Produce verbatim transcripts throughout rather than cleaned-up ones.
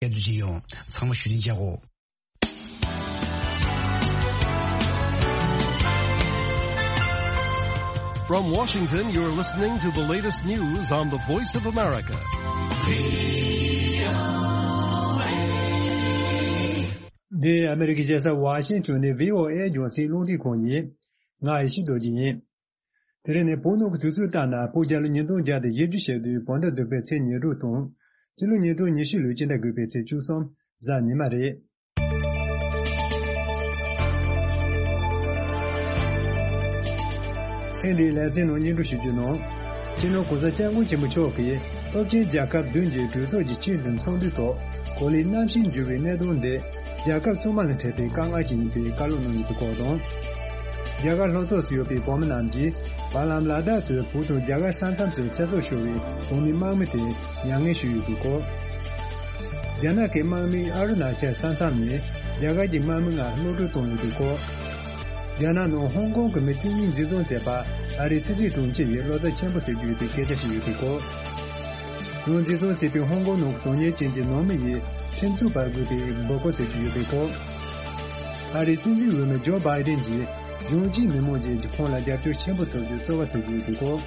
སྐད་སྒྲོག་བྱེད་ཡོང་། ཚང་མ་བཞུགས་གདན་འཇགས་གོ། From Washington, you're listening to the latest news on the Voice of America. འདི་ཨ་མེ་རི་ཀའི་རྒྱལ་ས་ཝ་ཤིང་ཊོན་ནས་བྷི་ཨོ་ཨེ་རྒྱང་སྲིང་རླུང་འཕྲིན་ཁང་ཡིན། ང་ཡེ་ཤེས་རྡོ་རྗེ་ཡིན། དེ་རིང་ནི་བོད་ནང་གི་དུས་ཚོད་ལྟར་ན་བོད་རྒྱལ་ལོ་ཉིས་སྟོང་བརྒྱ་དང་བཞི་བཅུ་ཞེ་བདུན་བོད་ཟླ་བདུན་པའི་ཚེས་ཉེར་དྲུག་དང་། སྤྱི་ལོ་ཉིས་སྟོང་ཉི་ཤུ་ལོའི་སྤྱི་ཟླ་དགུ་པའི་ཚེས་བཅུ་གསུམ་གཟའ་ཉི་མ་རེད། ཐེངས་འདིའི་ལེ་ཚན་ནང་སྙན་སྒྲོན་ཞུ་རྒྱུ་ནང་། སྤྱི་ནོར་གོང་ས་སྐྱབས་མགོན་ཆེན་པོ་མཆོག་གིས་སྟོབས་ཆེན་རྒྱལ་ཁབ་བདུན་གྱི་གྲོས་ཚོགས་ཀྱི་ཆེས་མཐོའི་ཚོགས་འདུའི་ཐོག་གོ་ལའི་གནམ་གཤིས་འགྱུར་བའི་གནད་དོན་འདི་རྒྱལ་ཁབ་ཚང་མ་ལ་འཕྲད་པའི་དཀའ་ངལ་ཅིག་ཡིན་པའི་བཀའ་སློབ་གནང་ཡོད་པའི་སྐོར་དང་། རྒྱ་གར་ལྷོ་ཕྱོགས་སུ་ཡོད་པའི་བོད་མི་རྣམས་ཀྱིས་བར་ལམ་ལ་དྭགས་སུ་བོད་དང་རྒྱ་གར་ས་མཚམས་སུ་ཚེ་སྲོག་ཤོར་བའི་བོད་མི་དམག་མི་དེ་མྱ་ངན་ཞུས་ཡོད་པའི་སྐོར། རྒྱ་ནག་གི་དམག་མིས་ཨ་རུ་ན་ཅལ་ས་མཚམས་ནས་རྒྱ་གར་གྱི་དམག་མི་ལྔ་གློད་བཀྲོལ་བཏང་ཡོད་པའི་སྐོར། རྒྱ་ནག་ནང་ཧོང་ཀོང་གི་མི་སྟེང་གཉིས་འཛིན་བཟུང་མཛད་པར་ཨ་རིའི་ཕྱི་སྲིད་དྲུང་ཆེ་ཡིས་བློ་འཚབ་ཆེན་པོ་བྱེད་ཀྱི་ཡོད་པའི་སྐད་ཆ་བཤད་ཡོད་པའི་སྐོར། ཡང་འཛིན་བཟུང་བྱས་པའི་ཧོང་ཀོང་ནང་གི་དོན་གཉེར་ཅན་གྱི་ནང་མི་ཡིས་ཁྲིམས་རྩོད་པར་དགོས་པའི་འབོད་སྐུལ་བྱེད་ཀྱི་ཡོད་པའི་སྐོར། ཨ་རིའི་སྲིད་འཛིན་འོས་མི་ཇོ་བྷའི་ཌེན་གྱིས་གཞུང་གཅིག་མི་དམངས་ཀྱིས་ཁོང་ལ་རྒྱབ་སྐྱོར་ཆེན་པོ་ཐོབ་རྒྱུའི་རྩོལ་བ་བྱེད་ཀྱི་ཡོད་པའི་སྐོར།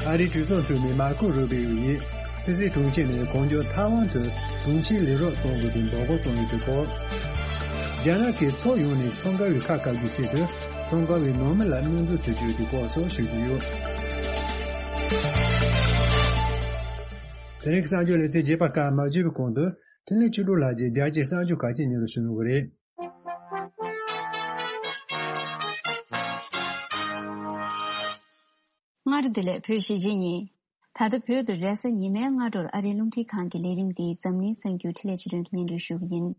ཨ་རིའི་གྲོས་ཚོགས་འཐུས་མི་མར་ཁོ་རུ་བིའོ་ཡིས་ཕྱི་སྲིད་དྲུང་ཆེ་ནས་གང་མགྱོགས་ཐའེ་ཝན་དུ་དྲུང་ཆེའི་ལས་རོགས་གཏོང་དགོས་པའི་འབོད་སྐུལ་གཏོང་ཡོད་པའི་སྐོར། རྒྱ་ནག་གིས་ཕྱོགས་ཡོངས་ནས་ཚོང་ཁང་བའི་ཁ་བཀག་རྒྱུའི་ཆེད་དུ་ཚོང་ཁང་བའི་ནང་མི་ལ་གནོན་འཚེ་བྱེད་རྒྱུ་ཡོད་པའི་སྐོར་སོགས་ཞུ་རྒྱུ་ཡོད། དེ་རིང་གི་གསར་འགྱུར་ལེ་ཚན་རྒྱས་པ་སྐར་མ་བརྗོད་པའི་གོང་དུ་འཕྲིན་ལས་ཆོས་གྲུབ་ལགས་ཀྱིས་རྒྱལ་སྤྱིའི་གསར་འགྱུར་ཁག་ཅིག་སྙན་སྒྲོན་ཞུ་གནང་གི་རེད། སྔ་དྲོ་བདེ་ལེགས། བོད་གཞིས་བྱེས་གཉིས། ད་ལྟ་བོད་དུ་རེས་གཟའ་ཉི་མའི་སྔ་དྲོར་ཨ་རིའི་རླུང་འཕྲིན་ཁང་གི་ལས་རིམ་འདི་འཛམ་གླིང་གསར་འགྱུར་འཕྲིན་ལས་ཆོས་སྒྲོན་གྱིས་སྙན་སྒྲོན་ཞུ་གི་ཡིན།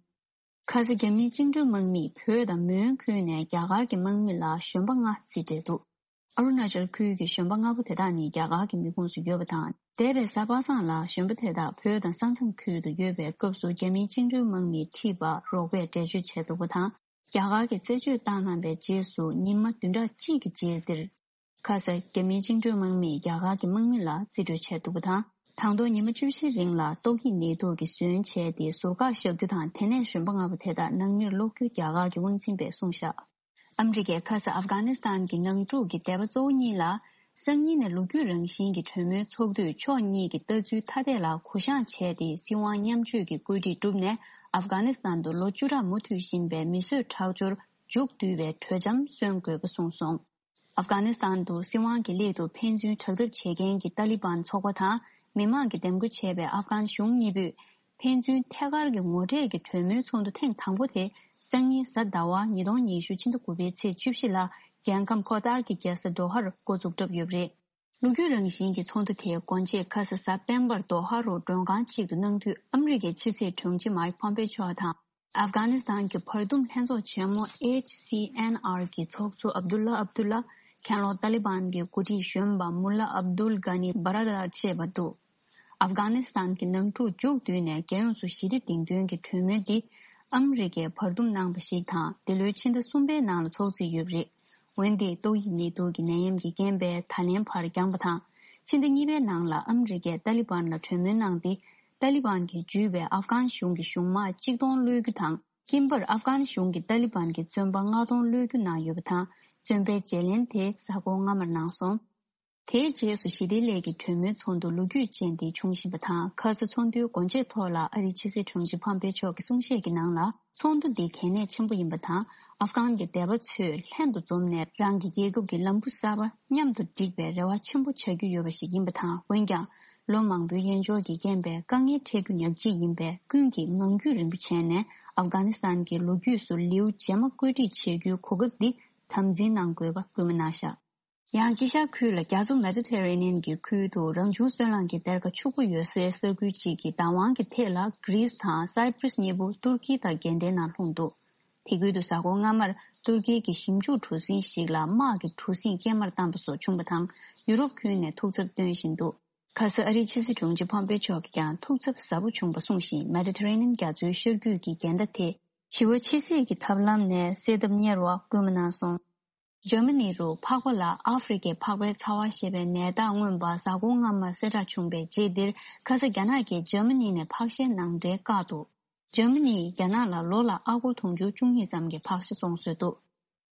ཁ་ས་རྒྱ་མིའི་བཅིངས་འགྲོལ་དམག་མིས་བོད་དང་མོན་ཁུལ་ནས་རྒྱ་གར་གྱི་དམག་མི་ལ་གཞོན་པ་ལྔ་རྩིས་སྤྲད་འདུག་ཨ་རུ་ན་ཅལ་ཁུལ་གྱི་གཞོན་པ་ལྔ་པོ་དེ་དག་ནི་རྒྱ་གར་གྱི་མི་ཁོངས་སུ་ཡོད་པ་དང་། འདས་པའི་གཟའ་པ་སངས་ལ་གཞོན་པ་དེ་དག་བོད་དང་ས་མཚམས་ཁུལ་དུ་ཡོད་པའི་སྐབས་སུ་རྒྱ་མིའི་བཅིངས་འགྲོལ་དམག་མིས་ཁྲིད་པར་རོགས་པས་འགྲེལ་བརྗོད་བྱས་འདུག་པ་དང་། རྒྱ་གར་གྱིས་རྩད་གཅོད་བཏང་གནང་བའི་རྗེས་སུ་ཉི་མ་བདུན་ཕྲག་གཅིག་གི་རྗེས་འདིར། ཁ་ས་རྒྱ་མིའི་བཅིངས་འགྲོལ་དམག་མིས་རྒྱ་གར་གྱི་དམག་མི་ལ་རྩིས་སྤྲོད་བྱས་འདུག་པ་དང་། དང་ཐོག་ཉི་མ་བཅུ་བཞི་རིང་ལ་ཏོག་དབྱིབས་ནད་དུག་གིས་ཟོན་བྱས་ཏེ་ཟུར་བཀག་བཞག་རྒྱུ་དང་། དེ་ནས་གཞོན་པ་ལྔ་པོ་དེ་དག་ནང་མིར་སློག་རྒྱུ་རྒྱ་གར་གྱི་དབང་འཛིན་པས་གསུངས་བཞག་ཨ་མི་རི་ཀས་ཁ་ས་ཨབ་གྷ་ནི་སི་ཐན་གྱི་ནང་འཁྲུག་གི་སྡེ་པ་གཙོ་བོ་གཉིས་ལ། སང་ཉིན་ནས་ལོ་རྒྱུས་རང་བཞིན་གྱི་གྲོས་མོལ་ཚོགས་དུས་ཕྱོགས་གཉིས་ཀྱི་ལྟ་ཚུལ་ཐ་དད་ལ་གུ་བཤངས་བྱས་ཏེ། སྲིད་དབང་མཉམ་སྤྱོད་ཀྱི་བཀོད་སྒྲིག་བསྒྲུབས་ནས། ཨབ་གྷ་ནི་སི་ཐན་དུ་ལོ་བཅུ་ཕྲག་མུ་མཐུད་བཞིན་པའི་མི་གསོད་ཁྲག་སྦྱོར་མཇུག་བསྡུ་བའི་གྲོས་འཆམ་སོན་དགོས་པ་གསུངས་སོང་། ཨབ་གྷ་ནི་སི་ཐན་དུ་སྲིད་དབང་གི་སླད་དུ་ཕན་ཚུན་དྲག་འཐབ་བྱེད་མཁན་གྱི་ཏཱ་ལི་བན་ཚོགས་པ་དང་། མི་མང་གིས་འདེམས་བསྐོ་བྱས་པའི་ཨབ་གྷན་གཞུང་གཉིས་པོས། ཕན་ཚུན་ཐད་ཀར་གྱི་ངོ་འཕྲད་ཀྱི་གྲོས་མོལ་ཚོགས་འདུ་ཐེངས་དང་པོ་དེ། སང་ཉིན་གཟའ་ཟླ་བ་ཉིས་སྟོང་ཉི་ཤུ་ཕྱི་ཟླ་དགུ་པའི་ཚེས་བཅུ་བཞི་ལ། རྒྱལ་ཁམས་ཁོ་ཐར་གྱི་རྒྱལ་ས་ཌོ་ཧར་འགོ་འཛུགས་གྲབས་ཡོད་པ་རེད། ལོ་རྒྱུས་རང་བཞིན་གྱི་ཚོགས་འདུ་དེ་སྒོ་འབྱེད་ཁ་ས་གཟའ་སྤེན་པར་ཌོ་ཧ་རུ་མགྲོན་ཁང་གཅིག་ཏུ་གནང་དུས། ཨ་མི་རི་ཀའི་ཕྱི་སྲིད་དྲུང་ཆེ་མཱིག་ཕོམ་པེ་མཆོག་དང་། ཨབ་གྷ་ནི་སི་ཐན་གྱི་བར་འདུམ་ལྷན་ཚོགས་ཆེན་མོ་ཨེཆ་སི་ཨེན་ཨར་གྱི་ཚོགས་གཙོ་ཨབ་དུལ་ལ་ཨབ་དུལ་ལ། གྱེན་ལོག་ཏཱ་ལི་བན་གྱི་འགོ་ཁྲིད་གཞོན་པ་མུ་ལ་ཨབ་དུལ་གྷ་ནི་བྷ་ར་དར་བཅས་པ་འདུག་ཨབ་གྷ་ནི་སི་ཐན་གྱི་ནང་འཁྲུག་མཇུག་བསྡུས་ནས་རྒྱལ་ཡོངས་སུ་ཞི་བདེ་སྒྲིང་དོན་གྱི་གྲོས་མོལ་འདི་ཨ་མི་རི་ཀས་བར་འདུམ་གནང་བ་ཞིག་དང་། འདི་ལོའི་ཕྱི་ཟླ་གསུམ་པའི་ནང་ལ་ཚོགས་རྩིས་ཡོད་པ་རེད། འོན་ཏེ་ཏོག་དབྱིབས་ནད་དུག་གི་ནད་ཡམས་ཀྱི་རྐྱེན་པས་ད་ལན་ཕར་འགྱངས་པ་དང་། ཕྱི་ཟླ་གཉིས་པའི་ནང་ལ་ཨ་མི་རི་ཀས་ཏཱ་ལི་བན་ལ་གྲོས་མོལ་གནང་སྟེ། ཏཱ་ལི་བན་གྱིས་འཇུས་པའི་ཨབ་གྷན་གཞུང་གི་གཞུང་དམག་གཅིག་སྟོང་གློད་རྒྱུ་དང་། དབྱིན་པར་ཨབ་གྷན་གཞུང་གིས་ཏཱ་ལི་བན་གྱི་བཙོན་པ་ལྔ་སྟོང་གློད་རྒྱུ་གནང་ཡོད་པ་དང་། བཙོན་པའི་བརྗེ་ལེན་དེ་གཟའ་འཁོར་སྔ་མར་གནང་སོང་། དེའི་རྗེས་སུ་ཞི་བདེའི་སླད་ཀྱི་གྲོས་མོལ་ཚོགས་འདུ་ལོ་རྒྱུས་ཅན་དེ་བྱུང་བཞིན་པ་དང་། ཁ་ས་ཚོགས་འདུའི་སྒོ་འབྱེད་ཐོག་ལ་ཨ་རིའི་ཕྱི་སྲིད་དྲུང་ཆེ་ཕམ་པེ་མཆོག་གིས་གསུང་བཤད་ཀྱི་ནང་ལ། ཚོགས་འདུ་འདི་གལ་གནད་ཆེན་པོ་ཡིན་པ་དང་། ཨབ་གྷན་གྱི་སྡེ་པ་ཚོས་ལྷན་དུ་འཛོམས་ནས་རང་གི་རྒྱལ་ཁབ་ཀྱི་ལམ་བུ་གསར་པ་མཉམ་དུ་སྒྲིག་པའི་རེ་བ་ཆེན་པོ་བྱ་རྒྱུ་ཡོད་པ་ཞིག་ཡིན་པ་དང་། འོན་ཀྱང་། ལོ་མང་པོའི་ཡན་འཇོག་གི་རྐྱེན་པས་དཀའ་ངལ་འཕྲད་རྒྱུ་ཉག་གཅིག་ཡིན་པས། ཀུན་གྱིས་ངང་རྒྱུད་རིང་པོ་བྱས་ནས་ཨབ་གྷ་ནི་སི་ཐན་གྱི་ལོ་རྒྱུས་སུ་ལེའུ་རྗེས་མ་བཀོད་སྒྲིག་བྱེད་རྒྱུའི་གོ་སྐབས་འདི་དམ་འཛིན་གནང་དགོས་པ་སྐུལ་མ་གནང་བཞག་ཡང་དཀྱིལ་ཤར་ཁུལ་ལ་རྒྱ་མཚོ་མེ་ཌི་ཊེ་རེ་ནི་ཡན་གྱི་ཁུལ་དུ་རང་བྱུང་སོལ་རླངས་ཀྱི་གཏེར་ཁ་ཕྱུག་པོ་ཡོད་སའི་ས་ཁུལ་གཅིག་གི་བདག་དབང་གི་ཐད་ལ་གྷི་རིས་དང་སའི་པྲིས་གཉིས་པོ་ཏུར་ཀི་དང་འགལ་ཟླའི་ནང་ལྷུང་འདུག་དེ་ཁུལ་དུ་གཟའ་འཁོར་སྔ་མར་ཏུར་ཀིའི་གི་ཞིབ་འཇུག་གྲུ་གཟིངས་ཤིག་ལ་དམག་གི་གྲུ་གཟིངས་སྐྱེལ་མར་བཏང་པ་སོགས་བྱུང་བ་དང་། ཡུ་རོབ་ཁུལ་ནས་ཐུགས་འཚབ་བཏོན་བཞིན་འདུག་ཁ་ས་ཨ་རིའི་ཕྱི་སྲིད་དྲུང་ཆེ་ཕོམ་པེ་མཆོག་གིས་ཀྱང་ཐུགས་འཚབ་ཟབ་པོ་བྱུང་བ་གསུངས་ཤིང་། མེ་ཌི་ཊེ་རེ་ནི་ཡན་རྒྱ་མཚོའི་ཤར་རྒྱུད་ཀྱི་འགལ་ཟླ་དེ་བྱི་བ་ཕྱི་བསིལ་གྱི་ཐབས་ལམ་ནས་སེལ་ཐབས་གཉེར་བ་སྐུལ་མ་གནང་སོང་། འཇར་མ་ནི་རུ་ཕག་པ་ལ་ཨ་ཧྥེ་རི་ཁའི་ཕག་པའི་ཚ་བ་ཞེས་པའི་ནད་རྟགས་མངོན་པ་གཟའ་འཁོར་སྔ་མར་གསལ་བསྒྲགས་བྱུང་བའི་རྗེས་འདིར། ཁ་ས་རྒྱ་ནག་གིས་འཇར་མ་ནི་ནས་ཕག་ཤའི་ནང་འདྲེན་བཀག་འདུག་འཇར་མ་ནིས་རྒྱ་ནག་ལ་ལོ་ལ་ཨ་སྒོར་དུང་ཕྱུར་བཅུ་གཉིས་ཙམ་གྱི་ཕག་ཤ་བཙོང་སྲོལ་འདུག་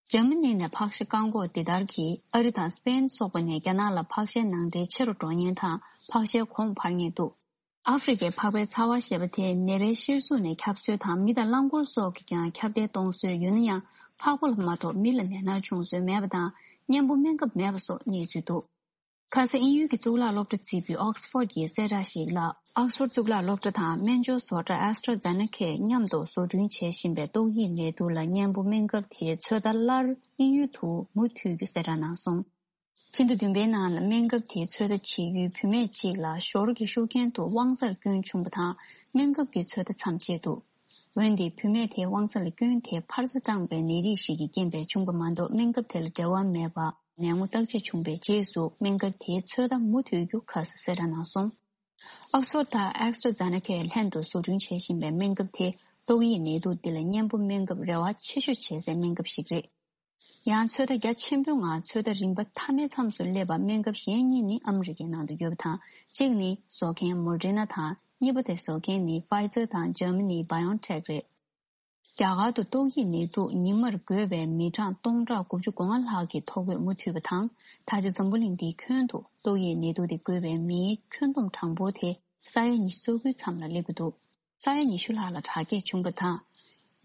འཇར་མ་ནི་ནས་ཕག་ཤ་བཀག་འགོག་འདི་ལྟར་གྱིས་ཨ་རི་དང་སི་པེན་སོགས་པ་ནས་རྒྱ་ནག་ལ་ཕག་ཤའི་ནང་འདྲེན་ཆེ་རུ་འགྲོ་ཉེན་དང་ཕག་ཤའི་གོང་འཕར་ཉེན་འདུག་ཨ་ཧྥེ་རི་ཁའི་ཕག་པའི་ཚ་བ་ཞེས་པ་དེ་ནད་པའི་གཤེར་གཟུགས་ནས་ཁྱབ་སྲོལ་དང་། མི་དང་རླངས་འཁོར་སོགས་ཀྱིས་ཀྱང་ཁྱབ་གདལ་གཏོང་སྲོལ་ཡོད་ན་ཡང་། ཕག་པ་ལ་མ་གཏོགས་མི་ལ་ནད་མནར་བྱུང་སྲོལ་མེད་པ་དང་། གཉེན་པོ་སྨན་ཁབ་མེད་པ་སོགས་གནས་ཚུལ་འདུག་ཁ་ས་དབྱིན་ཡུལ་གྱི་གཙུག་ལག་སློབ་གྲྭ་བརྩིས་པའི་ཨོག་སི་ཕོར་གྱི་གསལ་བསྒྲགས་ཤིག་ལ། ཨོག་སི་ཕོར་གཙུག་ལག་སློབ་གྲྭ་དང་སྨན་སྦྱོར་བཟོ་གྲྭ་ཨེ་སི་ཊ་ར་ཛེ་ནེ་ཁས་མཉམ་དུ་བཟོ་སྐྲུན་བྱེད་བཞིན་པའི་ཏོག་དབྱིབས་ནད་དུག་ལ་གཉེན་པོ་སྨན་ཁབ་དེའི་ཚོད་ལྟ་སླར་དབྱིན་ཡུལ་དུ་མུ་མཐུད་རྒྱུ་གསལ་བསྒྲགས་གནང་སོང་། ཕྱི་ཟླ་བདུན་པའི་ནང་ལ་སྨན་ཁབ་དེའི་ཚོད་ལྟ་བྱེད་ཡུལ་བུད་མེད་ཅིག་ལ་ཞོར་གྱི་ཤུགས་རྐྱེན་དུ་དབང་རྩར་སྐྱོན་བྱུང་བ་དང་། སྨན་ཁབ་ཀྱི་ཚོད་ལྟ་མཚམས་བཅད་འདུག་འོན་ཏེ་བུད་མེད་དེའི་དབང་རྩ་ལ་སྐྱོན་དེ་འཕར་རྩ་སྐྲངས་པའི་ནད་རིགས་ཤིག་གི་རྐྱེན་པས་བྱུང་བ་མ་གཏོགས། སྨན་ཁབ་དེ་ལ་འབྲེལ་བ་མེད་པ་ནད་ངོ་བརྟག་དཔྱད་བྱུང་བའི་རྗེས་སུ། སྨན་ཁབ་དེའི་ཚོད་ལྟ་མུ་མཐུད་རྒྱུ་ཁ་ས་གསལ་བསྒྲགས་གནང་སོང་། ཨོག་སི་ཕོར་དང་ཨེ་སི་ཊ་ར་ཛེ་ནེ་ཁས་ལྷན་དུ་བཟོ་སྐྲུན་བྱེད་བཞིན་པའི་སྨན་ཁབ་དེ་ཏོག་དབྱིབས་ནད་དུག་འདི་ལ་གཉེན་པོ་སྨན་ཁབ་རེ་བ་ཆེ་ཤོས་བྱེད་སའི་སྨན་ཁབ་ཞིག་རེད། ཡང་ཚོད་ལྟ་རྒྱ་ཆེན་པོའི་ངང་ཚོད་ལྟ་རིམ་པ་མཐའ་མའི་མཚམས་སུ་སླེབས་པ། སྨན་ཁབ་གཞན་གཉིས་ནི་ཨ་མི་རི་ཀའི་ནང་དུ་ཡོད་པ་དང་། གཅིག་ནི་བཟོ་མཁན་མོ་ཌེ་ན་དང་། གཉིས་པ་དེ་བཟོ་མཁན་ནི་ཕའི་ཛར་དང་ཇར་མ་ནིའི་བྷ་ཡོན་ཊེག་རེད། རྒྱ་གར་དུ་ཏོག་དབྱིབས་ནད་དུག་ཉི་མར་འགོས་པའི་མི་གྲངས་སྟོང་ཕྲག་དགུ་བཅུ་གོ་ལྔ་ལྷག་གི་ཐོ་འགོད་མུ་མཐུད་པ་དང་། ད་ཆ་འཛམ་བུ་གླིང་འདིའི་ཁྱོན་དུ་ཏོག་དབྱིབས་ནད་དུག་དེ་འགོས་པའི་མིའི་ཁྱོན་བསྡོམས་གྲངས་འབོར་དེ་ས་ཡ་ཉི་ཤུ་རྩ་དགུའི་མཚམས་ལ་སླེབས་ཀྱི་འདུག་ས་ཡ་ཉི་ཤུ་ལྷག་ལ་དྲག་སྐྱེད་བྱུང་བ་དང་།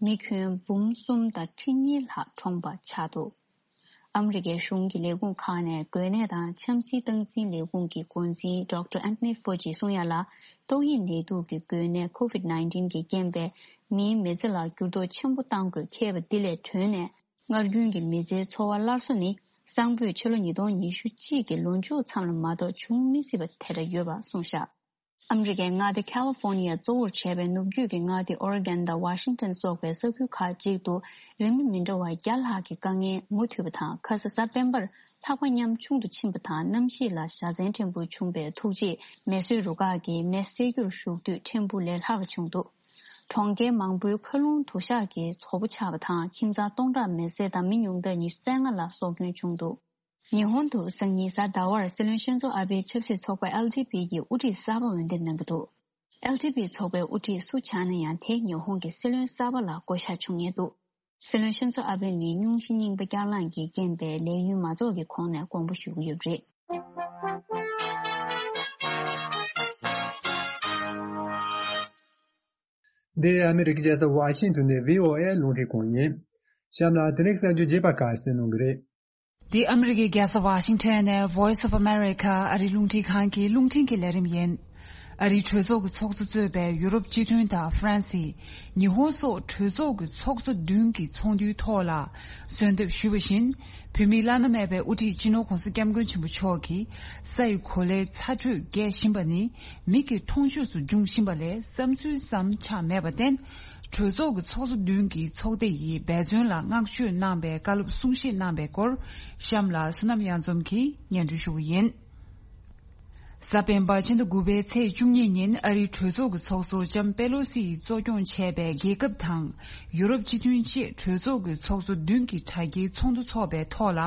མི་ཁྱོན་འབུམ་གསུམ་དང་ཁྲི་གཉིས་ལྷག་གྲོངས་པ་ཆགས་འདུག་ཨ་མི་རི་ཀའི་གཞུང་གི་ལས་ཁུངས་ཁག་ནས་འགོས་ནད་དང་ཆབ་སྲིད་སྟངས་འཛིན་ལས་ཁུངས་ཀྱི་འགོ་འཛིན་ཌོག་ཊར་ཨན་ཐོ་ནི་ཕོ་ཅིས་གསུང་ཡ་ལ། ཏོག་དབྱིབས་ནད་དུག་གི་འགོས་ནད་ཀོ་ཝིད་ནའིན་ཊིན་གྱི་རྐྱེན་པས་མིའི་མི་ཚེ་ལ་འགྱུར་ལྡོག་ཆེན་པོ་གཏང་དགོས་ཁེལ་བ་འདི་ལས་གྲོལ་ནས། སྔར་རྒྱུན་གྱི་མི་ཚེའི་འཚོ་བ་སླར་གསོ་ནི། གསང་ཕོད་ཕྱི་ལོ་ཉིས་སྟོང་ཉི་ཤུ་གཅིག་གི་ལོ་མཇུག་མཚམས་ལ་མ་གཏོགས་བྱུང་མི་སྲིད་པ་དེ་འདྲ་ཡོད་པ་གསུངས་བཞག་ཨ་མི་རི་ཀའི་མངའ་སྡེ་ཁ་ལི་ཧྥོར་ནི་ཡ་གཙོ་བོར་བྱས་པའི་ནུབ་རྒྱུད་ཀྱི་མངའ་སྡེ་ཨོ་རི་གན་དང་ཝ་ཤིང་ཊོན་སོགས་པའི་ས་ཁུལ་ཁག་ཅིག་ཏུ་རིམ་པ་མི་འདྲ་བ་བརྒྱ་ལྷག་གི་དཀའ་ངལ་མུ་མཐུད་པ་དང་། ཁ་ས་གཟའ་སྤེན་པར་ལྷགས་པ་ཉམ་ཆུང་དུ་ཕྱིན་པ་དང་། གནམ་གཤིས་ལ་བཞའ་ཚན་ཕྲན་བུ་བྱུང་བའི་ཐུག་རྗེས་མེ་གསོད་རུ་ཁག་གིས་མེ་བསད་རྒྱུར་ཞུགས་དུས་ཕྲན་བུ་ལས་ལྷག་པ་བྱུང་འདུག་གྲོང་ཁྱེར་མང་པོའི་མཁའ་རླུང་དུ་ཞག་གིས་ཚོགས་པ་ཆགས་པ་དང་། ཁྱིམ་ཚང་སྟོང་ཕྲག་མེ་བསྲེགས་དང་མི་ཉུང་མཐར་ཉི་ཤུ་རྩ་ལྔ་ལ་སྲོག་སྐྱོན་བྱུང་འདུག་ཉི་ཧོང་དུ་སང་ཉིན་གཟའ་ཟླ་བར་སྲིད་བློན་ཤིན་ཛོ་ཨ་བྷེ་ཆབ་སྲིད་ཚོགས་པ་ཨེལ་ཌི་པི་ཡི་དབུ་ཁྲིད་གསར་པ་འོས་འདེམས་གནང་གི་འདུག་ཨེལ་ཌི་པི་ཚོགས་པའི་དབུ་ཁྲིད་སུ་ཆགས་ན་ཡང་དེ་ཉི་ཧོང་གི་སྲིད་བློན་གསར་པ་ལ་བསྐོ་གཞག་བྱུང་ངེས་འདུག་སྲིད་བློན་ཤིན་ཛོ་ཨ་བྷེ་ནི་སྙུང་གཞི་རྙིང་པ་བསྐྱར་ལངས་ཀྱི་རྐྱེན་པས་ལས་ཡུན་མ་རྫོགས་ཀྱི་གོང་ནས་དགོངས་པ་ཞུ་གི་ཡོད་པ་རེད། འདི་ཨ་མི་རི་ཀའི་རྒྱལ་ས་ཝ་ཤིང་ཏོན་ནས་བྷི་ཨོ་ཨེ་རླུང་འཕྲིན་ཁང་ཡིན། གཤམ་ལ་དེ་རིང་གསར་འགྱུར་རྒྱས་པ་ཁག་གསན་གནང་གི་རེད། འདི་ཨ་མི་རི་ཀའི་རྒྱལ་ས་ཝ་ཤིང་ཊོན་ནས་Voice of America ཨ་རིའི་རླུང་འཕྲིན་ཁང་གི་རླུང་འཕྲིན་གྱི་ལས་རིམ་ཡིན། ཨ་རིའི་གྲོས་ཚོགས་ཀྱི་ཚོགས་གཙོ་གཙོས་པའི་ཡུ་རོབ་སྤྱི་མཐུན་དང་ཧྥ་རན་སི། ཉི་ཧོང་སོགས་གྲོས་ཚོགས་ཀྱི་ཚོགས་གཙོ་བདུན་གྱི་ཚོགས་འདུའི་ཐོག་ལ་གསོལ་འདེབས་ཞུས་པ་བཞིན། བོད་མིའི་བླ་ན་མེད་པའི་དབུ་ཁྲིད་སྤྱི་ནོར་ྋགོང་ས་ྋསྐྱབས་མགོན་ཆེན་པོ་མཆོག་གིས་ས་ཡི་གོ་ལའི་ཚ་དྲོད་རྒྱས་བཞིན་པ་ནི་མིག་གི་མཐོང་ཆོས་སུ་འབྱུང་བཞིན་པ་ལས་བསམ་ཚུལ་ཙམ་ཆགས་མེད་པར་བརྟེན། གྲོས་ཚོགས་ཀྱི་ཚོགས་གཙོ་བདུན་གྱིས་ཚོགས་སྡེ་ཡི་འབད་བརྩོན་ལ་བསྔགས་བརྗོད་གནང་བའི་བཀའ་སློབ་གསུང་བཤད་གནང་བའི་སྐོར་གཤམ་ལ་བསོད་ནམས་གཡང་འཛོམས་ཀྱིས་སྙན་སྒྲོན་ཞུ་གི་ཡིན། གཟའ་སྤེན་པ་ཕྱི་ཟླ་དགུ་པའི་ཚེས་བཅུ་གཉིས་ཉིན་ཨ་རིའི་གྲོས་ཚོགས་ཀྱི་ཚོགས་གཙོ་ལྕམ་པེ་ལོ་སི་ཡིས་གཙོ་སྐྱོང་བྱས་པའི་རྒྱལ་ཁབ་དང་ཡུ་རོབ་སྤྱི་མཐུན་བཅས་གྲོས་ཚོགས་ཀྱི་ཚོགས་གཙོ་བདུན་གྱི་དྲ་རྒྱའི་ཚོགས་འདུ་འཚོགས་པའི་ཐོག་ལ་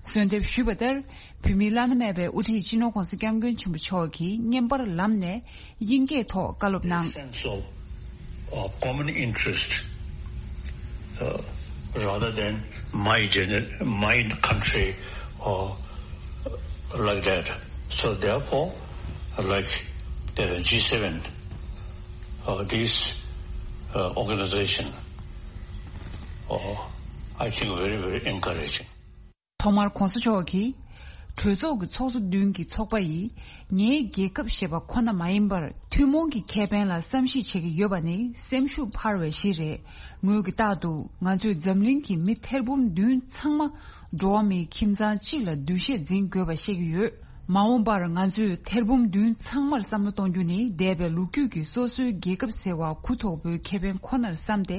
གསོལ་འདེབས་ཞུས་པ་ལྟར། བོད་མིའི་བླ་ན་མེད་པའི་དབུ་ཁྲིད་སྤྱི་ནོར་ྋགོང་ས་ྋསྐྱབས་མགོན་ཆེན་པོ་མཆོག་གིས་བརྙན་པར་ལམ་ནས་དབྱིན་སྐད་ཐོག་བཀའ་སློབ་གནང་། Sense of, uh, common interest, uh, rather than my gener-, my country or like that. So therefore, like the G seven, uh, this, uh, organization, uh, I think very, very encouraging. ཐོག་མར་ྋགོང་ས་མཆོག་གིས། གྲོས་ཚོགས་ཀྱི་ཚོགས་གཙོ་བདུན་གྱི་ཚོགས་པ་ཡིས་ངའི་རྒྱལ་ཁབ་ཞེས་པ་ཁོ་ན་མ་ཡིན་པར། ཐུན་མོང་གི་ཁེ་ཕན་ལ་བསམ་གཞིག་བྱེད་ཀྱི་ཡོད་པ་ནི་སེམས་ཤུགས་འཕར་བའི་གཞི་རེད། ངོས་ཀྱིས་རྟག་ཏུ་ང་ཚོས་འཛམ་གླིང་གི་མི་ཐེར་འབུམ་བདུན་ཚང་མ་འགྲོ་བ་མིའི་ཁྱིམ་ཚང་གཅིག་ལ་འདུ་ཤེས་འཛིན་དགོས་པ་བཤད་ཀྱི་ཡོད། མ་འོངས་པར་ང་ཚོས་ཐེར་འབུམ་བདུན་ཚང་མར་བསམ་བློ་གཏོང་རྒྱུ་ནི་འདས་པའི་ལོ་རྒྱུས་ཀྱི་སོ་སོའི་རྒྱལ་ཁབ་ཟེར་བ་གུ་དོག་པོའི་ཁེ་ཕན་ཁོ་ནར་བསམ་སྟེ་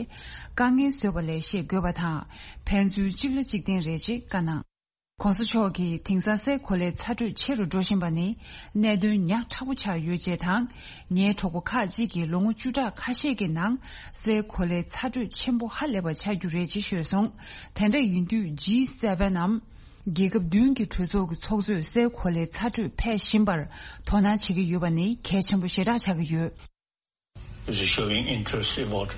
དཀའ་ངལ་བཟོས་པ་ལས་བཤད་དགོས་པ་དང་། ཕན་ཚུན་གཅིག་ལ་གཅིག་བརྟེན་རེད་ཅེས་བཀའ་གནང་། ༸གོང་ས་མཆོག་གིས་དེང་སང་སའི་གོ་ལའི་ཚ་དྲོད་ཆེ་རུ་འགྲོ་བཞིན་པ་ནི་གནད་དོན་ཉག་ཕྲ་པོ་ཆགས་ཡོད་ཅེས་དང་། ངའི་གྲོགས་པོ་ཁག་ཅིག་གིས་ལོ་ངོ་བཅུ་ཕྲག་ཁ་ཤས་ཀྱི་ནང་སའི་གོ་ལའི་ཚ་དྲོད་ཆེན་པོ་ཧ་ལས་པ་ཆགས་རྒྱུ་རེད་ཅེས་ཤོད་སོང་། དེ་འདྲ་ཡིན་དུས་ཇི་སེ་ཝེན་ནམ། རྒྱལ་ཁབ་བདུན་གྱི་གྲོས་ཚོགས་ཀྱི་ཚོགས་གཙོས་སའི་གོ་ལའི་ཚ་དྲོད་འཕེལ་བཞིན་པར་དོ་སྣང་བྱེད་ཀྱི་ཡོད་པ་ནི་གལ་ཆེན་པོ་ཞེ་དྲག་ཆགས་ཀྱི་ཡོད། Is showing interest about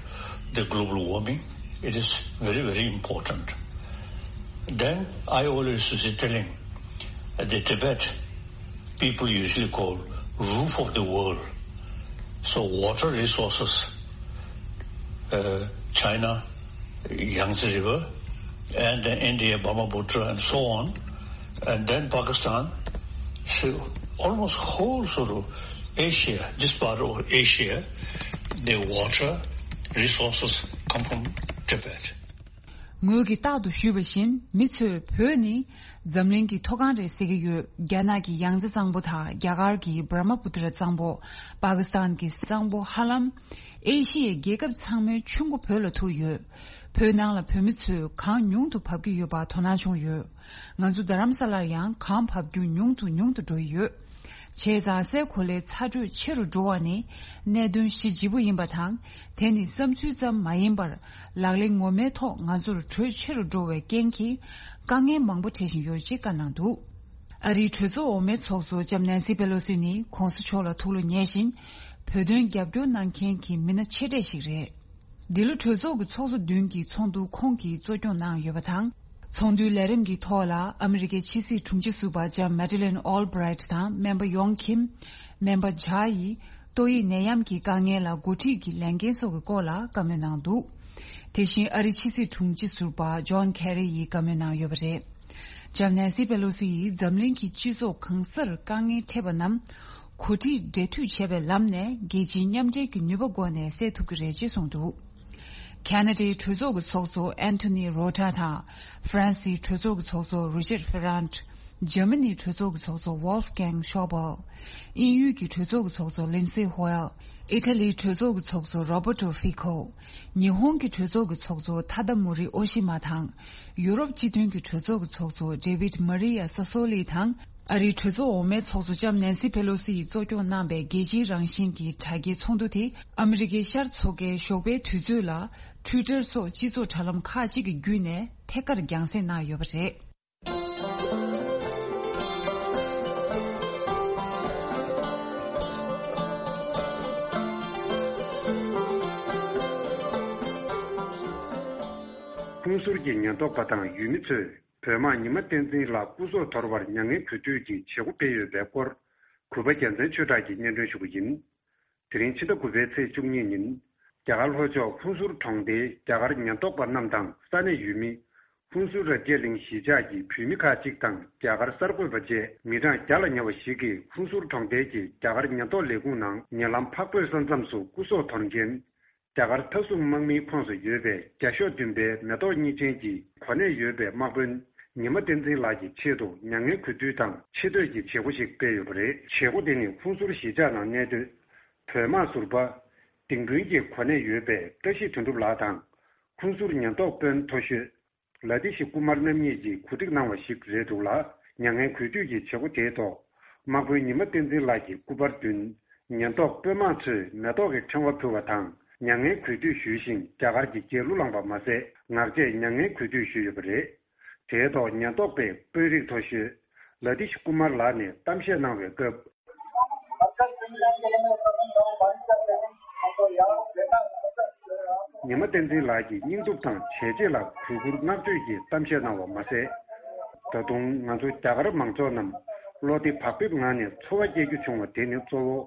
the global warming. It is very, very important. Then I always used to telling the Tibet people usually call roof of the world. So water resources, uh, China, Yangtze River, and then India, Brahmaputra, and so on, and then Pakistan. So almost whole sort of Asia, this part of Asia, the water resources come from Tibet. ངོས་ཀྱིས་རྟག་ཏུ་ཞུས་པ་བཞིན་མི་ཚོས་བོད་ནི་འཛམ་གླིང་གི་མཐོ་སྒང་རེད་ཟེར་གྱི་ཡོད། རྒྱ་ནག་གི་ཡང་ཙེ་གཙང་པོ་དང་རྒྱ་གར་གྱི་བྷ་ར་མ་པུ་ཏྲ་གཙང་པོ། པ་ཀི་སི་ཐན་གྱི་གཙང་པོ་ཧ་ལམ། ཨེ་ཤི་ཡའི་རྒྱལ་ཁབ་ཚང་མའི་ཆུ་མགོ་བོད་ལ་ཐུག་ཡོད། བོད་ནང་ལ་བོད་མི་ཚོས་གངས་ཉུང་དུ་བབས་ཀྱི་ཡོད་པ་དོ་སྣང་བྱུང་ཡོད། ང་ཚོ་རྡ་རམ་ས་ལར་ཡང་གངས་བབས་རྒྱུ་ཉུང་དུ་ཉུང་དུ་འགྲོ་ཡི་ཡོད། བྱས་ཙང་སའི་གོ་ལའི་ཚ་དྲོད་ཆེ་རུ་འགྲོ་བ་ནི་གནད་དོན་གཞི་ལྗིད་པོ་ཡིན་པ་དང་། དེ་ནི་བསམ་ཚུལ་ཙམ་མ་ཡིན་པར་ལག་ལེན་ངོ་མའི་ཐོག་ང་ཚོར་དྲོད་ཆེ་རུ་འགྲོ་བའི་རྐྱེན་གྱིས་དཀའ་ངལ་མང་པོ་འཕྲད་བཞིན་ཡོད་ཅེས་བཀའ་གནང་འདུག་ཨ་རིའི་གྲོས་ཚོགས་འོག་མའི་ཚོགས་གཙོ་ལྕམ་ནན་སི་པེ་ལོ་སི་ནི་༸གོང་ས་མཆོག་ལ་ཐུགས་ལ་ཉེ་ཞིང་། བོད་དོན་རྒྱབ་སྐྱོར་གནང་མཁན་གྱི་མི་སྣ་ཆེ་གྲས་ཤིག་རེད། འདི་ལོ་གྲོས་ཚོགས་ཀྱི་ཚོགས་གཙོ་བདུན་གྱི་ཚོགས་འདུ་ཁོང་གིས་གཙོ་སྐྱོང་གནང་ཡོད་པ་དང་། ཚོགས་འདུའི་ལས་རིམ་གྱི་ཐོག་ལ་ཨ་མི་རི་ཀའི་ཕྱི་སྲིད་དྲུང་ཆེ་ཟུར་པ་ལྕམ་མེ་ཏྲི་ལིན་ཨོལ་བྷི་རའིཊ་དང་སྨན་པ་ཡོང་ཁིམ། སྨན་པ་ཇཱ་ཡིས་ཏོག་དབྱིབས་ནད་ཡམས་ཀྱི་དཀའ་ངལ་ལ་འགོ་ཁྲིད་ཀྱི་ལས་འགན་སོགས་ཀྱི་སྐོར་ལ་བཀའ་མོལ་གནང་འདུག་དེ་བཞིན་ཨ་རིའི་ཕྱི་སྲིད་དྲུང་ཆེ་ཟུར་པ་ཇོན་ཁེ་རི་ཡིས་བཀའ་མོལ་གནང་ཡོད་པ་རེད། ལྕམ་ནན་སི་པེ་ལོ་སི་ཡིས་འཛམ་གླིང་གི་སྤྱི་ཚོགས་གང་སར་དཀའ་ངལ་འཕྲད་པ་རྣམས་གོ་སྒྲིག་འབྲེལ་མཐུད་བྱས་པའི་ལམ་ནས་རྒྱལ་སྤྱིའི་མཉམ་འབྲེལ་གྱི་ནུས་པ་སྒོ་ནས་སེལ་ཐུབ་ཀྱི་རེད་ཅེས་གསུངས་འདུག་ཁ་ན་ཌའི་གྲོས་ཚོགས་ཀྱི་ཚོགས་གཙོ་ཨན་ཐོ་ནི་རོ་ཏྲ་དང་། ཧྥ་རན་སིའི་གྲོས་ཚོགས་ཀྱི་ཚོགས་གཙོ་རུ་ཤེད་ཧྥེ་རན། འཇར་མ་ནིའི་གྲོས་ཚོགས་ཀྱི་ཚོགས་གཙོ་ཝོལ་ཕ་གྷེང་ཤོ་བལ། དབྱིན་ཡུལ་གྱི་གྲོས་ཚོགས་ཀྱི་ཚོགས་གཙོ་ལིན་སི་ཧོ་ཨེལ། ཨི་ཊ་ལིའི་གྲོས་ཚོགས་ཀྱི་ཚོགས་གཙོ་རོ་བར་ཏོ་ཧྥི་ཁོ། ཉི་ཧོང་གི་གྲོས་ཚོགས་ཀྱི་ཚོགས་གཙོ་ཐ་ད་མུ་རི་ཨོ་ཤི་མ་དང་། ཡུ་རོབ་སྤྱི་མཐུན་གྱི་གྲོས་ཚོགས་ཀྱི་ཚོགས་གཙོ་ཌེ་བིད་མ་རི་ཡ་ས་སོ་ལི་དང་། ཨ་རིའི་གྲོས་ཚོགས་འོག་མའི་ཚོགས་གཙོ་ལྕམ་ནན་སི་ཕེ་ལོ་སི་ཡིས་གཙོ་སྐྱོང་གནང་པའི་རྒྱལ་སྤྱིའི་རང་བཞིན་གྱི་དྲ་རྒྱའི་ཚོགས་འདུ་དེ་ཨ་མི་རི་ཀའི་ཤར་མཚོ་ཁའི་ཞོགས་པའི་དུས་ཚོད་ལ་ཊུའི་ཊར་སོགས་སྤྱི་ཚོགས་དྲ་ལམ་ཁག་ཅིག་གི་བརྒྱུད་ནས་ཐད་ཀར་རྒྱང་སྲིང་གནང་ཡོད་པ་རེད། ཧུན་སུར་གྱི་ཉེན་རྟོག་པ་དང་ཡུལ་མི་ཚོས་བོད་དམག་ཉི་མ་བསྟན་འཛིན་ལགས་སྐུ་སྲོག་དོར་བར་མྱ་ངན་གུས་འདུད་ཀྱི་བྱེད་སྒོ་སྤེལ་ཡོད་པའི་སྐོར། གུས་པ་རྒྱལ་མཚན་ཆོས་གྲགས་ཀྱིས་སྙན་སྒྲོན་ཞུ་གི་ཡིན། དེ་རིང་ཕྱི་ཟླ་དགུ་པའི་ཚེས་བཅུ་གཉིས་ཉིན། རྒྱ་གར་ལྷོ་ཕྱོགས་ཧུན་སུར་གྲོང་སྡེའི་རྒྱ་གར་ཉེན་རྟོག་པ་རྣམས་དང་ས་གནས་ཡུལ་མི། ཧུན་སུར་རབ་རྒྱས་གླིང་གཞིས་ཆགས་ཀྱི་བོད་མི་ཁག་ཅིག་དང་རྒྱ་གར་གསར་འགོད་པ་བཅས་མི་གྲངས་བརྒྱ་ལ་ཉེ་བ་ཞིག་གིས་ཧུན་སུར་གྲོང་རྡལ་གྱི་རྒྱ་གར་ཉེན་རྟོག་ལས་ཁུངས་ནང་ཉེ་ལམ་འཕགས་བོད་ས་མཚམས་སུ་སྐུ་སྲོག་དོར་མཁན། རྒྱ་གར་མཐའ་སྲུང་དམག་མིའི་ཁོངས་སུ་ཡོད་པའི་བརྒྱ་ཤོག་བདུན་པའི་མེ་ཏོག་གཉིས་ཅན་གྱི་གོ་གནས་ཡོད་པའི་དམག་དཔོན་ཉི་མ་བསྟན་འཛིན་ལགས་ཀྱི་ཆེད་དུ་མྱ་ངན་གུས་འདུད་དང་ཆེ་བསྟོད་ཀྱི་བྱེད་སྒོ་ཞིག་སྤེལ་ཡོད་པ་རེད། བྱེད་སྒོ་དེ་ནི་ཧུན་སུར་གཞིས་ཆགས་ནང་གནས་སྡོད་བོད་དམག་ཟུར་པ་ལྡིང་དཔོན་གྱི་གོ་གནས་ཡོད་པའི་བཀྲ་ཤིས་དོན་གྲུབ་ལགས་དང་ཧུན་སུར་ཉེན་རྟོག་དཔོན་མཐོ་ཤོས་ལ་ཏི་ཤི་ཀུ་མར་རྣམ་གཉིས་ཀྱིས་གོ་སྒྲིག་གནང་བ་ཞིག་རེད་འདུག་ལ། མྱ་ངན་གུས་འདུད་ཀྱི་བྱེད་སྒོ་དེའི་ཐོག་དམག་དཔོན་ཉི་མ་བསྟན་འཛིན་ལགས་ཀྱི་སྐུ་པར་མདུན་ཉེན་རྟོག་དཔོན་དམག་ཚོས་མེ་ཏོག་གི་ཕྲེང་བ་ཕུལ་བ་དང་མྱ་ངན་གུས་འདུད་ཞུས་ཤིང་རྒྱ་གར་གྱི་རྒྱལ་གླུ་བླངས་པ་མ་ཟད་ངག་བཅད་མྱ་ངན་གུས་འདུད་ཞུས་ཡོད་པ་རེད། དེའི་ཐོག་ཉེན་རྟོག་པའི་དཔོན་རིགས་མཐོ་ཤོས་ལ་ཏི་ཤི་ཀུ་མར་ལགས་ནས་གཏམ་བཤད་གནང་བའི་སྐབས། ཉི་མ་བསྟན་འཛིན་ལགས་ཀྱིས་སྙིང་སྟོབས་དང་བྱས་རྗེས་ལ་གུས་བཀུར་བསྔགས་བརྗོད་ཀྱི་གཏམ་བཤད་གནང་བ་མ་ཟད། ད་དུང་ང་ཚོ་རྒྱ་གར་མང་ཚོགས་རྣམས་བློ་བདེ་བག་ཕེབས་ངང་ནས་འཚོ་བ་སྐྱེལ་རྒྱུ་བྱུང་བ་དེ་ནི་གཙོ་བོ་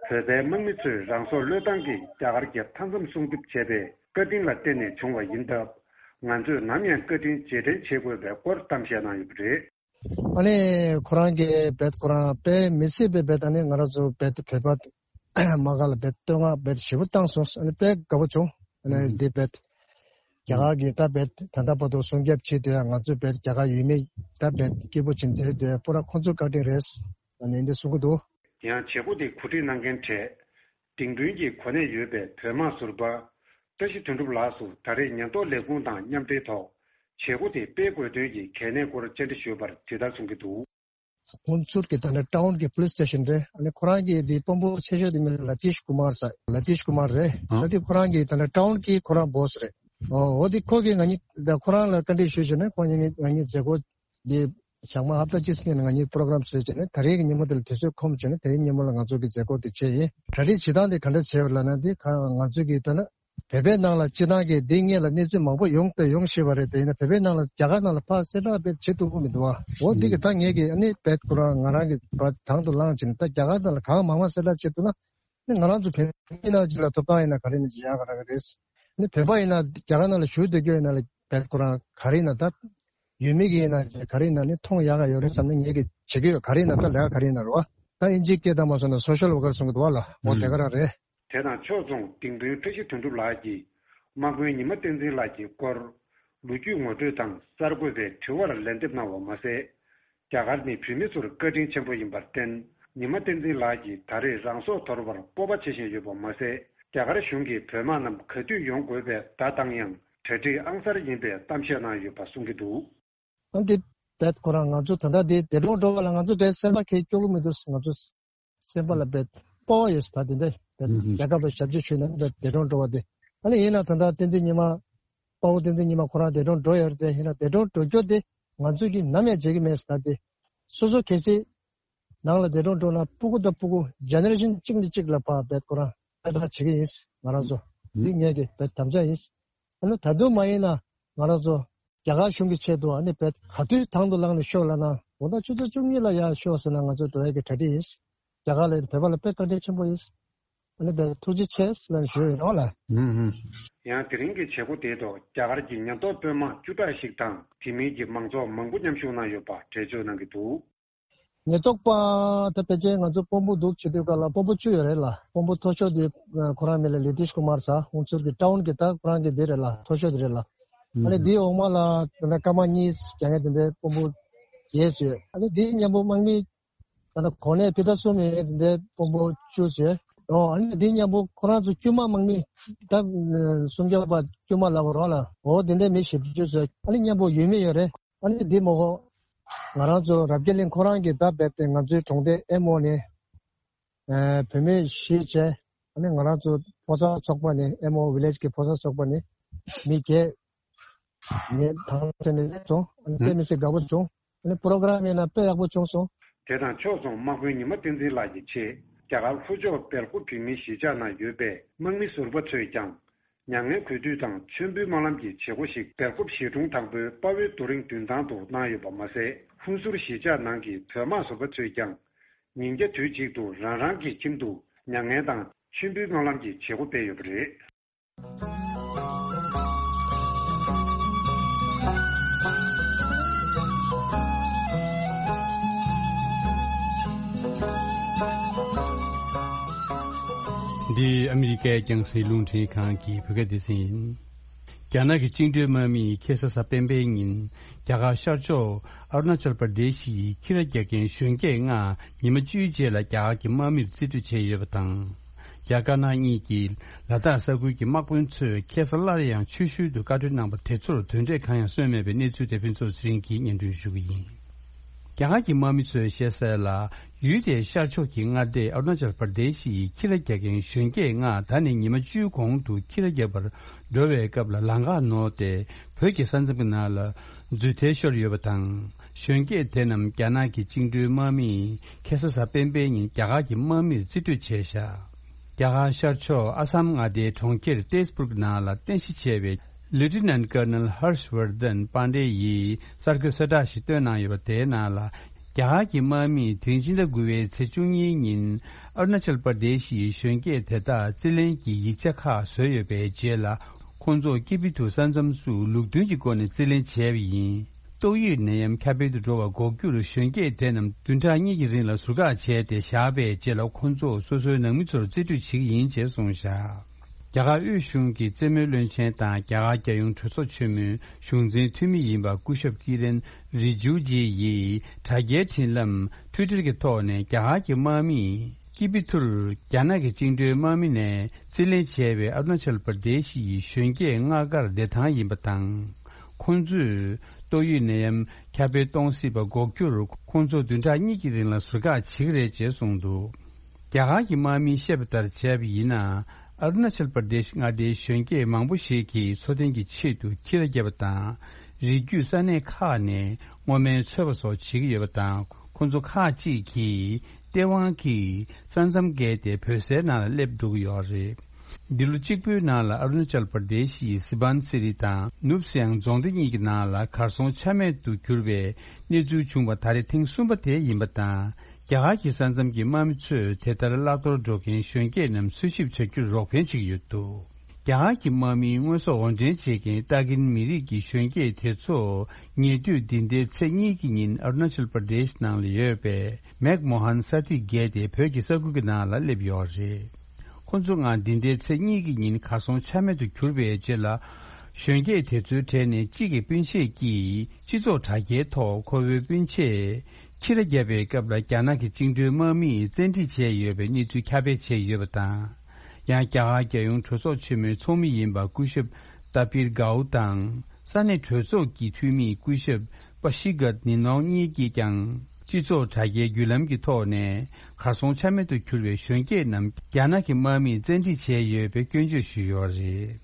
བོད་པའི་དམག་མི་ཚོས་རང་སྲོག་བློས་བཏང་གིས་རྒྱ་གར་གྱི་མཐའ་མཚམས་སྲུང་སྐྱོབ་བྱས་པའི་བཀའ་དྲིན་ལ་བརྟེན་ནས་བྱུང་བ་ཡིན་སྟབས། ང་ཚོས་ནམ་ཡང་བཀའ་དྲིན་རྗེས་དྲན་བྱེད་དགོས་པའི་སྐོར་གཏམ་བཤད་གནང་ཡོད་པ་རེད། ཨ་ནི་ཁོ་རང་གིས་བེད་ཁོ་རང་དཔེ་མི་སྲིད་པའི་བེད་ཨ་ནི་ང་རང་ཚོ་བེད་བོད་པ་དམག་སྒར་ལ་བེད་བསྟོད་བསྔགས་བེད་ཞེ་པོ་བཏང་སོང་། ཨ་ནི་དཔེ་དགའ་པོ་བྱུང་། ཨ་ནི་འདི་བེད་རྒྱ་གར་གྱི་ད་བེད་ད་ལྟ་བར་དུ་སྲུང་སྐྱོབ་བྱེད་དུས་ང་ཚོ་བེད་རྒྱ་གར་ཡུལ་མི་ད་བེད་སྐྱིད་པོ་བྱེད་འདིར་སྡོད་པོ་ར་ཁོང་ཚོ་བཀའ་དྲིན་རེད། ཨ་ནི་འདི་གསུང་གི་འདུག་ཡང་བྱེད་སྒོ་དེ་གོ་སྒྲིག་གནང་མཁན་གྲས་ལྡིང་དཔོན་གྱི་གོ་གནས་ཡོད་པའི་བོད་དམག་ཟུར་པ་བཀྲ་ཤིས་དོན་གྲུབ་ལགས་སུ་ད་རེས་ཉེན་རྟོག་ལས་ཁུངས་དང་མཉམ་འབྲེལ་ཐོག་ བྱེད་སྒོ་དེ་སྤེལ་དགོས་དོན་གྱི་གལ་གནད་སྐོར་བཅར་འདྲི་ཞུས་པར་དེ་ལྟར་གསུང་གི་འདུག། ཁོང་ཚུར་གྱི་ད་ནི་ཊའུན་གྱི་པུ་ལིས་སི་ཊེ་ཤན་རེད། ཨ་ནི་ཁོ་རང་གི་དེ་དཔོན་པོ་ཆེ་ཤོས་དེ་མིང་ལ་ལ་ཏིཤ་ཀུ་མར་ཟེར། ལ་ཏིཤ་ཀུ་མར་རེད། ཨ། ད་དེ་ཁོ་རང་གི་ད་ནི་ཊའུན་གྱི་ཁོ་རང་བྷོ་སི་རེད། ཨོ་འོ་དེ་ཁོ་གིས་ང་གཉིས་ད་ཁོ་རང་ལ་བཀའ་འདྲི་ཞུས་བྱས་ནས་ཁོ་གཉིས་ང་གཉིས་མཛད་སྒོ་དེ་ཞག་མ་ཧབ་ཏ་གཅིག་སྔོན་ང་གཉིས་པོ་རོ་གྷ་རམ་བཟོས་བྱས་ནས་ད་རེས་ཀྱི་ཉིན་མོ་དེ་ལ་དུས་ཚོད་ཁོམ་བྱས་ནས་དེ་རིང་ཉིན་མོ་ལ་ང་ཚོ་གི་མཛད་སྒོ་དེ་བྱས་ཡིན། གྲ་སྒྲིག་བྱེད་སྟངས་དེ་ག་འདྲ་བྱས་པ་ལབ་ན་དེ་ད་ང་ཚོ་གི་ད་ནི་བོད་པའི་ནང་ལ་སྤྱི་བཏང་གི་འདི་སྔོན་ལ་གནས་ཚུལ་མང་པོ་ཡོང་དང་ཡོང་ཤེས་པ་རེད། དེ་ཡིན་ན་བོད་པའི་ནང་ལ་རྒྱ་གར་ནང་ལ་ཕར་གསལ་བསྒྲགས་དཔེ་བྱེད་ཐུབ་ཀྱི་མི་འདུག་བ། འོ་འདི་གི་ད་ངས་ཀྱི་ཨ་ནི་བེད་ཁོ་རང་ང་རང་གི་བ་དང་དུ་བླངས་བྱས་ནས་ད་རྒྱ་གར་ནང་ལ་གང་མང་མང་གསལ་བསྒྲགས་བྱེད་ཐུབ་ན་ནི་ང་རང་ཚོ་བོད་མི་ནང་ཅིག་ལ་ཐོབ་ཐང་ཡིན་ན་ག་རེ་ནས་ཅི་ཡག་ག་ར་གི་རེད། ནི་བོད་པ་ཡིན་ན་རྒྱ་གར་ནང་ལ་བཞུགས་སྡོད་རྒྱུ་ཡིན་ན་ལ་བེད་ཁོ་རང་ག་རེ་ཡིན་ན་ད་ཡུལ་མི་གི་ཡིན་ན་ག་རེ་ཡིན་ན་ནི་མཐོང་ཡག་ག་ཡོད་རེད་བསམ་ནས་ངས་ཀྱི་བྱེད་ཀྱི་ཡོད། ག་རེ་ཡིན་ན་ད་ལས་ཀ་ག་རེ་ཡིན་ན་རེད་བ། ད་ཨིན་ཇིའི་སྐད་བཏང་མ་སོང་ན་སོ་ཤལ་ཝར་ཀར་གསུང་གི་འདུག་བ་ལ། འོ་དེ་ག་རང་རེད། དེ་དང་ཕྱོགས་མཚུངས་ལྡིང་དཔོན་བཀྲ་ཤིས་དོན་གྲུབ་ལགས་ཀྱིས་དམག་དཔོན་ཉི་མ་བསྟན་འཛིན་ལགས་ཀྱི་སྐོར་ལོ་རྒྱུས་ངོ་སྤྲོད་དང་གསར་འགོད་པའི་དྲི་བར་ལན་འདེབས་གནང་བ་མ་ཟད། རྒྱ་གར་ནི་བོད་མི་ཚོར་བཀའ་དྲིན་ཆེན་པོ་ཡིན་པར་བརྟེན། ཉི་མ་བསྟན་འཛིན་ལགས་ཀྱིས་ད་རེས་རང་སྲོག་དོར་བར་སྤོབས་པ་བྱེད་བཞིན་ཡོད་པ་མ་ཟད། རྒྱ་གར་གཞུང་གིས་བོད་དམག་རྣམས་ག་དུས་ཡོང་དགོས་པའི་བརྡ་བཏང་ཡང་གྲ་སྒྲིག་ཨང་གསར་ཡིན་པའི་གཏམ་བཤད་གནང་ཡོད་པ་གསུང་གི་འདུག། ཨ་འདི་བེད་ཁོ་རང་ང་ཚོ་ད་ལྟ་འདི་འདས་གྲོངས་འགྲོ་བ་ལ་ང་ཚོ་བེད་སེམས་པ་ཁེ་སྐྱོ་གི་མི་འདུག། ང་ཚོ་སེམས་པ་ལ་བེད་སྤོབས་པ་ཡོད་ས་ད་འདི་འདི་བེད་ཨུ་ཧུ། རྒྱལ་ཁབ་ལ་ཞབས་ཕྱི་ཞུས་ན་འདི་བེད་འདས་གྲོངས་འགྲོ་བ་འདི། ཨ་ནི་ཡིན་ན་ད་ལྟ་བསྟན་འཛིན་ཉི་མ་དཔའ་བོ་བསྟན་འཛིན་ཉི་མ་ཁོ་རང་འདས་གྲོངས་འགྲོ་ཡོད་རེད་དེ། ཡིན་ན་འདས་གྲོངས་འགྲོ་རྒྱུ་དེ་ང་ཚོས་ཀྱིས་ནམ་ཡང་བརྗེད་ཀྱི་མེད་ས་ད་འདི། སོ་སོ་གལ་སྲིད་ནང་ལ་འདས་གྲོངས་འགྲོ་ན་སྤུ་གུ་དང་སྤུ་གུ་ཇེ་ནེ་རེ་ཤན་གཅིག་ནས་གཅིག་ལ་ཕར་བེད་ཁོ་རང་གསལ་བསྒྲགས་བྱེད་ཀྱི་ཡིན་ང་རང་ཚོ། ཨུ། འདི་ངས་ཀྱི་བེད་དམ་བཅའ་ཡིན། ཨ་ནི་ད་དུང་མ་ཡིན་ན་ང་རང་ཚོ་རྒྱ་གར་གཞུང་གི་ཆེད་དུ་ཨ་ནི་བེད་ག་དུས་དང་དུ་བླངས་ནས་ཤོག་ལབ་ན། འོ་ད་ཆུ་ཚོད་བཅུ་གཉིས་ལ་ཡར་ཤོག་ཟེར་ན་ང་ཚོ་འགྲོ་ཡག་གི་གྲ་སྒྲིག་ཡིན། རྒྱ་གར་ལ་བོད་པ་ལ་དཔེ་བཀའ་དྲིན་ཆེན་པོ་ཡིན། ཨ་ནི་བེད་ཐུགས་རྗེ་ཆེ་ལབ་ནས་ཞུ་ཡོད་རོགས་ལ། ཧུམ་ཧུམ། ཡང་དེ་རིང་གི་བྱེད་སྒོ་དེའི་ཐོག་རྒྱ་གར་གྱི་ཉེན་རྟོག་དཔོན་དམག་བཅུ་ཕྲག་ཞིག་དང་དེ་མིན་གྱི་མང་ཚོགས་མང་པོ་མཉམ་ཞུགས་གནང་ཡོད་པ་འགྲེལ་བརྗོད་གནང་གི་འདུག། ཉེན་རྟོག་པ་ད་ཕལ་ཆེར་ང་ཚོ་དཔོན་པོ་འདུག་བྱེད་དུས་སྐབས་ལ་དཔོན་པོ་བཅུ་ཡོད་རེད་ལ། དཔོན་པོ་མཐོ་ཤོས་དེ་ཁོ་རང་མིང་ལ་ལི་ཏིཤ་ཀུ་མར་ཟེར། ཁོང་ཚུར་གྱི་ཊའུན་གྱི་ད་ཁོ་རང་གི་དེ་རེད་ལ། མཐོ་ཤོས་དེ་རེད་ལ། ཨ་ནི་དེའི་འོག་མ་ལ་དེ་འདྲ་སྐར་མ་གཉིས་རྒྱག་མཁན་དེ་འདྲའི་དཔོན་པོ་བརྒྱད་ཡོད། ཨ་ནི་དེའི་མཉམ་པོ་དམག་མི་ད་ལྟ་གོ་གནས་ཕི་ད་གསུམ་ཡོད་དེ་འདྲའི་དཔོན་པོ་བཅུ་ཡོད། ཨོ་ཨ་ནི་དེའི་མཉམ་པོ་ཁོ་རང་ཚོ་དཀྱུས་མ་དམག་མི་ད་སྲུང་སྐྱོབ་པ་དཀྱུས་མ་ལབ་དགོས་རོགས་ལ། འོ་དེ་འདྲའི་མི་བཞི་བཅུ་ཡོད། ཨ་ནི་མཉམ་པོ་ཡུལ་མི་ཡོད་རེད། ཨ་ནི་འདི་མོ་གོ། ང་རང་ཚོ་རབ་རྒྱས་གླིང་ཁོ་རང་གིས་ད་རྦད་དེ་ང་ཚོའི་གྲོང་སྡེ་ཨེམ་ཨོ་ནས་ཨ་བུད་མེད་བཞི་བྱས། ཨ་ནི་ང་རང་ཚོ་ཕོ་གསར་ཚོགས་པ་ནས་ཨེམ་ཨོ་ཝི་ལེཇ་གི་ཕོ་གསར་ཚོགས་པ་ནས་མི་བརྒྱད་ངས་དང་དེ་ནས་སླེབས་སོང་། ཨ་ནི་དཔེ་མི་སྲིད་དགའ་པོ་བྱུང་། ཨ་ནི་པོ་རོ་གྷ་རམ་ཡིན་ན་དཔེ་ཡག་པོ་བྱུང་སོང་། དེ་དང་ཕྱོགས་མཚུངས་དམག་དཔོན་ཉི་མ་བསྟན་འཛིན་ལགས་ཀྱི་ཆེད་རྒྱ་གར་ལྷོ་ཕྱོགས་སྦེལ་ཀོབ་བོད་མིའི་གཞིས་ཆགས་ནང་ཡོད་པའི་དམག་མི་ཟུར་པ་ཚོས་ཀྱང་། མྱ་ངན་གུས་འདུད་དང་མཆོད་འབུལ་སྨོན་ལམ་གྱི་བྱེད་སྒོ་ཞིག་སྦེལ་ཀོབ་གཞིས་གྲོང་དང་པོའི་དཔའ་བོའི་རྡོ་རིང་མདུན་ཐང་དུ་གནང་ཡོད་པ་མ་ཟད། ཧུན་སུར་གཞིས་ཆགས་ནང་གི་བོད་དམག་ཟུར་པ་ཚོས་ཀྱང་། ཉིན་རྒྱ་དུས་གཅིག་ཏུ་རང་རང་གི་ཁྱིམ་དུ་མྱ་ངན་དང་མཆོད་འབུལ་སྨོན་ལམ་གྱི་བྱེད་སྒོ་སྤེལ་ཡོད་པ་རེད། འདི་ཨ་མི་རི་ཀའི་རྒྱང་སྲིང་རླུང་འཕྲིན་ཁང་གི་བོད་སྐད་སྡེ་ཚན་ཡིན། རྒྱ་ནག་གི་བཅིངས་འགྲོལ་དམག་མིས་ཁ་སང་གཟའ་སྤེན་པའི་ཉིན་རྒྱ་གར་ཤར་ཕྱོགས་ཨ་རུ་ན་ཅལ་པར་དེ་ཤི་ཡི་ཁྱི་ར་རྒྱག་མཁན་གཞོན་སྐྱེས་ལྔ་ཉི་མ་བཅུའི་རྗེས་ལ་རྒྱ་གར་གྱི་དམག་མིར་རྩིས་སྤྲོད་བྱས་ཡོད་པ་དང་། རྒྱ་དཀར་ནག་གཉིས་ཀྱི་ལ་དྭགས་ས་ཁུལ་གྱི་དམག་དཔོན་ཚོས་ཁ་སང་སླར་ཡང་ཆུ་ཤུལ་དུ་བཀའ་འཁྲོལ་གནང་པ་དེ་ཚོར་དོན་འབྲས་གང་ཡང་སོན་མེད་པའི་གནས་ཚུལ་དེ་ཕུན་ཚོགས་ཚེ་རིང་གིས་སྙན་སྒྲོན་ཞུ་གི་ཡིན། རྒྱ་གར་གྱི་དམག་མི་ཚོས་བཤད་གསལ་ལ། ཡུལ་དེའི་ཤར་ཕྱོགས་ཀྱི་མངའ་སྡེ་ཨ་རུ་ན་ཅལ་པར་དེ་ཤི་ཡི་ཁྱི་ར་རྒྱག་མཁན་གཞོན་སྐྱེས་ལྔ་ད་ནི་ཉི་མ་བཅུའི་གོང་དུ་ཁྱི་ར་རྒྱག་པར་འགྲོ་བའི་སྐབས་ལ་ལམ་ཁ་ནོར་ཏེ་བོད་ཀྱི་ས་མཚམས་ཀྱི་ནང་ལ་རྫུན་ཐལ་ཤོར་ཡོད་པ་དང་། གཞོན་སྐྱེས་དེ་རྣམས་རྒྱ་ནག་གི་བཅིངས་འགྲོལ་དམག་མིས་ཁ་སང་གཟའ་སྤེན་པའི་ཉིན་རྒྱ་གར་གྱི་དམག་མིར་རྩིས་སྤྲོད་བྱས་བཞག། རྒྱ་གར་ཤར་ཕྱོགས་ཨ་སམ་མངའ་སྡེའི་གྲོང་ཁྱེར་ཏེས་པུར་ནང་ལ་རྟེན་གཞི་བྱས་པའི་ལེབ་ཊི་ནན་ཊི་ཀར་ནལ་ཧར་ཤ་ཝར་དན་པཱན་ཌེ་ཡིས་གསར་འགོད་གསལ་བསྒྲགས་ཤིག་བཏོན་གནང་ཡོད་པ། དེའི་ནང་ལ། རྒྱ་གར་གྱི་དམག་མིས་དེ་རིང་ཕྱི་ཟླ་དགུ་པའི་ཚེས་བཅུ་གཉིས་ཉིན་ཨ་རུ་ན་ཅལ་པར་དེ་ཤི་ཡི་གཞོན་སྐྱེས་དེ་དག་རྩིས་ལེན་གྱི་ཡིག་ཆ་ཁག་བཟོས་ཡོད་པའི་རྗེས་ལ། ཁོང་ཚོ་ཀི་པི་ཐུར་ས་མཚམས་སུ་ལུགས་མཐུན་གྱི་སྒོ་ནས་རྩིས་ལེན་བྱས་པ་ཡིན། ཏོག་དབྱིབས་ནད་ཡམས་ཁྱབ་སྤེལ་དུ་འགྲོ་བར་འགོག་རྒྱུར་གཞོན་སྐྱེས་དེ་རྣམས་བདུན་ཕྲག་གཉིས་ཀྱི་རིང་ལ་ཟུར་བཀག་བྱས་ཏེ་བཞག་པའི་རྗེས་ལ། ཁོང་ཚོ་སོ་སོའི་ནང་མི་ཚོར་རྩིས་སྤྲོད་བྱེད་ཀྱི་ཡིན་ཅེས་གསུངས་བཞག། རྒྱ་གར་དབུས་གཞུང་གི་རྩེད་མོའི་བློན་ཆེན་དང་རྒྱ་གར་རྒྱལ་ཡོངས་གྲོས་ཚོགས་ཆེན་མོའི་གཞུང་འཛིན་འཐུས་མི་ཡིན་པ་སྐུ་ཞབས་ཀི་རེན་རི་ཇུ་ཇི་ཡིས་དྲ་རྒྱའི་འཕྲིན་ལམ་ཊུའི་ཊར་གྱི་ཐོག་ནས་རྒྱ་གར་གྱི་དམག་མིས་ཀི་པི་ཐུར་རྒྱ་ནག་གི་བཅིངས་འགྲོལ་དམག་མི་ནས་རྩིས་ལེན་བྱས་པའི་ཨ་རུ་ན་ཅལ་པར་དེ་ཤི་ཡི་གཞོན་སྐྱེས་ལྔ་མགར་བདེ་ཐང་ཡིན་པ་དང་། ཁོང་ཚོས་ཏོག་དབྱིབས་ནད་ཡམས་ཁྱབ་སྤེལ་གཏོང་སྲིད་པ་འགོག་རྒྱུར་ཁོང་ཚོ་བདུན་ཕྲག་གཉིས་ཀྱི་རིང་ལ་ཟུར་བཀག་བྱེད་ཀྱི་རེད་ཅེས་གསུངས་འདུག། རྒྱ་གར་གྱི་དམག་མིས་བཤད་པ་ལྟར་བྱས་པ་ཡིན་ན། ཨ་རུ་ན་ཅལ་པར་དེཤ་མངའ་སྡེའི་གཞོན་སྐྱེས་མང་པོ་ཞིག་གིས་འཚོ་རྟེན་གྱི་ཆེད་དུ་ཁྱི་ར་བརྒྱབ་པ་དང་། རི་རྒྱུད་ས་གནས་ཁག་ནས་སྔོ་སྨན་འཚོལ་བ་སོགས་བྱེད་ཀྱི་ཡོད་པ་དང་། ཁོང་ཚོ་ཁག་ཅིག་གིས་ལྟེ་དབང་གི་ས་མཚམས་བརྒལ་ཏེ་བོད་སའི་ནང་ལ་སླེབས་འགྲོ་གི་ཡོད་རེད། འདི་ལོ་གཅིག་པུའི་ནང་ལ་ཨ་རུ་ན་ཅལ་པར་དེཤ་ཡི་སི་བན་སི་རི་དང་ནུབ་སིའང་རྫོང་སྡེ་གཉིས་ཀྱི་ནང་ལ་གར་སོང་ཆ་མེད་དུ་གྱུར་བའི་གནས་ཚུལ་བྱུང་བ་ད་རེས་ཐེངས་གསུམ་པ་དེ་ཡིན་པ་དང་། རྒྱ་གར་གྱི་ས་མཚམས་ཀྱི་དམག་མི་ཚོས་དེ་ལྟར་བརླག་གཏོར་འགྲོ་མཁན་གཞོན་སྐྱེས་རྣམས་འཚོལ་ཞིབ་བྱ་རྒྱུར་རོགས་ཕན་བྱེད་ཀྱི་ཡོད་འདུག། རྒྱ་གར་གྱི་དམག་མིའི་དངོས་ཟོག་དབོར་འདྲེན་བྱེད་མཁན་ཏཱ་ཀིན་མི་རིགས་ཀྱི་གཞོན་སྐྱེས་དེ་ཚོ་ཉེ་དུས་འདི་ཟླའི་ཚེས་གཉིས་ཀྱི་ཉིན་ཨ་རུ་ན་ཅལ་པར་དེཤ་ནང་ལ་ཡོད་པའི་མེག་མོ་ཧན་ས་ཐིག་བརྒལ་ཏེ་བོད་ཀྱི་ས་ཁུལ་གྱི་ནང་ལ་སླེབས་ཡོད་རེད། ཁོ་ཚོ་སྔ་འདི་ཟླའི་ཚེས་གཉིས་ཀྱི་ཉིན་གར་སོང་ཆ་མེད་དུ་གྱུར་པའི་རྗེས་ལ། གཞོན་སྐྱེས་དེ་ཚོའི་གྲས་ནས་གཅིག་གི་སྤུན་མཆེད་ཀྱིས་སྤྱི་ཚོགས་དྲ་རྒྱའི་ཐོག་ཁོ་བོའི་སྤུན་མཆེད་ཁྱི་ར་བརྒྱབ་པའི་སྐབས་ལ་རྒྱ་ནག་གི་བཅིངས་འགྲོལ་དམག་མིས་བཙན་ཁྲིད་བྱས་ཡོད་པའི་གནས་ཚུལ་ཁྱབ་སྤེལ་བྱས་ཡོད་པ་དང་། ཡང་རྒྱ་གར་རྒྱལ་ཡོངས་གྲོས་ཚོགས་ཆེན་མོའི་ཚོགས་མི་ཡིན་པ་སྐུ་ཞབས་ཏཱ་པིར་གའུ་དང་ས་གནས་གྲོས་ཚོགས་ཀྱི་འཐུས་མི་སྐུ་ཞབས་པ་ཤི་གད་ནི་ནོང་གཉིས་ཀྱིས་ཀྱང་སྤྱི་ཚོགས་དྲ་རྒྱའི་བརྒྱུད་ལམ་གྱི་ཐོག་ནས་གར་སོང་ཆ་མེད་དུ་གྱུར་བའི་གཞོན་སྐྱེས་རྣམས་རྒྱ་ནག་གི་དམག་མིས་བཙན་ཁྲིད་བྱས་ཡོད་པའི་སྐྱོན་བརྗོད་ཞུས་ཡོད་རེད།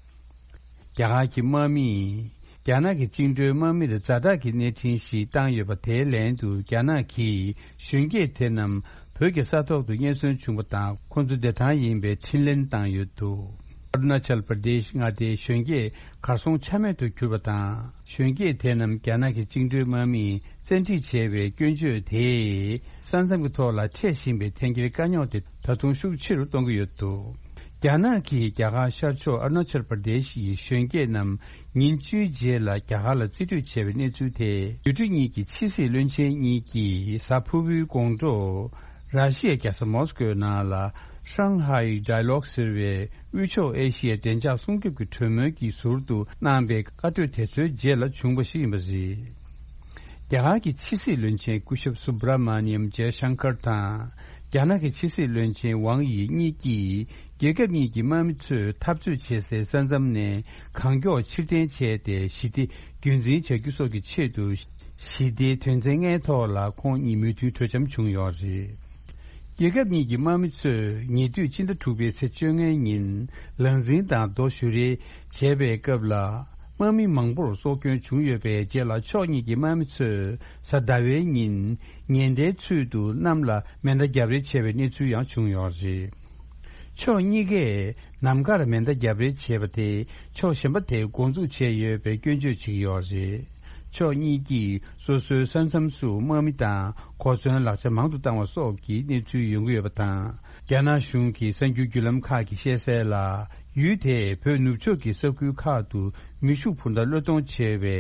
རྒྱ་གར་གྱི་དམག་མིས་རྒྱ་ནག་གི་བཅིངས་འགྲོལ་དམག་མིར་ཛ་དྲག་གི་གནས་འཕྲིན་ཞིག་བཏང་ཡོད་པ་དེའི་ལན་དུ་རྒྱ་ནག་གིས་གཞོན་སྐྱེས་དེ་རྣམས་བོད་ཀྱི་ས་ཐོག་ཏུ་རྙེད་སོན་བྱུང་བ་དང་ཁོང་ཚོ་བདེ་ཐང་ཡིན་པའི་འཕྲིན་ལན་བཏང་ཡོད་འདུག། ཨ་རུ་ན་ཅལ་པར་དེཤ་མངའ་སྡེའི་གཞོན་སྐྱེས་གར་སོང་ཆ་མེད་དུ་གྱུར་པ་དང་། གཞོན་སྐྱེས་དེ་རྣམས་རྒྱ་ནག་གི་བཅིངས་འགྲོལ་དམག་མིས་བཙན་ཁྲིད་བྱས་པའི་སྐྱོན་བརྗོད་དེས་ས་མཚམས་ཀྱི་ཐོག་ལ་འཕྲད་བཞིན་པའི་འཐེན་འཁྱེར་དཀའ་རྙོག་དེ་ད་དུང་ཤུགས་ཆེ་རུ་གཏོང་གི་ཡོད་འདུག། རྒྱ་ནག་གིས་རྒྱ་གར་ཤར་ཕྱོགས་ཨ་རུ་ན་ཅལ་པར་དེཤ་ཡི་གཞོན་སྐྱེས་རྣམས་ཉིན་བཅུའི་རྗེས་ལ་རྒྱ་གར་ལ་རྩིས་སྤྲོད་བྱས་པའི་གནས་ཚུལ་དེ་ཡུལ་གྲུ་གཉིས་ཀྱི་ཕྱི་སྲིད་བློན་ཆེན་གཉིས་ཀྱིས་གཟའ་ཕུར་བུའི་དགོང་དྲོ་ར་ཤི་ཡའི་རྒྱལ་ས་མོ་སི་ཀོའི་ནང་ལ་ཧྲང་ཧའེ་ཌའི་ལོག་ཟེར་བའི་དབུས་ཕྱོགས་ཨེ་ཤི་ཡའི་བདེ་འཇགས་སྲུང་སྐྱོབ་ཀྱི་གྲོས་མོལ་གྱི་ཟུར་དུ་གནང་པའི་བཀའ་གྲོས་དེ་ཚོའི་རྗེས་ལ་བྱུང་བ་ཞིག་ཡིན་པ་རེད། རྒྱ་གར་གྱི་ཕྱི་སྲིད་བློན་ཆེན་སྐུ་ཞབས་སུབ་ར་མ་ནི་ཡམ་ཇེ་ཤང་ཀར་དང་། རྒྱ་ནག་གི་ཕྱི་སྲིད་བློན་ཆེན་ཝང་ཡི་གཉིས་ཀྱིས་རྒྱལ་ཁབ་གཉིས་ཀྱི་དམག་མི་ཚོས་འཐབ་རྩོད་བྱེད་སའི་ས་མཚམས་ནས་གང་མགྱོགས་ཕྱིར་འཐེན་བྱས་ཏེ་ཞི་བདེ་རྒྱུན་འཛིན་བྱ་རྒྱུ་སོགས་ཀྱི་ཆེད་དུ་ཞི་བདེའི་དོན་ཚན་ལྔའི་ཐོག་ལ་ཁོང་གཉིས་མོས་མཐུན་གྲོས་འཆམ་བྱུང་ཡོད་རེད། རྒྱལ་ཁབ་གཉིས་ཀྱི་དམག་མི་ཚོས་ཉེ་དུས་ཕྱི་ཟླ་དྲུག་པའི་ཚེས་བཅོ་ལྔའི་ཉིན་ལག་འཛིང་དང་རྡོ་གཞུ་རེས་བྱས་པའི་སྐབས་ལ། དམག་མི་མང་པོར་སྲོག་སྐྱོན་བྱུང་ཡོད་པའི་རྗེས་ལ་ཕྱོགས་གཉིས་ཀྱི་དམག་མི་ཚོས་གཟའ་ཟླ་བའི་ཉིན་ཉེན་བརྡའི་ཚུལ་དུ་གནམ་ལ་མེ་མདའ་རྒྱབ་རེས་བྱས་པའི་གནས་ཚུལ་ཡང་བྱུང་ཡོད་རེད། ཕྱོགས་གཉིས་ཀས་ནམ་མཁར་མེ་མདའ་རྒྱབ་རེས་བྱས་པ་དེ་ཕྱོགས་གཞན་པ་དེས་འགོ་འཛུགས་བྱས་ཡོད་པའི་སྐྱོན་བརྗོད་བྱེད་ཀྱི་ཡོད་རེད། ཕྱོགས་གཉིས་ཀྱིས་སོ་སོའི་ས་མཚམས་སུ་དམག་མི་དང་གོ་མཚོན་ལག་ཆ་མང་དུ་བཏང་བ་སོགས་ཀྱི་གནས་ཚུལ་ཡོང་གི་ཡོད་པ་དང་། རྒྱ་ནག་གཞུང་གི་གསར་འགྱུར་བརྒྱུད་ལམ་ཁག་གིས་བཤད་གསལ་ལ། ཡུལ་དེས་བོད་ནུབ་ཕྱོགས་ཀྱི་ས་ཁུལ་ཁག་ཏུ་མེ་ཤུགས་འཕུར་མདའ་གློད་གཏོང་བྱེད་པའི་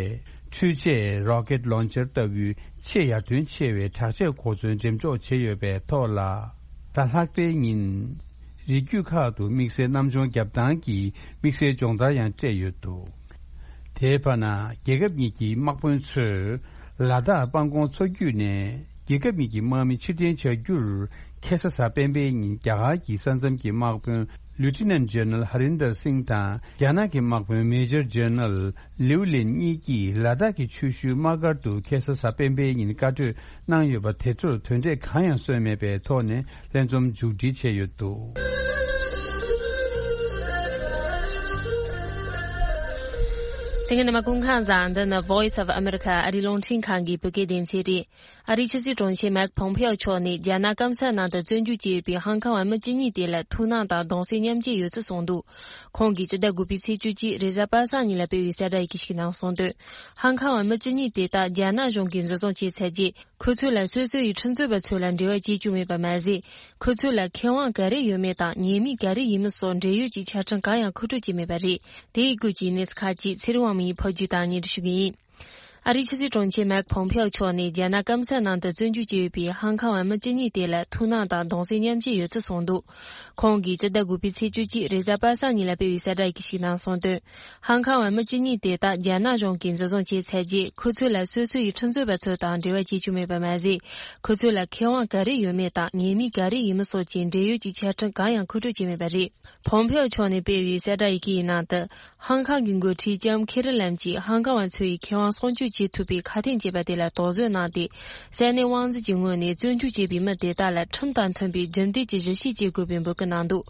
འཕྲུལ་ཆས་རོ་ཀེད་ལོན་ཆར་ལྟ་བུའི་ཆེས་ཡར་ཐོན་ཆེ་བའི་དྲག་ཆས་གོ་མཚོན་འགྲེམས་འཇོག་བྱས་ཡོད་པའི་ཐོག་ལ། གཟའ་ལྷག་པའི་ཉིན། རི་རྒྱུད་ཁག་ཏུ་དམིགས་བསལ་གནམ་མཆོང་རྒྱབ་སྟངས་ཀྱི་དམིགས་བསལ་སྦྱོང་བརྡར་ཡང་སྤྲད་ཡོད་འདུག། དེའི་བར་ན། རྒྱལ་ཁབ་གཉིས་ཀྱི་དམག་དཔོན་ཚོས་ལ་དྭགས་སྤང་གོང་མཚོ་རྒྱུད་ནས་རྒྱལ་ཁབ་གཉིས་ཀྱི་དམག་མི་ཕྱིར་འཐེན་བྱ་རྒྱུར་ཁ་སང་གཟའ་སྤེན་པའི་ཉིན་རྒྱ་གར་གྱི་ས་མཚམས་ཀྱི་དམག་དཔོན་Lieutenant General Harinder Singh དང་རྒྱ་ནག་གི་དམག་དཔོན་Major General Liu Lin གཉིས་ཀྱིས་ལ་དྭགས་ཀྱི་ཆུ་ཤུལ་དམག་སྒར་དུ་ཁ་སང་གཟའ་སྤེན་པའི་ཉིན་བཀའ་གྲོས་གནང་ཡོད་པ་དེ་ཚོར་དོན་འབྲས་གང་ཡང་སོན་མེད་པའི་ཐོག་ནས་ལྷན་འཛོམས་མཇུག་སྒྲིལ་བྱས་ཡོད་འདུག། གསན་མཁན་རྣམ་པ་སྐུ་ཁམས་བཟང་། འདི་ནི་Voice of America ཨ་རིའི་རླུང་འཕྲིན་ཁང་གི་བོད་སྐད་སྡེ་ཚན་རེད། ཨ་རིའི་ཕྱི་སྲིད་དྲུང་ཆེ་མེག་ཕོམ་ཕེའོ་མཆོག་ནས་རྒྱ་ནག་སྐམ་ས་ནང་དུ་བཙོན་འཇུག་བྱས་ཡོད་པའི་ཧང་ཁང་བ་མི་བཅུ་གཉིས་དེ་ལ་ཐུགས་སྣང་དང་གདུང་སེམས་མཉམ་སྐྱེད་ཡོད་ཚུལ་གསུངས་འདུག། ཁོང་གིས་སྤྱི་ཟླ་དགུ་པའི་ཚེས་བཅུ་གཅིག་རེས་གཟའ་པ་སངས་ཉིན་ལ་སྤེལ་བའི་གསལ་བསྒྲགས་ཡི་གེ་ཞིག་ནང་གསུངས་དོན། ཧང་ཁང་བ་མི་བཅུ་གཉིས་དེ་དག་རྒྱ་ནག་གཞུང་གིས་འཛིན་བཟུང་བྱས་ཚར་རྗེས། ཁོ་ཚོ་ལ་སོ་སོ་ཡི་ཁྲིམས་རྩོད་པ་ཚོ་ལ་འབྲེལ་བ་བྱེད་བཅུག་མེད་པ་མ་ཟད། ཁོ་ཚོ་ལ་ཁེ་དབང་ག་རེ་ཡོད་མེད་དང་ཉེས་མིང་ག་རེ་ཡིན་མིན་སོགས་འབྲེལ་ཡོད་ཀྱི་ཆ་འཕྲིན་གང་ཡང་མཁོ་སྤྲོད་བྱས་མེད་པ་རེད། དེའི་སྐོར་གྱི་གནས་ཚུལ་ཁག་ཅིག་ཚེ་རིང་དབང་མོ་ཡིས་ཕབ་སྒྱུར་དང་སྙན་སྒྲོན་ཞུ་གི་ཡིན། ཨ་རིའི་ཕྱི་སྲིད་དྲུང་ཆེ་མེག་ཕོམ་ཕེའོ་མཆོག་ནས་རྒྱ་ནག་སྐམ་ས་ནང་དུ་བཙོན་འཇུག་བྱས་ཡོད་པའི་ཧང་ཁང་བ་མི་བཅུ་གཉིས་དེ་ལ་ཐུགས་སྣང་དང་གདུང་སེམས་མཉམ་སྐྱེད་ཡོད་ཚུལ་གསུངས་འདུག་ཁོང་གིས་སྤྱི་ཟླ་དགུ་པའི་ཚེས་བཅུ་གཅིག་རེས་གཟའ་པ་སངས་ཉིན་ལ་སྤེལ་བའི་གསལ་བསྒྲགས་ཤིག་ནང་གསུངས་དོན། ཧང་ཁང་བ་མི་བཅུ་གཉིས་དེ་དག་རྒྱ་ནག་གཞུང་གིས་འཛིན་བཟུང་བྱས་ཚར་རྗེས། ཁོ་ཚོ་ལ་སོ་སོ་ཡི་ཁྲིམས་རྩོད་པ་ཚོ་དང་འབྲེལ་བ་བྱེད་རྒྱུ་མེད་པ་མ་ཟད། ཁོ་ཚོ་ལ་ཁེ་དབང་ག་རེ་ཡོད་མེད་དང་ཉེས་མིང་ག་རེ་ཡིན་མིན་སོགས་ཀྱི་འབྲེལ་ཡོད་ཀྱི་ཆ་འཕྲིན་གང་ཡང་མཁོ་སྤྲོད་བྱས་མེད་པ་རེད། ཕོམ་ཕེའོ་མཆོག་ནས་སྤེལ་བའི་གསལ་བསྒྲགས་ཡི་གེ་ཡི་ནང་དུ། ཧང་ཁང་གི་འགོ་ཁྲིད་ལྕམ་ཁེ་རི་ལམ་གྱིས་ཧང་ཁང་བ་ཚོ་ཡི་ཁེ་དབང་སྲུང་སྐྱོབ་བྱེད་ཐུབ་པའི་ཁ་དན་བཅས་པ་དེ་ལ་དོགས་ཟོན་གནང་སྟེ། ས་གནས་དབང་འཛིན་གྱི་ངོས་ནས་བཙོན་འཇུག་བྱས་པའི་མི་དེ་དག་ལ་ཁྲིམས་དང་མཐུན་པའི་རྒྱུན་ལྡན་གྱི་ཞིབ་བཤེར་བྱེད་དགོས་པའི་འབོད་སྐུལ་གནང་འདུག་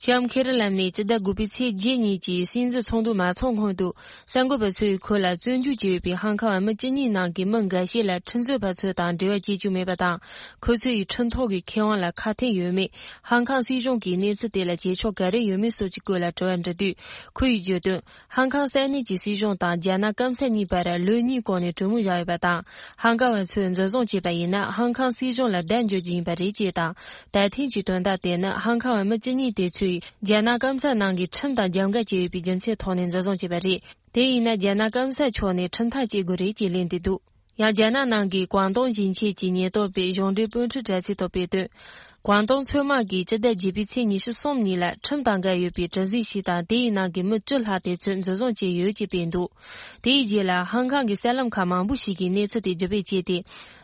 ལྕམ་ཁེ་རི་ལམ་ནས་སྤྱི་ཟླ་དགུ་པའི་ཚེས་བརྒྱད་ཉིན་གྱི་སྲིད་འཛིན་ཚོགས་འདུ་མ་ཚོགས་སྔོན་དུ། གསར་འགོད་པ་ཚོས་ཁོ་ལ་བཙོན་འཇུག་བྱས་ཡོད་པའི་ཧང་ཁང་བ་མི་བཅུ་གཉིས་ནང་གི་མི་འགའ་ཤས་ལ་ཁྲིམས་རྩོད་པ་ཚོ་དང་འབྲེལ་བ་བྱེད་རྒྱུ་མེད་པ་དང་། ཁོ་ཚོ་ཡི་ཁྲིམས་ཐོག་གི་ཁེ་དབང་ལ་ཁ་འཐེན་ཡོད་མེད། ཧང་ཁང་སྲིད་གཞུང་གིས་གནས་ཚུལ་དེ་ལ་བྱེད་ཕྱོགས་ག་རེ་ཡོད་མེད་སོགས་ཀྱི་སྐོར་ལ་དྲི་བ་འདྲི་དུས། ཁོ་ཡིས་བརྗོད་དོན། ཧང་ཁང་ས་གནས་ཀྱི་སྲིད་གཞུང་དང་རྒྱ་ནག་སྐམ་ས་གཉིས་བར་ལོ་གཉིས་གོང་ནས་གྲོས་མོལ་བཞག་ཡོད་པ་དང་། ཧང་ཁང་བ་ཚོས་འཛིན་བཟུང་བྱས་པ་ཡིན་ན། ཧང་ཁང་སྲིད་གཞུང་ལ་བརྡ་འཇོག་རྒྱུ་ཡིན་པ་རེད་ཅེས་དང་། ད་ཐེངས་ཀྱི་དོན་དག་དེ་ནི་ཧང་ཁང་བ་མི་བཅུ་གཉིས་དེ་ཚོས་རྒྱ་ནག་སྐམ་ས་ནང་གི་ཁྲིམས་དང་རྒྱབ་འགལ་བྱས་ཡོད་པའི་རྒྱུ་མཚན་ཐོག་ནས་འཛིན་བཟུང་བྱས་པ་རེད། དེ་ཡིན་ན་རྒྱ་ནག་སྐམ་ས་ཕྱོགས་ནས་ཁྲིམས་ཐག་གཅོད་དགོས་རེད་ཅེས་ལན་འདེབས་འདུག་ཡང་རྒྱ་ནག་ནང་གི་ཀོང་ཏུང་ཞིང་ཆེན་གྱི་ཉེན་རྟོག་པས་གཞུང་འབྲེལ་སྤོན་འཕྲུལ་དྲ་ཚིགས་ཐོག་སྤེལ་དོན། ཀོང་ཏུང་མཚོ་དམག་གིས་སྤྱི་ཟླ་བརྒྱད་པའི་ཚེས་ཉི་ཤུ་གསུམ་ཉིན་ལ་ཁྲིམས་དང་འགལ་ཡོད་པའི་གྲུ་གཟིངས་ཤིག་དང་། དེའི་ནང་གི་མི་བཅུ་ལྷག་དེ་ཚོ་འཛིན་བཟུང་བྱས་ཡོད་ཅེས་སྤེལ་འདུག་དེའི་རྗེས་ལ་ཧང་ཁང་གི་གསར་ལམ་ཁག་མང་པོ་ཞིག་གིས་གནས་ཚུལ་དེ་བརྒྱུད་སྤེལ་བྱས་ཏེ།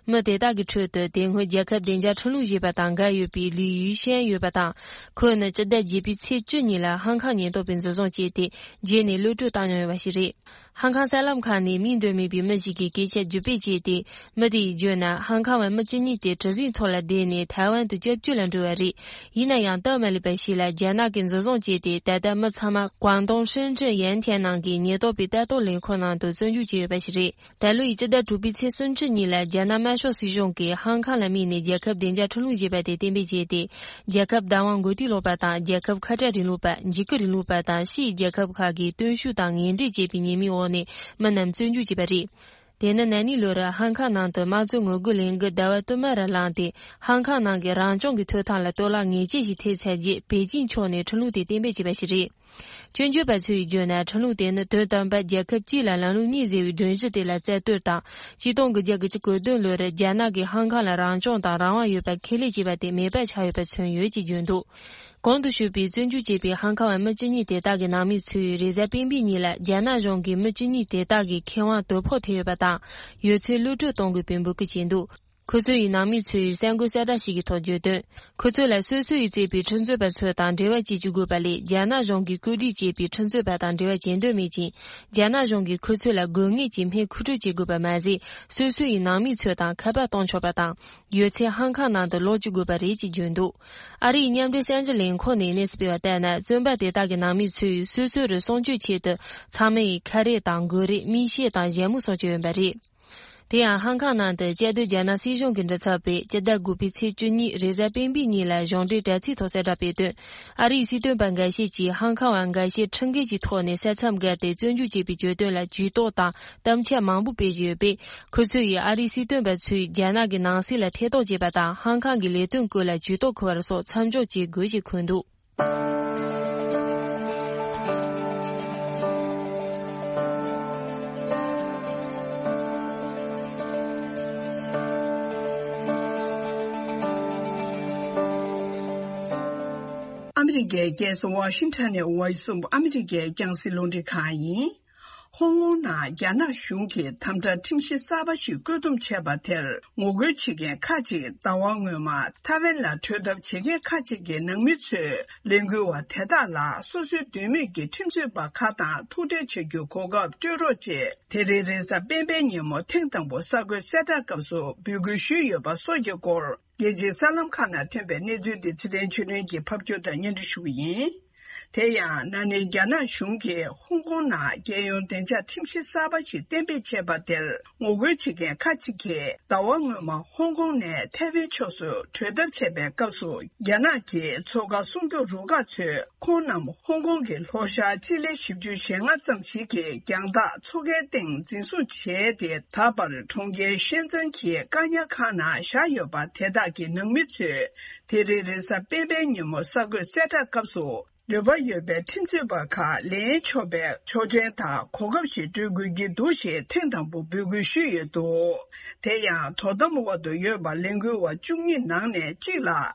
མི་དེ་དག་གི་ཁྲོད་དུ་དེ་སྔོན་རྒྱལ་ཁབ་བདེ་འཇགས་ཁྲིམས་ལུགས་ཞེས་པ་དང་འགལ་ཡོད་པའི་ལི་ཡུས་ཤན་ཡོད་པ་དང་། ཁོ་ནི་སྤྱི་ཟླ་བརྒྱད་པའི་ཚེས་བཅུ་ཉིན་ལ་ཧང་ཁང་ཉེན་རྟོག་པས་འཛིན་བཟུང་བྱས་ཏེ། རྗེས་ནས་གློད་གྲོལ་བཏང་མྱོང་ཡོད་པ་ཞིག་རེད། ཧང་ཁང་གསར་ལམ་ཁག་ནས་མིང་འདོན་མེད་པའི་མི་ཞིག་གིས་སྐད་ཆ་བརྒྱུད་སྤེལ་བྱས་ཏེ། མི་དེས་བརྗོད་ན། ཧང་ཁང་བ་མི་བཅུ་གཉིས་དེ་གྲུ་གཟིངས་ཐོག་ལ་བསྡད་ནས་ཐའེ་ཝན་དུ་སྐྱབས་བཅོལ་ལ་འགྲོ་བ་རེད། ཡིན་ན་ཡང་སྟབས་མ་ལེགས་པ་ཞིག་ལ་རྒྱ་ནག་གིས་འཛིན་བཟུང་བྱས་ཏེ། ད་ལྟ་མི་ཚང་མ་ཀོང་ཏུང་ཧྲེན་ཀྲེན་ཡན་ཐན་ནང་གི་ཉེན་རྟོག་པའི་ལྟ་རྟོག་ལས་ཁུངས་ནང་དུ་བཙོན་འཇུག་བྱས་ཡོད་པ་ཞིག་རེད། ད་ལོ་ཡི་སྤྱི་ཟླ་དྲུག་པའི་ཚེས་སུམ་ཅུ་ཉིན་ལ་རྒྱ་ནག་དམར་ཤོག་སྲིད་གཞུང་གིས་ཧང་ཁང་ལ་དམིགས་ནས་རྒྱལ་ཁབ་བདེ་འཇགས་ཁྲིམས་ལུགས་ཞེས་པ་དེ་གཏན་འབེབས་བྱས་ཏེ། རྒྱལ་ཁབ་བདག་དབང་མགོ་རྟིང་སློག་པ་དང་། རྒྱལ་ཁབ་ཁ་བྲལ་རིང་ལུགས་པ། འཇིགས་སྐུལ་རིང་ལུགས་པ་དང་ཕྱིའི་རྒྱལ་ཁབ་ཁག་གིས་བརྟུལ་ཞུགས་དང་ངན་འབྲེལ་བྱས་པའི་ཉེས་མིང་འོག་ནས་མི་རྣམས་བཙོན་འཇུག་བྱས་པ་རེད། དེ་ནི་ན་ནིང་ལོར་ཧང་ཁང་ནང་དུ་དམངས་གཙོའི་ངོ་རྒོལ་ལས་འགུལ་ཟླ་བ་བསྟུད་མར་ལངས་ཏེ། ཧང་ཁང་ནང་གི་རང་སྐྱོང་གི་ཐོབ་ཐང་ལ་གཏོར་བརླག་ངེས་ཅན་ཞིག་ཐེབས་ཚར་རྗེས། པེ་ཅིང་ཕྱོགས་ནས་ཁྲིམས་ལུགས་དེ་གཏན་འབེབས་བྱས་པ་ཞིག་རེད། སྐྱོན་བརྗོད་པ་ཚོས་བརྗོད་ན། ཁྲིམས་ལུགས་དེ་ནི་དོན་དམ་པར་རྒྱལ་ཁབ་གཅིག་ལ་ལམ་ལུགས་གཉིས་ཟེར་བའི་སྒྲོམ་གཞི་དེ་ལ་རྩ་གཏོར་དང་། ཆིག་སྟོང་དགུ་བརྒྱ་དགུ་བཅུ་གོ་བདུན་ལོར་རྒྱ་ནག་གིས་ཧང་ཁང་ལ་རང་སྐྱོང་དང་རང་དབང་ཡོད་པ་ཁས་ལེན་བྱས་པ་དེ་མེད་པ་ཆགས་ཡོད་པ་མཚོན་ཡོད་ཅེས་བརྗོད་འདུག་གོང་དུ་ཞུས་པའི་བཙོན་འཇུག་བྱས་པའི་ཧང་ཁང་བ་མི་བཅུ་གཉིས་དེ་དག་གི་ནང་མི་ཚོས་རེས་གཟའ་སྤེན་པའི་ཉིན་ལ་རྒྱ་ནག་གཞུང་གིས་མི་བཅུ་གཉིས་དེ་དག་གི་ཁེ་དབང་དོ་ཕོག་ཐེབས་ཡོད་པ་དང་། ཡོད་ཚད་གློད་གྲོལ་གཏོང་དགོས་པའི་འབོད་སྐུལ་བྱས་འདུག་ཁོ་ཚོ་ཡི་ནང་མི་ཚོས་གསར་འགོད་གསལ་བསྒྲགས་ཤིག་གི་ཐོག་བརྗོད་དོན། ཁོ་ཚོ་ལ་སོ་སོ་ཡིས་བཙལ་བའི་ཁྲིམས་རྩོད་པ་ཚོ་དང་འབྲེལ་བ་བྱེད་བཅུག་དགོས་པ་ལས། རྒྱ་ནག་གཞུང་གིས་བཀོད་སྒྲིག་བྱས་པའི་ཁྲིམས་རྩོད་པ་དང་འབྲེལ་བ་བྱེད་འདོད་མེད་ཅིང་། རྒྱ་ནག་གཞུང་གིས་ཁོ་ཚོ་ལ་དགོས་ངེས་ཀྱི་སྨན་མཁོ་སྤྲོད་བྱེད་དགོས་པ་མ་ཟད། སོ་སོ་ཡི་ནང་མི་ཚོ་དང་ཁ་པར་གཏོང་ཆོག་པ་དང་། ཡོད་ཚད་ཧང་ཁང་ནང་དུ་ལོག་བཅུག་དགོས་པ་རེད་ཅེས་བརྗོད་འདུག་ཨ་རིའི་མཉམ་འབྲེལ་གསར་འགྱུར་ལས་ཁུངས་ནས་གནས་ཚུལ་སྤེལ་བ་ལྟར་ན། བཙོན་པ་དེ་དག་གི་ནང་མི་ཚོས་སོ་སོ་རུ་སྲུང་སྐྱོབ་ཆེད་དུ། ཚང་མ་ཡིས་ཁ་རས་དང་། གོས་རས། མིག་ཤེལ་དང་། ཞྭ་མོ་སོགས་བྱས་ཡོད་པ་རེད། དེ་ཡང་ཧང་ཁང་ནང་དུ་བཅའ་སྡོད་རྒྱ་ནག་སྲིད་གཞུང་གི་མགྲིན་ཚབ་པས་སྤྱི་ཟླ་དགུ་པའི་ཚེས་བཅུ་གཉིས་རེས་གཟའ་སྤེན་པའི་ཉིན་ལ་གཞུང་འབྲེལ་དྲ་ཚིགས་ཐོག་གསལ་བསྒྲགས་སྤེལ་དོན། ཨ་རིའི་སྲིད་དོན་པ་འགའ་ཤས་ཀྱིས་ཧང་ཁང་བ་འགའ་ཤས་ཁྲིམས་འགལ་གྱི་ཐོག་ནས་ས་མཚམས་བརྒལ་ཏེ་བཙོན་འཇུག་བྱས་པའི་གྱོད་དོན་ལ་ཇུས་གཏོགས་དང་གཏམ་འཆལ་མང་པོ་སྤེལ་བཞིན་ཡོད་པས། ཁོ་ཚོས་ཡིས་ཨ་རིའི་སྲིད་དོན་པ་ཚོས་རྒྱ་ནག་གི་ནང་སྲིད་ལ་ཐེ་གཏོགས་བྱས་པ་དང་། ཧང་ཁང་གི་ལས་དོན་སྐོར་ལ་ཇུས་གཏོགས་འཁུར་བ་སོགས་མཚམས་འཇོག་བྱེད་དགོས་ཞེས་འཁོད་འདུག་ཨ་མི་རི་ཀའི་རྒྱལ་ས་ཝ་ཤིང་ཊོན་ནས་ཝོ་ཡི་སི་ཨོཕ་ཨ་མི་རི་ཀའི་རྒྱང་སྲིང་རླུང་འཕྲིན་ཁང་ཡིན། ཧོང་ཀོང་ནང་རྒྱ་ནག་གཞུང་གིས་དམ་དྲག་ཁྲིམས་གཞི་གསར་པ་ཞིག་བཀོད་འདོམས་བྱས་པ་དེར་ངོ་རྒོལ་བྱེད་མཁན་ཁག་ཅིག་ཟླ་བ་སྔོན་མ་ཐའེ་ཝན་ལ་བྲོས་ཐབས་བྱེད་མཁན་ཁག་ཅིག་གི་ནང་མི་ཚོས་ལས་འགུལ་བ་དེ་དག་ལ་སོ་སོའི་འདོད་མོས་ཀྱི་ཁྲིམས་རྩོད་པ་ཁག་དང་ཐུག་འཕྲད་བྱ་རྒྱུའི་གོ་སྐབས་སྤྲོད་རོགས་ཅེས། དེ་རིང་རེས་གཟའ་སྤེན་པའི་ཉིན་མོ་ཐེངས་དང་པོ་གསར་འགོད་གསལ་བསྒྲགས་སྐབས་སུ་འབོད་སྐུལ་ཞུས་ཡོད་པ་སོགས་ཀྱི་སྐོར། རྒྱལ་སྤྱིའི་གསར་ལམ་ཁག་ནང་ཐོན་པའི་གནས་ཚུལ་འདི་ཚེ་བརྟན་ཆོས་སྒྲོན་གྱིས་ཕབ་སྒྱུར་དང་སྙན་སྒྲོན་ཞུ་གི་ཡིན། དེ་ཡང་ན་ནིང་རྒྱ་ནག་གཞུང་གིས་ཧོང་ཀོང་ནང་རྒྱལ་ཡོངས་བདེ་འཇགས་ཁྲིམས་གཞི་གསར་པ་ཞིག་གཏན་འབེབས་བྱས་པ་དེར་ངོ་རྒོལ་བྱེད་མཁན་ཁག་ཅིག་གིས་ཟླ་བ་སྔོན་མ་ཧོང་ཀོང་ནས་ཐའེ་ཝན་ཕྱོགས་སུ་བྲོས་ཐབས་བྱས་པའི་སྐབས་སུ། རྒྱ་ནག་གི་མཚོ་ཁ་སྲུང་སྐྱོབ་རུ་ཁག་ཚོས་ཁོང་རྣམས་ཧོང་ཀོང་གི་ལྷོ་ཤར་སྤྱི་ལེ་བཞི་བཅུ་ཞེ་ལྔ་ཙམ་ཞིག་གི་རྒྱང་ཐག་མཚོ་ཁའི་སྟེང་འཛིན་བཟུང་བྱས་ཏེ། ད་བར་གྲོང་ཁྱེར་ཤན་ཙན་གྱི་བཀག་ཉར་ཁང་ནང་བཞག་ཡོད་པ་དེ་དག་གི་ནང་མི་ཚོས་དེ་རིང་རེས་གཟའ་སྤེན་པའི་ཉིན་མོ་གསར་འགོད་གསལ་བསྒྲགས་སྐབས་སུ། འདོད་པ་ཡོད་པའི་ཁྲིམས་རྩོད་པ་ཁག་ལེན་ཆོག་པའི་ཆོག་མཆན་དང་གོ་སྐབས་ཤིག་སྤྲོད་དགོས་ཀྱི་འདུག་ཞེས་ཐེངས་དང་པོ་འབོད་སྐུལ་ཞུས་ཡོད་འདུག་དེ་ཡང་དོ་དམ་འོག་ཏུ་ཡོད་པ་ལས་འགུལ་བ་བཅུ་གཉིས་ནང་ནས་གཅིག་ལ་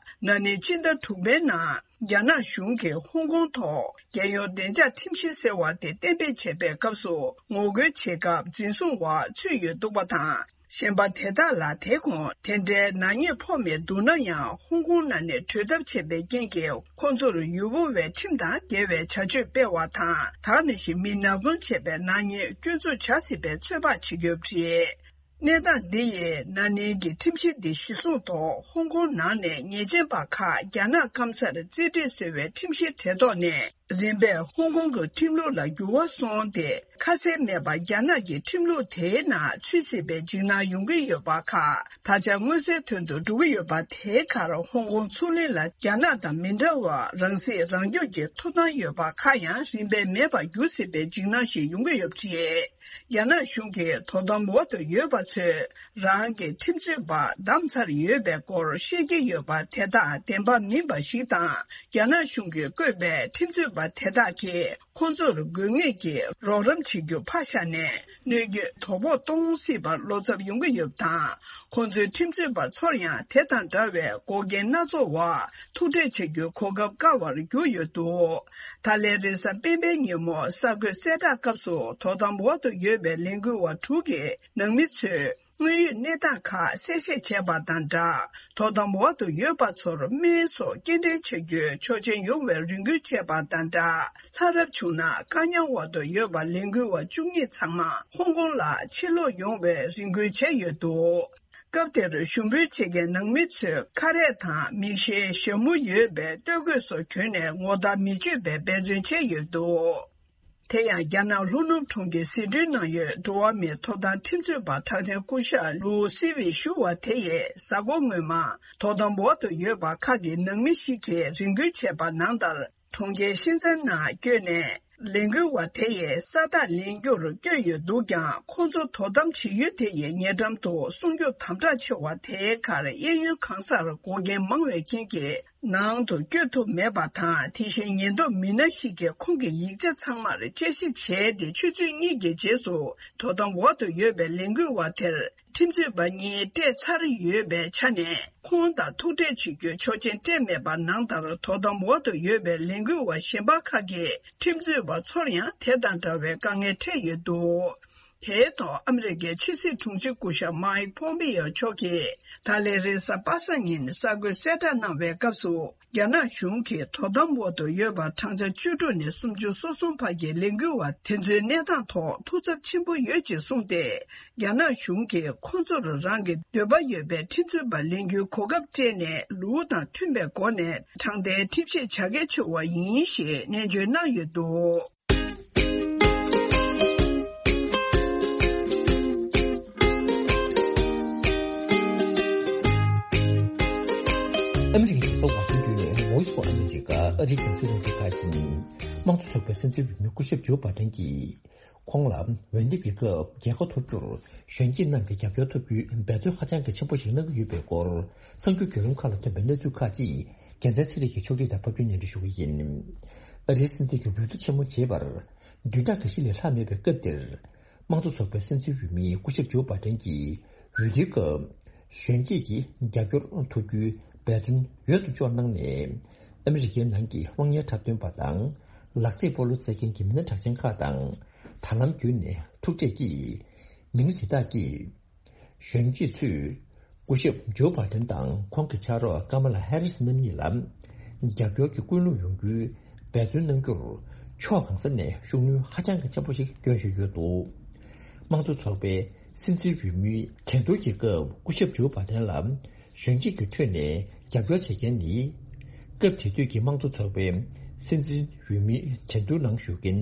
ན་ནིང་སྤྱི་ཟླ་དྲུག་པའི་ནང་རྒྱ་ནག་གཞུང་གིས་ཧོང་ཀོང་ཐོག་རྒྱལ་ཡོངས་བདེ་འཇགས་ཁྲིམས་གཞི་ཟེར་བ་དེ་གཏན་འབེབས་བྱས་པའི་སྐབས་སུ་ངོ་རྒོལ་བྱེད་སྐབས་འཛིན་བཟུང་འོག་ཚུད་ཡོད་འདུག་པ་དང་། གཞན་པ་དེ་དག་ལ་དེ་གོང་དེ་འདྲའི་ནག་ཉེས་ཕོག་མེད་འདུག་ན་ཡང་ཧོང་ཀོང་ནང་ནས་བྲོས་ཐབས་བྱས་པའི་རྐྱེན་གྱིས་ཁོང་ཚོར་ཡུ་བོ་བའི་ཁྲིམས་དང་འགལ་བའི་བྱ་སྤྱོད་སྤེལ་བ་དང་། ད་ག་ནང་བཞིན་མི་ནག་ཚོང་བྱས་པའི་ནག་ཉེས་སྐྱོན་འཛུགས་བྱ་སྲིད་པའི་ཚོད་དཔག་བྱེད་ཀྱི་ཡོད་པ་རེད། གནས་སྟངས་འདི་ཡིས་ན་ནིང་གི་ཁྲིམས་གཞི་འདི་གཞི་བཟུང་ཐོག་ཧོང་ཀོང་ནང་ནས་ཉེས་ཅན་པ་ཁག་རྒྱ་ནག་སྐམ་སར་རྩིས་སྤྲད་བཟོ་བའི་ཁྲིམས་གཞི་དེ་ཐོག་ནས། རིམ་པས་ཧོང་ཀོང་གི་ཁྲིམས་ལུགས་ལ་འགྱུར་བ་སོང་སྟེ། ཁ་གསལ་མེད་པར་རྒྱ་ནག་གི་ཁྲིམས་ལུགས་དེའི་ནང་ཚུད་སྲིད་པའི་འཇིགས་སྣང་ཡོང་གི་ཡོད་པ་ཁག་ད་ཆ་མངོན་གསལ་དོན་དུ་འགྲོ་གི་ཡོད་པ། དེའི་ཁར་ཧོང་ཀོང་ཚུར་ལེན་ལ་རྒྱ་ནག་དང་མི་འདྲ་བར་རང་སྲིད་རང་སྐྱོང་གི་ཐོབ་ཐང་ཡོད་པ་ཁག་ཡང་རིམ་པས་མེད་པར་འགྱུར་སྲིད་པའི་འཇིགས་སྣང་ཞིག་ཡོང་གི་ཡོད་པ་རེད། རྒྱ་ནག་གཞུང་གིས་དོ་དམ་འོག་ཏུ་ཡོད་པ་ཚོས་རང་གི་ཁྲིམས་རྩོད་པ་བདམས་ཚར་ཡོད་པའི་སྐོར་བཤད་ཀྱི་ཡོད་པ་དེ་དག་བདེན་པ་མིན་པ་ཞིག་དང་། རྒྱ་ནག་གཞུང་གིས་བསྐོས་པའི་ཁྲིམས་རྩོད་པ་དེ་དག་གིས་ཁོང་ཚོར་དགོས་ངེས་ཀྱི་རོགས་རམ་བྱེད་རྒྱུ་ཕར་བཞག་ནས། གནོད་སྐྱོན་དོ་ཕོག་གཏོང་སྲིད་པར་བློ་འཚབ་ཡོང་གི་ཡོད་པ་དང་། ཁོང་ཚོའི་ཁྲིམས་རྩོད་པ་ཚོར་ཡང་དེ་དང་འདྲ་བའི་འགོག་རྐྱེན་སྣ་ཚོགས་འོག་ཐུག་འཕྲད་བྱ་རྒྱུའི་གོ་སྐབས་དཀའ་བར་གྱུར་ཡོད་འདུག་ད་ལན་རེས་གཟའ་སྤེན་པའི་ཉིན་མོ་གསར་འགོད་གསལ་བསྒྲགས་སྐབས་སུ་དོ་དམ་འོག་ཏུ་ཡོད་པའི་ལས་འགུལ་བ་དྲུག་གི་ནང་མི་ཚོས་དངོས་ཡོད་གནས་སྟངས་ཁག་གསལ་བཤད་བྱས་པ་དང་སྦྲགས། དོ་དམ་འོག་ཏུ་ཡོད་པ་ཚོར་སྨན་སོགས་སྐྱེལ་འདྲེན་བྱ་རྒྱུའི་ཆོག་མཆན་ཡོང་བའི་རེ་སྐུལ་བྱས་པ་དང་སྦྲགས། ལྷ་རབ་བྱུང་ན་དཀའ་ཉམས་འོག་ཏུ་ཡོད་པ་ལས་འགུལ་བ་བཅུ་གཉིས་ཚང་མ་ཧོང་ཀོང་ལ་ཕྱིར་ལོག་ཡོང་བའི་རེ་སྐུལ་བྱས་ཡོད་འདུག་སྐབས་དེར་ཞུ་འབོད་བྱེད་མཁན་ནང་མི་ཚོས་ཁ་རས་དང་མིག་ཤེལ་ཞྭ་མོ་ཡོད་པའི་སྟོད་གོས་སོགས་གྱོན་ནས་ངོ་རྟགས་མི་ཆོད་པའི་འབད་བརྩོན་བྱས་ཡོད་འདུག་དེ་ཡང་རྒྱ་ནག་ལྷོ་ནུབ་གྲོང་ཁྱེར་ཟི་ཁྲོན་ནང་ཡོད་འགྲོ་བ་མིའི་ཐོབ་ཐང་ཁྲིམས་རྩོད་པ་གྲགས་ཅན་སྐུ་ཞབས་ལུའུ་སི་ཝི་ཞུ་བ་དེ་ཡིས་གཟའ་འཁོར་སྔོན་མ་དོ་དམ་འོག་ཏུ་ཡོད་པ་ཁག་གི་ནང་མི་ཞིག་གིས་རེ་སྐུལ་བྱས་པ་ནང་ལྟར། གྲོང་ཁྱེར་ཤིན་ཙན་ནང་བསྐྱོད་ནས་ལས་འགུལ་བ་དེ་ཡི་ས་རྟགས་ལེན་རྒྱུར་བསྐྱོད་ཡོད་འདུག་ཀྱང་། ཁོང་ཚོ་དོ་དམ་བྱེད་ཡུལ་དེ་ཡི་ཉེ་འགྲམ་དུ་སྲུང་སྐྱོབ་དམ་དྲག་ཆེ་བ་དེའི་ཁར་གཡས་གཡོན་གང་སར་འགོག་རྐྱེན་མང་བའི་རྐྱེན་གྱིས། ནང་དུ་བསྐྱོད་ཐུབ་མེད་པ་དང་། དེ་བཞིན་ཉེན་རྟོག་མི་སྣ་ཞིག་གིས་ཁོང་གི་ཡིག་ཆ་ཚང་མར་དཔྱད་ཞིབ་བྱས་ཏེ། ཆུ་ཚོད་གཉིས་ཀྱི་རྗེས་སུ་དོ་དམ་འོག་ཏུ་ཡོད་པའི་ལས་འགུལ་བ་དེར་ཁྲིམས་རྩོད་པ་གཉིས་སྤྲད་ཚར་ཡོད་པའི་ཆ་ནས། ཁོང་དང་ཐུག་འཕྲད་བྱེད་རྒྱུའི་ཆོག་མཆན་སྤྲད་མེད་པ་ནང་ལྟར། དོ་དམ་འོག་ཏུ་ཡོད་པའི་ལས་འགུལ་བ་གཞན་པ་ཁག་གིས་ཁྲིམས་རྩོད་པ་ཚོར་ཡང་དེ་དང་འདྲ་བའི་དཀའ་ངལ་འཕྲད་ཡོད་འདུག་དེའི་ཐོག་ཨ་མི་རི་ཀའི་ཕྱི་སྲིད་དྲུང་ཆེ་སྐུ་ཞབས་མཱིག་ཕོམ་པེ་ཡོ་མཆོག་གིས་ད་ལན་རེས་གཟའ་པ་སངས་ཉིན་གསར་འགོད་གསལ་བསྒྲགས་གནང་བའི་སྐབས་སུ། རྒྱ་ནག་གཞུང་གིས་དོ་དམ་འོག་ཏུ་ཡོད་པ་གྲངས་ཆ་བཅུ་དྲུག་ནས་སུམ་ཅུ་སོ་གསུམ་བར་གྱི་ལས་འགུལ་བ་དེ་ཚོའི་གནས་སྟངས་ཐོག་ཐུགས་འཚབ་ཆེན་པོ་ཡོད་ཅེས་གསུངས་ཏེ། རྒྱ་ནག་གཞུང་གིས་ཁོང་ཚོར་རང་གི་འདོད་པ་ཡོད་པའི་ཁྲིམས་རྩོད་པ་ལེན་རྒྱུའི་གོ་སྐབས་སྤྲད་ནས། ལུགས་དང་མཐུན་པའི་སྒོ་ནས་དྲང་བདེན་ཁྲིམས་བཤེར་བྱ་གལ་ཆེ་བ་ཡིན་ཞེས་ནན་བརྗོད་གནང་ཡོད་འདུག་ཨ་མི་རི་ཀའི་རྒྱལ་ས་ཝ་ཤིང་ཏོན་ནས་Voice of America ཨ་རིའི་རྒྱང་སྲིང་རླུང་འཕྲིན་ཁང་ཡིན། དམངས་གཙོ་ཚོགས་པའི་སྲིད་འཛིན་འོས་མི་སྐུ་ཞབས་ཇོ་བྷ་ཏན་གྱིས། ཁོང་ལ་འོས་འདེམས་ཀྱི་སྐབས་རྒྱལ་ཁ་ཐོབ་རྒྱུར་གཞོན་སྐྱེས་རྣམས་ཀྱི་རྒྱབ་སྐྱོར་ཐོབ་རྒྱུའི་འབད་བརྩོན་ཧ་ཅང་གི་ཆེན་པོ་ཞིག་གནང་གི་ཡོད་པའི་སྐོར། གསར་འགྱུར་བརྒྱུད་ལམ་ཁག་ལ་ཐོན་པའི་གནས་ཚུལ་ཁག་ཅིག་རྒྱལ་མཚན་ཚེ་རིང་གིས་ཕྱོགས་སྒྲིག་དང་ཕབ་སྒྱུར་སྙན་སྒྲོན་ཞུ་གི་ཡིན། ཨ་རིའི་སྲིད་འཛིན་གྱི་འོས་བསྡུ་ཆེན་མོ་བྱེད་པར་བདུན་ཕྲག་འགའ་ཤས་ལས་ལྷག་མེད་པའི་སྐབས་འདིར། དམངས་གཙོ་ཚོགས་པའི་སྲིད་འཛིན་འོས་མི་སྐུ་ཞབས་ཇོ་བྷ་ཏན་གྱིས་འོས་བསྡུའི་སྐབས་གཞོན་སྐྱེས་ཀྱི་རྒྱབ་སྐྱོར་ཐོབ་རྒྱུའི་འབད་བརྩོན་འོས་སུ་ཕྱོགས་གནང་ནས། ཨ་མི་རི་ཀའི་ནང་གི་དམངས་གཉེར་འཁྲབ་སྟོན་པ་དང་། ལག་རྩེད་སྤོ་ལོ་རྩེད་མཁན་གྱི་མི་སྣ་གྲགས་ཅན་ཁག་དང་། དྲ་ལམ་བརྒྱུད་ནས་ཐུག་འཕྲད་ཀྱིས། མི་སྣ་དེ་དག་གིས། གཞོན་སྐྱེས་ཚོས་སྐུ་ཞབས་ཇོ་བྷ་ཏན་དང་ཁོང་གི་ཕྱག་རོགས་ཀ་མ་ལ་ཧེ་རིས་རྣམ་གཉིས་ལ་རྒྱབ་སྐྱོར་གྱི་ཀུན་སློང་ཡོང་རྒྱུའི་འབད་བརྩོན་གནང་རྒྱུར་ཕྱོགས་གང་ས་ནས་ཤུགས་སྣོན་ཧ་ཅང་གི་ཆེན་པོ་ཞིག་བསྐྱོན་བཞིན་ཡོད་འདུག་དམངས་གཙོ་ཚོགས་པའི་སྲིད་འཛིན་འོས་མིའི་འགྲན་བསྡུར་གྱི་སྐབས་སྐུ་ཞབས་ཇོ་བྷ་ཏན་ལ་གཞོན་སྐྱེས་ཀྱི་ཁྲོད་ནས་རྒྱབ་སྐྱོར་བྱེད་མཁན་ནི། སྐབས་དེ་དུས་ཀྱི་དམངས་གཙོ་ཚོགས་པའི་སྲིད་འཛིན་འོས་མིའི་འགྲན་བསྡུར་ནང་ཞུགས་མཁན་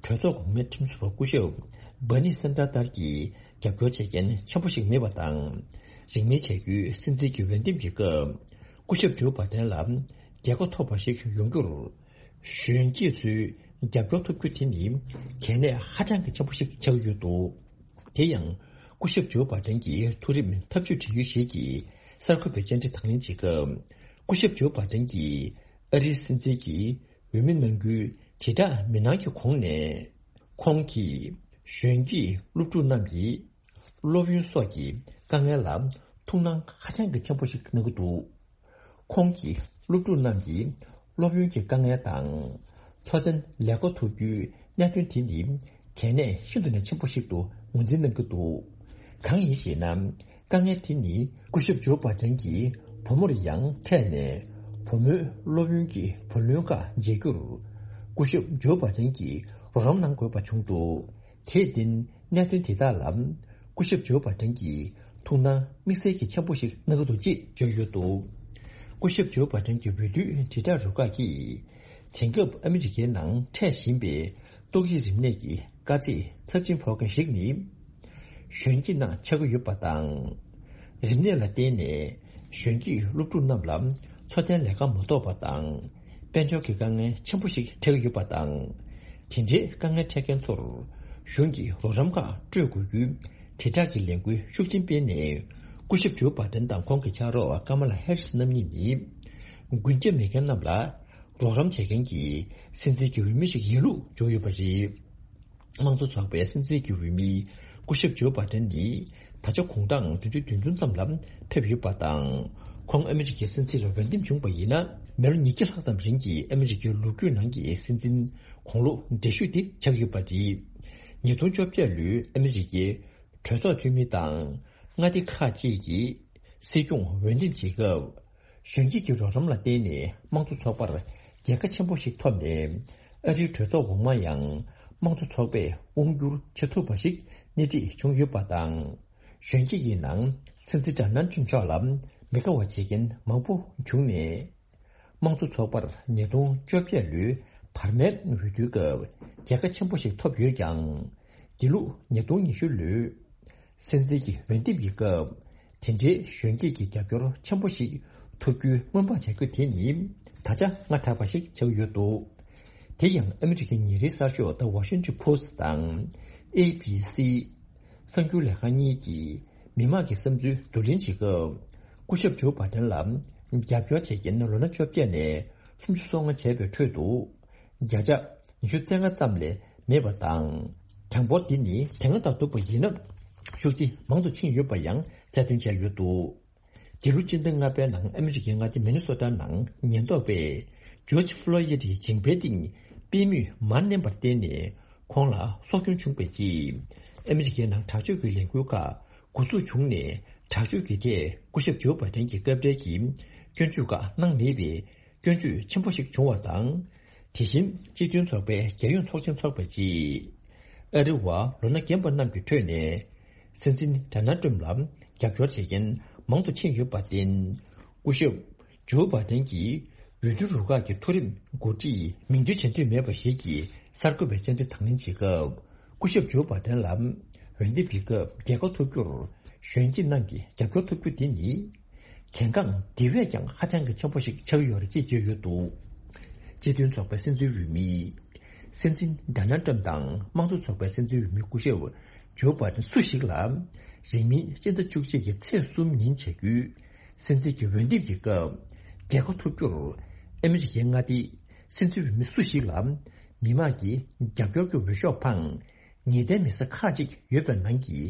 གྲོས་ཚོགས་གོང་མའི་ཁྲིམས་བཟོ་བ་སྐུ་ཞབས་Bernie Sanders་ལྟར་གྱི་རྒྱབ་སྐྱོར་བྱེད་མཁན་ཆེན་པོ་ཞིག་མེད་པ་དང་། རིང་མིན་བྱ་རྒྱུའི་སྲིད་འཛིན་གྱི་འོས་འདེམས་ཀྱི་སྐབས་སྐུ་ཞབས་ཇོ་བྷ་ཏན་ལ་རྒྱལ་ཁ་ཐོབ་པ་ཞིག་ཡོང་རྒྱུར། གཞོན་སྐྱེས་ཚོའི་རྒྱབ་སྐྱོར་ཐོབ་རྒྱུ་དེ་ནི་གལ་གནད་ཧ་ཅང་གི་ཆེན་པོ་ཞིག་ཆགས་ཀྱི་ཡོད་འདུག་དེ་ཡང་སྐུ་ཞབས་ཇོ་བྷ་ཏན་གྱི་མཐོ་རིམ་འཐབ་ཇུས་འབྲེལ་ཡོད་ཞིག་གིས་གསར་འགོད་པའི་བཅར་འདྲི་དང་ལེན་བྱེད་སྐབས། སྐུ་ཞབས་ཇོ་བྷ་ཏན་གྱིས་ཨ་རིའི་སྲིད་འཛིན་གྱི་ འོས་མི་གནང་རྒྱུའི་དྲིལ་བསྒྲགས་མི་གནང་གི་གོང་ནས། ཁོང་གིས་གཞོན་སྐྱེས་སློབ་ཕྲུག་རྣམས་ཀྱི་སློབ་ཡོན་སོགས་ཀྱི་དཀའ་ངལ་ལ་ཐུགས་སྣང་ཧ་ཅང་གི་ཆེན་པོ་ཞིག་གནང་གི་འདུག། ཁོང་གིས་སློབ་ཕྲུག་རྣམས་ཀྱི་སློབ་ཡོན་གྱི་དཀའ་ངལ་དང་། འཚོ་རྟེན་ལས་ཀ་ཐོབ་རྒྱུའི་གནད་དོན་དེ་ནི་གལ་གནད་ཤིན་ཏུ་ནས་ཆེན་པོ་ཞིག་ཏུ་ངོས་འཛིན་གནང་གི་འདུག། གང་ཡིན་ཞེ་ན། དཀའ་ངལ་དེ་ནི་སྐུ་ཞབས་ཇོ་བྷ་ཏན་གྱི་བུ་མོར་ཡང་འཕྲད་ནས། བུ་མོའི་སློབ་ཡོན་གྱི་བུ་ལོན་ཁག་འཇལ་རྒྱུར། སྐུ་ཞབས་ཇོ་བྷ་ཏན་གྱིས་རོགས་རམ་གནང་དགོས་པ་བྱུང་འདུག། དེར་བརྟེན། གནད་དོན་དེ་དག་ལ་སྐུ་ཞབས་ཇོ་བྷ་ཏན་གྱིས་ཐུགས་སྣང་དམིགས་བསལ་གྱི་ཆེན་པོ་ཞིག་གནང་གི་འདུག་ཅེས་བརྗོད་ཡོད་འདུག། སྐུ་ཞབས་ཇོ་བྷ་ཏན་གྱི་འོས་བསྡུའི་དྲིལ་བསྒྲགས་རུ་ཁག་གིས། དེང་སྐབས་ཨ་མི་རི་ཀའི་ནང་འཕྲད་བཞིན་པའི་ཏོག་དབྱིབས་རིམས་ནད་ཀྱི་དཀའ་ཚེགས་ཚབས་ཆེན་ཕོག་མཁན་ཞིག་ནི། གཞོན་སྐྱེས་རྣམས་ཆགས་ཀྱི་ཡོད་པ་དང་། རིམས་ནད་ལ་བརྟེན་ནས་གཞོན་སྐྱེས་སློབ་ཕྲུག་རྣམས་ལ་འཚོ་རྟེན་ལས་ཀ་མ་ཐོབ་པ་དང་། དཔལ་འབྱོར་གྱི་དཀའ་ངལ་ཆེན་པོ་ཞིག་འཕྲད་ཀྱི་ཡོད་པ་དང་། དེ་འདྲའི་དཀའ་ངལ་འཕྲད་མཁན་ཚོར་གཞུང་གིས་རོགས་རམ་ཁག་སྤྲོད་དགོས་རྒྱུའི་དྲིལ་བསྒྲགས་ཀྱི་ལས་འགུལ་ཤུགས་ཆེན་སྤེལ་ནས། སྐུ་ཞབས་ཇོ་བྷ་ཏན་དང་ཁོང་གི་ཕྱག་རོགས་ཀ་མ་ལ་ཧེ་རིས་རྣམ་གཉིས་ནི། མགོན་སྐྱབས་མེད་མཁན་རྣམས་ལ་རོགས་རམ་བྱེད་མཁན་གྱི་སྲིད་འཛིན་གྱི་འོས་མི་ཞིག་ཡིན་ལུགས་བརྗོད་ཡོད་པ་རེད། དམངས་གཙོ་ཚོགས་པའི་སྲིད་འཛིན་གྱི་འོས་མི་སྐུ་ཞབས་ཇོ་བྷ་ཏན་ནི་ད་ཆ་དགུང་གྲངས་བདུན་ཅུ་དོན་བདུན་ཙམ་ལ་ཕེབས་ཡོད་པ་དང་། ཁོང་ཨ་མི་རི་ཀའི་སྲིད་འཛིན་ལ་འོས་འདེམས་བྱུང་བ་ཡིན་ན། མི་ལོ་ཉིས་བརྒྱ་ལྷག་ཙམ་རིང་གི་ཨ་མི་རི་ཀའི་ལོ་རྒྱུས་ནང་གི་སྲིད་འཛིན་དགུང་ལོ་བགྲེས་ཤོས་དེ་ཆགས་ཡོད་པ་རེད། ཉིས་སྟོང་བཅོ་བརྒྱད་ལོའི་ཨ་མི་རི་ཀའི་གྲོས་ཚོགས་འཐུས་མི་དང་མངའ་སྡེ་ཁག་ཅིག་གི་སྲིད་སྐྱོང་འོས་འདེམས་བྱེད་སྐབས། གཞོན་སྐྱེས་ཀྱི་རོགས་རམ་ལ་བརྟེན་ནས་དམངས་གཙོ་ཚོགས་པར་རྒྱལ་ཁ་ཆེན་པོ་ཞིག་ཐོབ་ནས། ཨ་རིའི་གྲོས་ཚོགས་འོག་མ་ཡང་དམངས་གཙོ་ཚོགས་པས་དབང་བསྒྱུར་བྱེད་ཐུབ་པ་ཞིག་སྣེ་ཁྲིད་བྱུང་ཡོད་པ་དང་། གཞོན་སྐྱེས་ཀྱི་ནང་སྲིད་འཛིན་ཌོ་ནལ་ཊམ་མཆོག་ལ་མི་དགའ་བ་བྱེད་མཁན་མང་པོ་བྱུང་ནས། དམངས་གཙོ་ཚོགས་པར་ཉིས་སྟོང་བཅོ་བརྒྱད་ལོའི་བར་མའི་འོས་བསྡུའི་སྐབས་རྒྱལ་ཁ་ཆེན་པོ་ཞིག་ཐོབ་ཡོད་ཀྱང་། འདི་ལོ་ཉིས་སྟོང་ཉི་ཤུ་ལོའི་སྲིད་འཛིན་གྱི་འོས་འདེམས་ཀྱི་སྐབས། དེ་འདྲའི་གཞོན་སྐྱེས་ཀྱི་རྒྱབ་སྐྱོར་ཆེན་པོ་ཞིག་ཐོབ་རྒྱུའི་སྔོན་དཔག་བྱ་རྒྱུ་དེ་ནི་ད་ཆ་སྔ་དྲགས་པ་ཞིག་ཆགས་ཡོད་འདུག། དེ་ཡང་ཨ་མི་རི་ཀའི་ཉིན་རེའི་གསར་ཤོག་The Washington Post་དང་། ཨེ་བྷི་སི། གསར་འགྱུར་ལས་ཁང་གཉིས་ཀྱིས་མི་མང་གི་བསམ་ཚུལ་བསྡུ་ལེན་བྱེད་སྐབས། སྐུ་ཞབས་ཇོ་བྷ་ཏན་ལ་རྒྱབ་སྐྱོར་བྱེད་མཁན་ལོ་ན་བཅོ་བརྒྱད་ནས་སུམ་ཅུ་སོ་ལྔ་བྱས་པའི་ཁྲོད་དུ། བརྒྱ་ཆ་ཉི་ཤུ་རྩ་ལྔ་ཙམ་ལས་མེད་པ་དང་། གྲངས་འབོར་འདི་ནི་དེ་སྔ་དང་བསྡུར་བ་ཡིན་ན་ཤུགས་ཆེ་མང་དུ་ཕྱིན་ཡོད་པ་ཡང་གསལ་སྟོན་བྱས་ཡོད་འདུག། འདི་ལོ་སྤྱི་ཟླ་ལྔ་པའི་ནང་ཨ་མི་རི་ཀའི་མངའ་སྡེ་མི་ནི་སོ་ཊ་ནང་ཉེན་རྟོག་པས་ཇོརྗ་ཕློ་ཡིད་ཀྱི་མཇིང་པའི་སྟེང་པུས་མོས་མར་མནན་པར་བརྟེན་ནས་ཁོང་ལ་སྲོག་སྐྱོན་བྱུང་བའི་རྗེས། ཨ་མི་རི་ཀའི་ནང་དྲག་སྤྱོད་ཀྱི་ལས་འགུལ་ཁག་འགོ་འཛུགས་བྱུང་ནས། དྲག་སྤྱོད་ཀྱི་ཐད་སྐུ་ཞབས་ཇོ་བྷ་ཏན་གྱི་སྐབས་འབྲེལ་གྱི་སྐྱོན་བརྗོད་ཁག་གནང་མེད་པའི་སྐྱོན་བརྗོད་ཆེན་པོ་ཞིག་བྱུང་བ་དང་། དེ་བཞིན་སྤྱི་མཐུན་ཚོགས་པའི་རྒྱལ་ཡོངས་ཚོགས་ཆེན་འཚོགས་པའི་རྗེས། ཨ་རི་བ་ལོ་ན་རྒན་པ་རྣམས་ཀྱི་ཁྲོད་ནས་སྲིད་འཛིན་ཌོ་ནལ་ཊམ་ལ་རྒྱབ་སྐྱོར་བྱེད་མཁན་མང་དུ་ཕྱིན་ཡོད་པར་བརྟེན། སྐུ་ཞབས་ཇོ་བྷ་ཏན་གྱིས་འོས་བསྡུ་རུ་ཁག་གི་མཐོ་རིམ་འགོ་ཁྲིད་མིང་འདོན་བྱེད་འདོད་མེད་པ་ཞིག་གིས་གསར་འགོད་པའི་བཅར་འདྲི་དང་ལེན་བྱེད་སྐབས། སྐུ་ཞབས་ཇོ་བྷ་ཏན་ལ་འོས་འདེམས་ཀྱི་སྐབས་རྒྱལ་ཁ་ཐོབ་རྒྱུར་གཞོན་སྐྱེས་རྣམས་ཀྱི་རྒྱབ་སྐྱོར་ཐོབ་རྒྱུ་དེ་ནི། གལ་འགངས་དེ་བས་ཀྱང་ཧ་ཅང་གི་ཆེན་པོ་ཞིག་ཆགས་ཡོད་རེད་ཅེས་བརྗོད་ཡོད་འདུག། སྤྱི་མཐུན་ཚོགས་པའི་སྲིད་འཛིན་འོས་མི། སྲིད་འཛིན་ཌོ་ནལ་ཊམ་དང་དམངས་གཙོ་ཚོགས་པའི་སྲིད་འཛིན་འོས་མི་སྐུ་ཞབས་ཇོ་བྷ་ཏན་སུ་ཞིག་ལ། རིང་མིན་སྤྱི་ཟླ་བཅུ་གཅིག་གི་ཚེས་གསུམ་ཉིན་བྱ་རྒྱུའི་སྲིད་འཛིན་གྱི་འོས་འདེམས་ཀྱི་སྐབས། རྒྱལ་ཁ་ཐོབ་རྒྱུར་ཨ་མི་རི་ཀའི་མངའ་སྡེའི་སྲིད་འཛིན་འོས་མི་སུ་ཞིག་ལ། མི་མང་གི་རྒྱབ་སྐྱོར་གྱི་འོས་ཤོག་འཕངས། ངེས་གཏན་མེད་ས་ཁག་ཅིག་ཡོད་པའི་ནང་གི་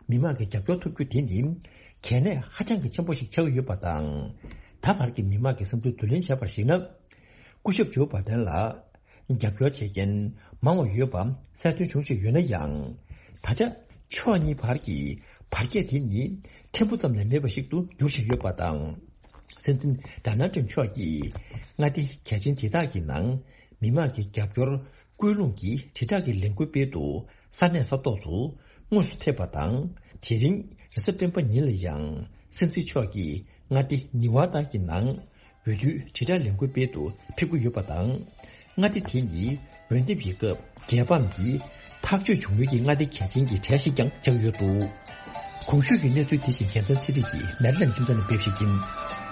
མི་མང་གི་རྒྱབ་སྐྱོར་ཐོབ་རྒྱུ་དེ་ནི་གལ་གནད་ཧ་ཅང་གི་ཆེན་པོ་ཞིག་ཆགས་ཀྱི་ཡོད་པ་དང་། ད་བར་གྱི་མི་མང་གི་བསམ་ཚུལ་བསྡུ་ལེན་བྱས་པར་གཞིགས་ན། སྐུ་ཞབས་ཇོ་བྷ་ཏན་ལ་རྒྱབ་སྐྱོར་བྱེད་མཁན་མང་བ་ཡོད་པ་གསལ་སྟོན་བྱུང་བཞིན་ཡོད་ན་ཡང་། ད་ཆ་ཕྱོགས་གཉིས་བར་གྱི་བར་ཁྱད་དེ་ནི་ཕྲན་བུ་ཙམ་ལས་མེད་པ་ཞིག་ཏུ་འགྱུར་བཞིན་ཡོད་པ་དང་། སྲིད་འཛིན་ཌོ་ནལ་ཊམ་མཆོག་གིས་མངའ་སྡེ་གལ་ཆེན་དེ་དག་གི་ནང་མི་མང་གི་རྒྱབ་སྐྱོར་སྐུལ་སློང་གི་དྲིལ་བསྒྲགས་ཀྱི་ལས་འགུལ་སྤེལ་དུ་ས་གནས་ས་ཐོག་ཏུ་དངོས་སུ་ཕེབས་པ་དང་། དེ་རིང་རེས་གཟའ་སྤེན་པ་ཉིན་ལ་ཡང་སྲིད་འཛིན་མཆོག་གིས་མངའ་སྡེ་ནི་ཝ་ད་གི་ནང་འོས་བསྡུའི་དྲིལ་བསྒྲགས་ལས་འགུལ་སྤེལ་དུ་ཕེབས་ཀྱི་ཡོད་པ་དང་། མངའ་སྡེ་དེ་ནི་འོས་འདེམས་ཀྱི་སྐབས་རྒྱལ་ཕམ་གྱི་ཐག་གཅོད་བྱུང་ཡུལ་གྱི་མངའ་སྡེ་གལ་ཆེན་གྱི་གྲས་ཤིག་ཀྱང་ཆགས་ཡོད་འདུག། གོང་ཞུས་ཀྱི་གནས་ཚུལ་དེ་བཞིན་རྒྱལ་མཚན་ཚེ་རིང་གིས་མེ་རི་ལན་ཁྱིམ་ཚང་ནས་སྤེལ་ཞིག་ཡིན།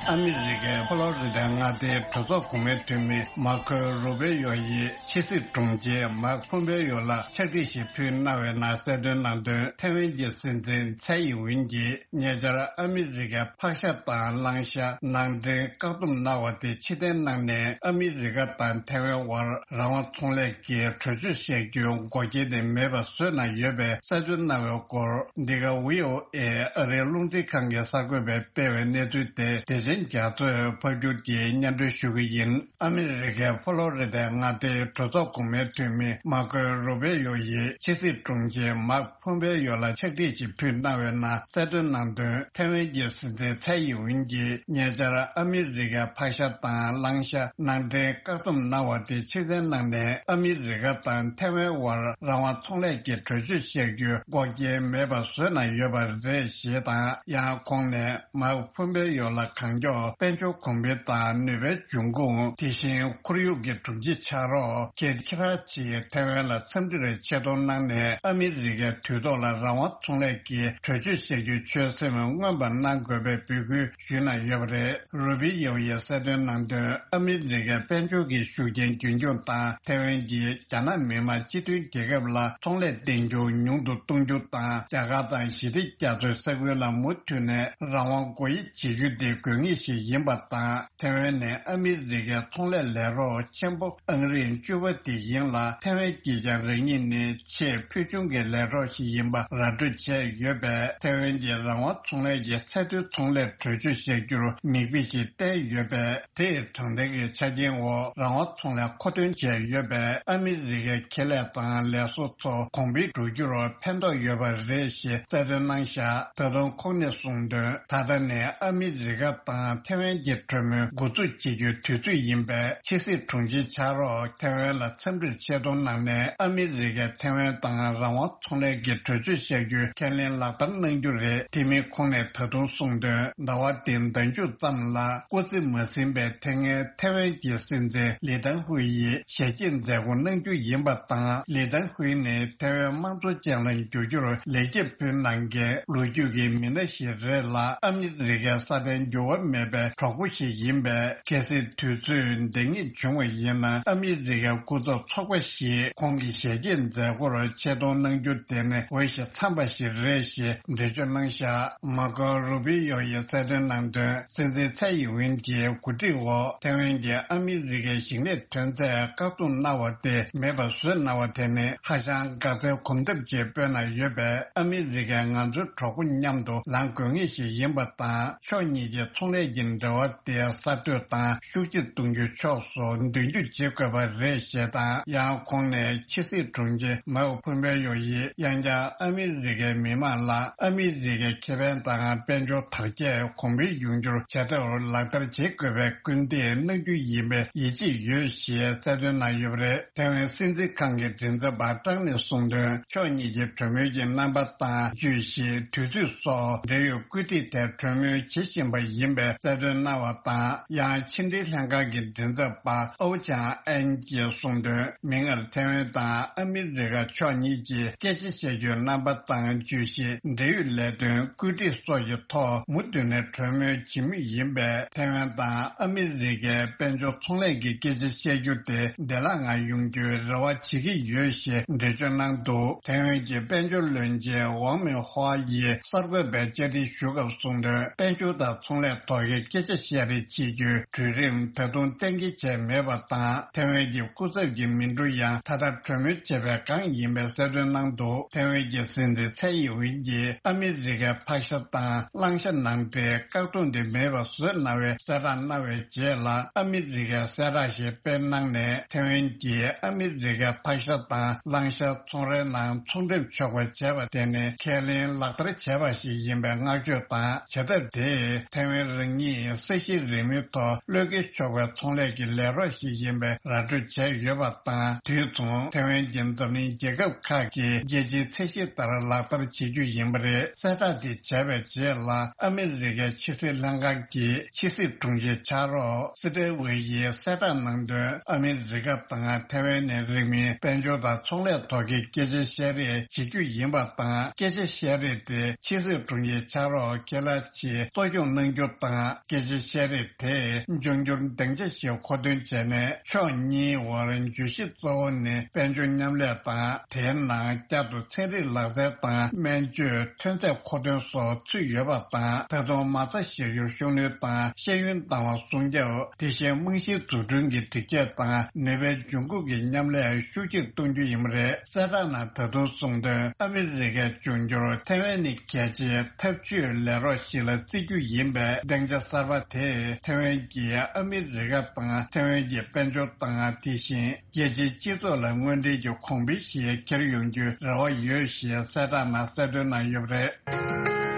ཨ་མི་རི་ཀའི་ཕོ་ལོ་རི་ཏའི་མངའ་སྡེའི་གྲོས་ཚོགས་གོང་མའི་འཐུས་མི་མར་ཁོ་རུ་བེ་ཡོ་ཡིས་ཕྱི་སྲིད་དྲུང་ཆེ་མཱིག་ཕོམ་པེ་ཡོ་ལ་ཕྱག་བྲིས་ཤིག་ཕུལ་གནང་བའི་ནང་གསལ་སྟོན་གནང་དོན། ཐེ་ཝན་གྱི་སྲིད་འཛིན་ཚའེ་ཡིན་ཝིན་གྱིས་ཉེ་ཆར་ཨ་མི་རི་ཀའི་ཕག་ཤ་དང་གླང་ཤ་ནང་འདྲེན་བཀག་སྡོམ་གནང་བ་དེ་ཕྱིར་འཐེན་གནང་ནས། ཨ་མི་རི་ཀ་དང་ཐེ་ཝན་དབར་རང་དབང་ཚོང་ལས་ཀྱི་གྲོས་ཆོད་བཞག་རྒྱུའི་འགོག་རྐྱེན་དེ་མེད་པ་བཟོས་གནང་ཡོད་པའི་གསལ་སྟོན་གནང་བའི་སྐོར། འདི་ག་ཝི་ཨོ་ཨེ་ཨ་རིའི་རླུང་འཕྲིན་ཁང་གི་གསར་འགོད་པས་སྤེལ་བའི་གནས་ཚུལ་དེ་བདེ་ཆེན་རྒྱ་མཚོས་ཕབ་སྒྱུར་གྱིས་སྙན་སྒྲོན་ཞུ་གི་ཡིན། ཨ་མི་རི་ཀའི་ཕོ་ལོ་རི་ཏའི་མངའ་སྡེའི་གྲོས་ཚོགས་གོང་མའི་འཐུས་མི་མར་ཁོ་རུ་བེ་ཡོ་ཡིས་ཕྱི་སྲིད་དྲུང་ཆེ་མཱིག་ཕོམ་པེ་ཡོ་ལ་ཕྱག་བྲིས་ཤིག་ཕུལ་གནང་བའི་ནང་གསལ་སྟོན་གནང་དོན། ཐེ་ཝན་གྱི་སྲིད་འཛིན་ཚའེ་ཡིན་ཝིན་གྱིས་ཉེ་ཆར་ཨ་མི་རི་ཀའི་ཕག་ཤ་དང་གླང་ཤ་ནང་འདྲེན་བཀག་སྡོམ་གནང་བ་དེ་ཕྱིར་འཐེན་གནང་ནས། ཨ་མི་རི་ཀ་དང་ཐེ་ཝན་དབར་རང་དབང་ཚོང་ལས་ཀྱི་གྲོས་ཆོད་བཞག་རྒྱུའི་འགོག་རྐྱེན་མེད་པ་བཟོས་གནང་ཡོད་པ་རེད་ཞེས་དང་། ཡང་ཁོང་ནས་མཱིག་ཕོམ་པེ་ཡོ་ལ་གང་མགྱོགས་དཔལ་འབྱོར་གོང་འཕེལ་དང་ནུས་པའི་འབྱུང་ཁུངས། དེ་བཞིན་ཁོར་ཡུག་གི་སྒྲོམ་གཞི་ཆགས་རོགས། ཁྱེད་ཁྱེད་རང་ཚོས་ཐེ་ཝན་ལ་འཚམས་འདྲིར་ཆེ་མཐོང་གནང་ནས། ཨ་མི་རི་ཀའི་དུས་ཐོག་ལ་རང་དབང་ཚོང་ལས་ཀྱི་གྲོས་ཆོད་བཞག་རྒྱུའི་ཆོད་སེམས་མངོན་པ་གནང་དགོས་པའི་འབོད་སྐུལ་ཞུས་གནང་ཡོད་པ་རེད། རུ་བི་ཡོ་ཡིས་གསལ་སྟོན་གནང་དོན། ཨ་མི་རི་ཀའི་དཔལ་འབྱོར་གྱི་ཤུགས་རྐྱེན་རྒྱུན་འཁྱོངས་དང་། ཐེ་ཝན་གྱིས་རྒྱ་ནག་མི་དམངས་སྤྱི་མཐུན་རྒྱལ་ཁབ་ལ་ཚོང་ལས་གཏན་འཁྱོངས་ཉུང་དུ་གཏོང་རྒྱུ་དང་། རྒྱ་གར་དང་ཞི་བདེ་རྒྱ་མཚོའི་ས་ཁུལ་ལ་མུ་མཐུད་ནས་རང་དབང་སྒོ་དབྱེ་བྱེད་རྒྱུ་དེ་དགོས་ངེས་ཤིག་ཡིན་པ་དང་། ཐེ་ཝན་ནི་ཨ་མི་རི་ཀའི་ཚོང་ལས་ལས་རོགས་ཆེན་པོ་ཨང་རིམ་བཅུ་པ་དེ་ཡིན་ལ། ཐེ་ཝན་གྱིས་ཀྱང་རང་ཉིད་ནི་ཆེས་ཕུལ་བྱུང་གི་ལས་རོགས་ཤིག་ཡིན་པ་ར་སྤྲོད་བྱས་ཡོད་པས། ཐེ་ཝན་གྱིས་རང་དབང་ཚོང་ལས་ཀྱི་ཚད་མཐོའི་ཚོང་ལས་གྲོས་ཆོད་བཞག་རྒྱུར་མིག་དཔེ་ཞིག་བསྟན་ཡོད་པས། དེས་དྲང་བདེན་གྱི་ཆ་རྐྱེན་འོག་རང་དབང་ཚོང་ལས་མཁོ་འདོན་བྱས་ཡོད་པས། ཨ་མི་རི་ཀའི་ཁེ་ལས་དང་ལས་བཟོ་ཚོ་གོང་འཕེལ་འགྲོ་རྒྱུར་ཕན་ཐོགས་ཡོད་པ་རེད་ཞེས་གསལ་སྟོན་གནང་བཞག་ད་དུང་ཁོང་ནས་གསུངས་དོན། ད་ལྟ་ནས་ཨ་མི་རི་ཀ་དང་ཐེ་ཝན་གྱི་གྲོས་མོལ་འགོ་འཛུགས་བྱེད་རྒྱུའི་དུས་ཚོད་ཡིན་པས། ཕྱི་སྲིད་དྲུང་ཆེ་ཕྱག་རོགས་ཐེ་ཝན་ལ་འཚམས་འདྲིར་ཆེ་མཐོང་གནང་ནས། ཨ་མི་རི་ཀས་ཐེ་ཝན་དང་རང་དབང་ཚོང་ལས་ཀྱི་གྲོས་ཆོད་བཞག་རྒྱུའི་ཁས་ལེན་ལག་བསྟར་གནང་རྒྱུ་རེད། དེ་མིན་ཁོང་ནས་ད་དུང་གསུངས་དོན། ཟླ་བ་འདིའི་ཟླ་མཇུག་ཙམ་ལ་སྐུ་ཚེ་མ་ཟིན་པའི་ཐེངས་ཐེ་ཝན་གྱི་སྲིད་འཛིན་ལི་ཐང་ཧུའེ་ཡིས་ཞལ་གྱེས་མཛད་སྒོ་གནང་རྒྱུ་ཡིན་པ་དང་། ལི་ཐང་ཧུའེ་ནི་ཐེ་ཝན་དམངས་གཙོ་ཅན་ལ་འགྱུར་རྒྱུར་ལེགས་སྐྱེས་ཕུལ་གནང་མཁན་ལོ་རྒྱུས་ཀྱི་མི་སྣ་ཞིག་རེད་ལ། ཨ་མི་རི་ཀའི་སྲ་བརྟན་འགྱུར་བ་མེད་པའི་གྲོགས་པོ་ཞིག་ཡིན་པས། གལ་སྲིད་དུས་ཚོད་འདང་ངེས་བྱུང་བ་ཡིན་ན། ཨ་མི་རི་ཀའི་སྐུ་ཚབ་ཚོགས་པ་ཞིག་ཁོང་གི་ཞལ་གྱེས་མཛད་སྒོར་ཆེད་གཏོང་གནང་རྒྱུ་དེ་ནི་འོས་ཤིང་འཚམས་པ་ཞིག་རེད་ཞེས་འགྲེལ་བརྗོད་གནང་བཞག་མར་ཁོ་རུ་བི་ཡོ་ཡིས་གསལ་སྟོན་གནང་དོན། སྲིད་འཛིན་ཚའེ་ཡིན་ཝིན་གྱིས་གོ་སྒྲིག་འོག་ཐེ་ཝན་གྱི་ཨ་མི་རི་ཀའི་ཞིང་ལས་ཐོན་རྫས་བཀག་སྡོམ་གནང་བ་དེ་མེད་པ་བཟོས་གནང་བ་དེ་ནི་ཧ་ཅང་དགའ་ཚལ་གོམ་སྟབས་ཀྱིས་སྤོས་གནང་ཡོད་པས། ཨ་མི་རི་ཀས་ང་ཚོའི་གྲོགས་པོ་མཉམ་དུ་ལངས་དགོས་ངེས་ཤིག་ཡིན་པ་དང་། ཕྱོགས་གཉིས་ཀྱི་ཚོང་ལས་ཀྱི་འབྲེལ་བ་དེ་གསར་གཏོད་དང་ཤུགས་ཆེ་གཏོང་རྒྱུའི་ཕྱོགས་སུ་མདུན་སྐྱོད་བྱེད་དགོས་པ་རེད་ཞེས་དང་། ཡང་ཁོང་ནས་ཕྱི་སྲིད་དྲུང་ཆེ་མའོ་ཕུན་པེ་ཡོ་ཡིས་ཡང་བསྐྱར་ཨ་མི་རི་ཀའི་མི་དམངས་ལ་ཨ་མི་རི་ཀའི་ཁེ་ཕན་དང་དཔལ་འབྱོར་དར་རྒྱས་གོང་འཕེལ་ཡོང་རྒྱུར་བྱ་ཐབས་ལག་བསྟར་བྱེད་དགོས་པའི་སྐུལ་འདེད་གནང་རྒྱུ་ཡིན་པའི་ཡིད་ཆེས་ཡོད་ཞེས་གསལ་སྟོན་གནང་ཡོད་པ་རེད། ཐེ་ཝན་སྲིད་འཛིན་ཁང་གི་མགྲིན་ཚབ་པ་ཀྲང་ནས་གསུངས་དོན། ཕྱོགས་གཉིས་ཀྱི་གྲོས་མོལ་གྱི་རྣམ་པ་དང་བརྗོད་གཞི། དུས་ཚོད་སོགས་འབྲེལ་ཡོད་བཀོད་སྒྲིག་ཐད་གྲོས་མོལ་བྱེད་བཞིན་པ་ཡིན་པའི་གསལ་སྟོན་གནང་བ་དང་། ཡང་ཕྱི་འབྲེལ་ལྷན་ཁང་གི་མགྲིན་ཚབ་པ་ཨའོ་ཅང་ཨན་གྱིས་གསུངས་དོན། མིག་སྔར་ཐེ་ཝན་དང་ཨ་མི་རི་ཀ་ཕྱོགས་གཉིས་ཀྱིས་སྐད་ཆ་བཤད་རྒྱུའི་རྣམ་པ་དང་བརྗོད་གཞི། འབྲེལ་ཡོད་ལས་དོན། བཀོད་སྒྲིག་སོགས་ཀྱི་ཐོག་མུ་མཐུད་ནས་གྲོས་མོལ་བྱེད་མུས་ཡིན་པས། ཐེ་ཝན་དང་ཨ་མི་རི་ཀའི་དཔལ་འབྱོར་ཚོང་ལས་ཀྱི་སྐད་ཆ་བཤད་རྒྱུ་དེ་བདེ་བླག་ངང་ཡོང་རྒྱུའི་རེ་བ་བྱེད་ཀྱི་ཡོད་ཞེས་འགྲེལ་བརྗོད་གནང་འདུག་ཐེ་ཝན་གྱི་དཔལ་འབྱོར་བློན་ཆེན་ཝང་མིན་ཧྭ་ཡིས་གསར་འགོད་པའི་བཅར་འདྲི་ཞུ་སྐབས་གསུངས་དོན། དཔལ་འབྱོར་དང་ཚོང་ལས་ཐོག་གི་སྐད་ཆ་བཤད་རེས་བྱེད་རྒྱུའི་གྲོས་རིམ་ད་དུང་གཏན་འཁེལ་བྱས་མེད་པ་དང་། ཐེ་ཝན་གྱི་སྐུ་ཚབ་ཀྱི་མི་འགྲོ་ཡང་ད་ལྟ་གྲོས་མོལ་བྱེད་པའི་སྒང་ཡིན་པའི་གསལ་སྟོན་གནང་འདུག་ཐེ་ཝན་གྱི་སྲིད་འཛིན་ཚའེ་ཡིན་ཝིན་གྱིས་ཨ་མི་རི་ཀའི་ཕག་ཤ་དང་གླང་ཤ་ནང་འདྲེན་བཀག་སྡོམ་དེ་མེད་པ་བཟོས་གནང་བའི་གསལ་བསྒྲགས་གནང་བའི་རྗེས་ལ། ཨ་མི་རི་ཀས་གསལ་བསྒྲགས་ཤིག་སྤེལ་གནང་ནས། ཐེ་ཝན་གྱིས་ཨ་མི་རི་ཀའི་ཕག་ཤ་དང་གླང་ཤ་ཚོང་རའི་ནང་ཚོང་འགྲེམས་ཆོག་པ་བྱས་པ་དེ་ནི་ཁས་ལེན་ལག་བསྟར་བྱས་པ་ཞིག་ཡིན་པའི་བསྔགས་བརྗོད་དང་། བྱ་ཐབས་དེས་ཐེ་ཝན་རང་ཉིད་ས་གཞི་རིང་མོའི་ཐོག་གློད་གྲོལ་ཆོག་པའི་ཚོང་ལས་ཀྱི་ལས་རོགས་ཤིག་ཡིན་པའི་ར་སྤྲོད་བྱས་ཡོད་པ་དང་། དུས་མཚུངས་ཐེ་ཝན་གྱིས་འཛམ་གླིང་རྒྱལ་ཁབ་ཁག་གི་རྒྱལ་སྤྱིའི་ཚད་གཞི་ལྟར་ལག་བསྟར་བྱེད་རྒྱུ་ཡིན་པ་རེད། གསལ་བསྒྲགས་དེ་བྱས་པའི་རྗེས་ལ། ཨ་མི་རི་ཀའི་ཕྱི་སྲིད་ལྷན་ཁང་གི་ཕྱི་སྲིད་དྲུང་ཆེ་ཕྱག་རོགས་སི་ཏེ་ཝེ་ཡིས་གསལ་བསྒྲགས་གནང་དོན། ཨ་མི་རི་ཀ་དང་ཐེ་ཝན་ནས་རིང་མིན་དཔལ་འབྱོར་དང་ཚོང་ལས་ཐོག་གི་སྐད་ཆ་བཤད་རེས་བྱེད་རྒྱུ་ཡིན་པ་དང་། སྐད་ཆ་བཤད་རེས་དེ་ཕྱི་སྲིད་དྲུང་ཆེ་ཕྱག་རོགས་ཁེ་ལ་ཆེ་གཙོ་སྐྱོང་གནང་རྒྱུ་དང་ དང་། སྐད་ཆ་བཤད་རིགས་དེས་འབྱུང་འགྱུར་སྡིངས་ཆ་ཞིག་མཁོ་འདོན་བྱས་ནས། ཕྱོགས་གཉིས་དབར་བརྗོད་གཞི་གཙོ་བོ་ནི་དཔལ་འབྱོར་མཉམ་ལས་དང་། དེའི་ནང་བསྐྱར་དུ་ཚན་རིག་ལག་རྩལ་དང་སྨན་བཅོས་ཐོན་རྫས་མཁོ་འདོན་སོགས་ཚུད་ཡོད་པ་དང་། ད་དུང་མ་རྩ་བཞག་རྒྱུར་ཤུགས་སྣོན་དང་ཤེས་ཡོན་བཏང་བ་སྲུང་སྐྱོབ། དེ་བཞིན་རྨང་གཞིའི་འཛུགས་སྐྲུན་གྱི་སྒྲིག་ཆས་དང་ནུས་པའི་འབྱུང་ཁུངས་ཀྱི་མཉམ་ལས་ཤུགས་ཆེར་གཏོང་རྒྱུ་ཡིན་པ་རེད། གསལ་བསྒྲགས་ནང་ད་དུང་གསུངས་དོན། ཨ་མི་རི་ཀའི་འབྱུང་འགྱུར་ཐའེ་ཝན་ནི་རྒྱལ་སྤྱིའི་འཐབ་ཇུས་ལས་རོགས་ཤིག་ལ་བརྩི་རྒྱུ་ཡིན་པས། སྡིངས་ཆ་གསར་པ་དེས་ཐའེ་ཝན་གྱིས་ཨ་མི་རི་ཀ་དང་ཐའེ་ཝན་གྱི་དཔལ་འབྱོར་དང་། དེ་བཞིན་རྒྱལ་སྤྱིའི་སྤྱི་ཚོགས་ལ་དངོས་འབྲེལ་གྱི་གོང་འཕེལ་ཞིག་འཁྱེར་ཡོང་རྒྱུའི་རེ་བ་ཡོད་ཞེས་གསལ་བསྒྲགས་ནང་གསལ་སྟོན་གནང་ཡོད་པ་རེད།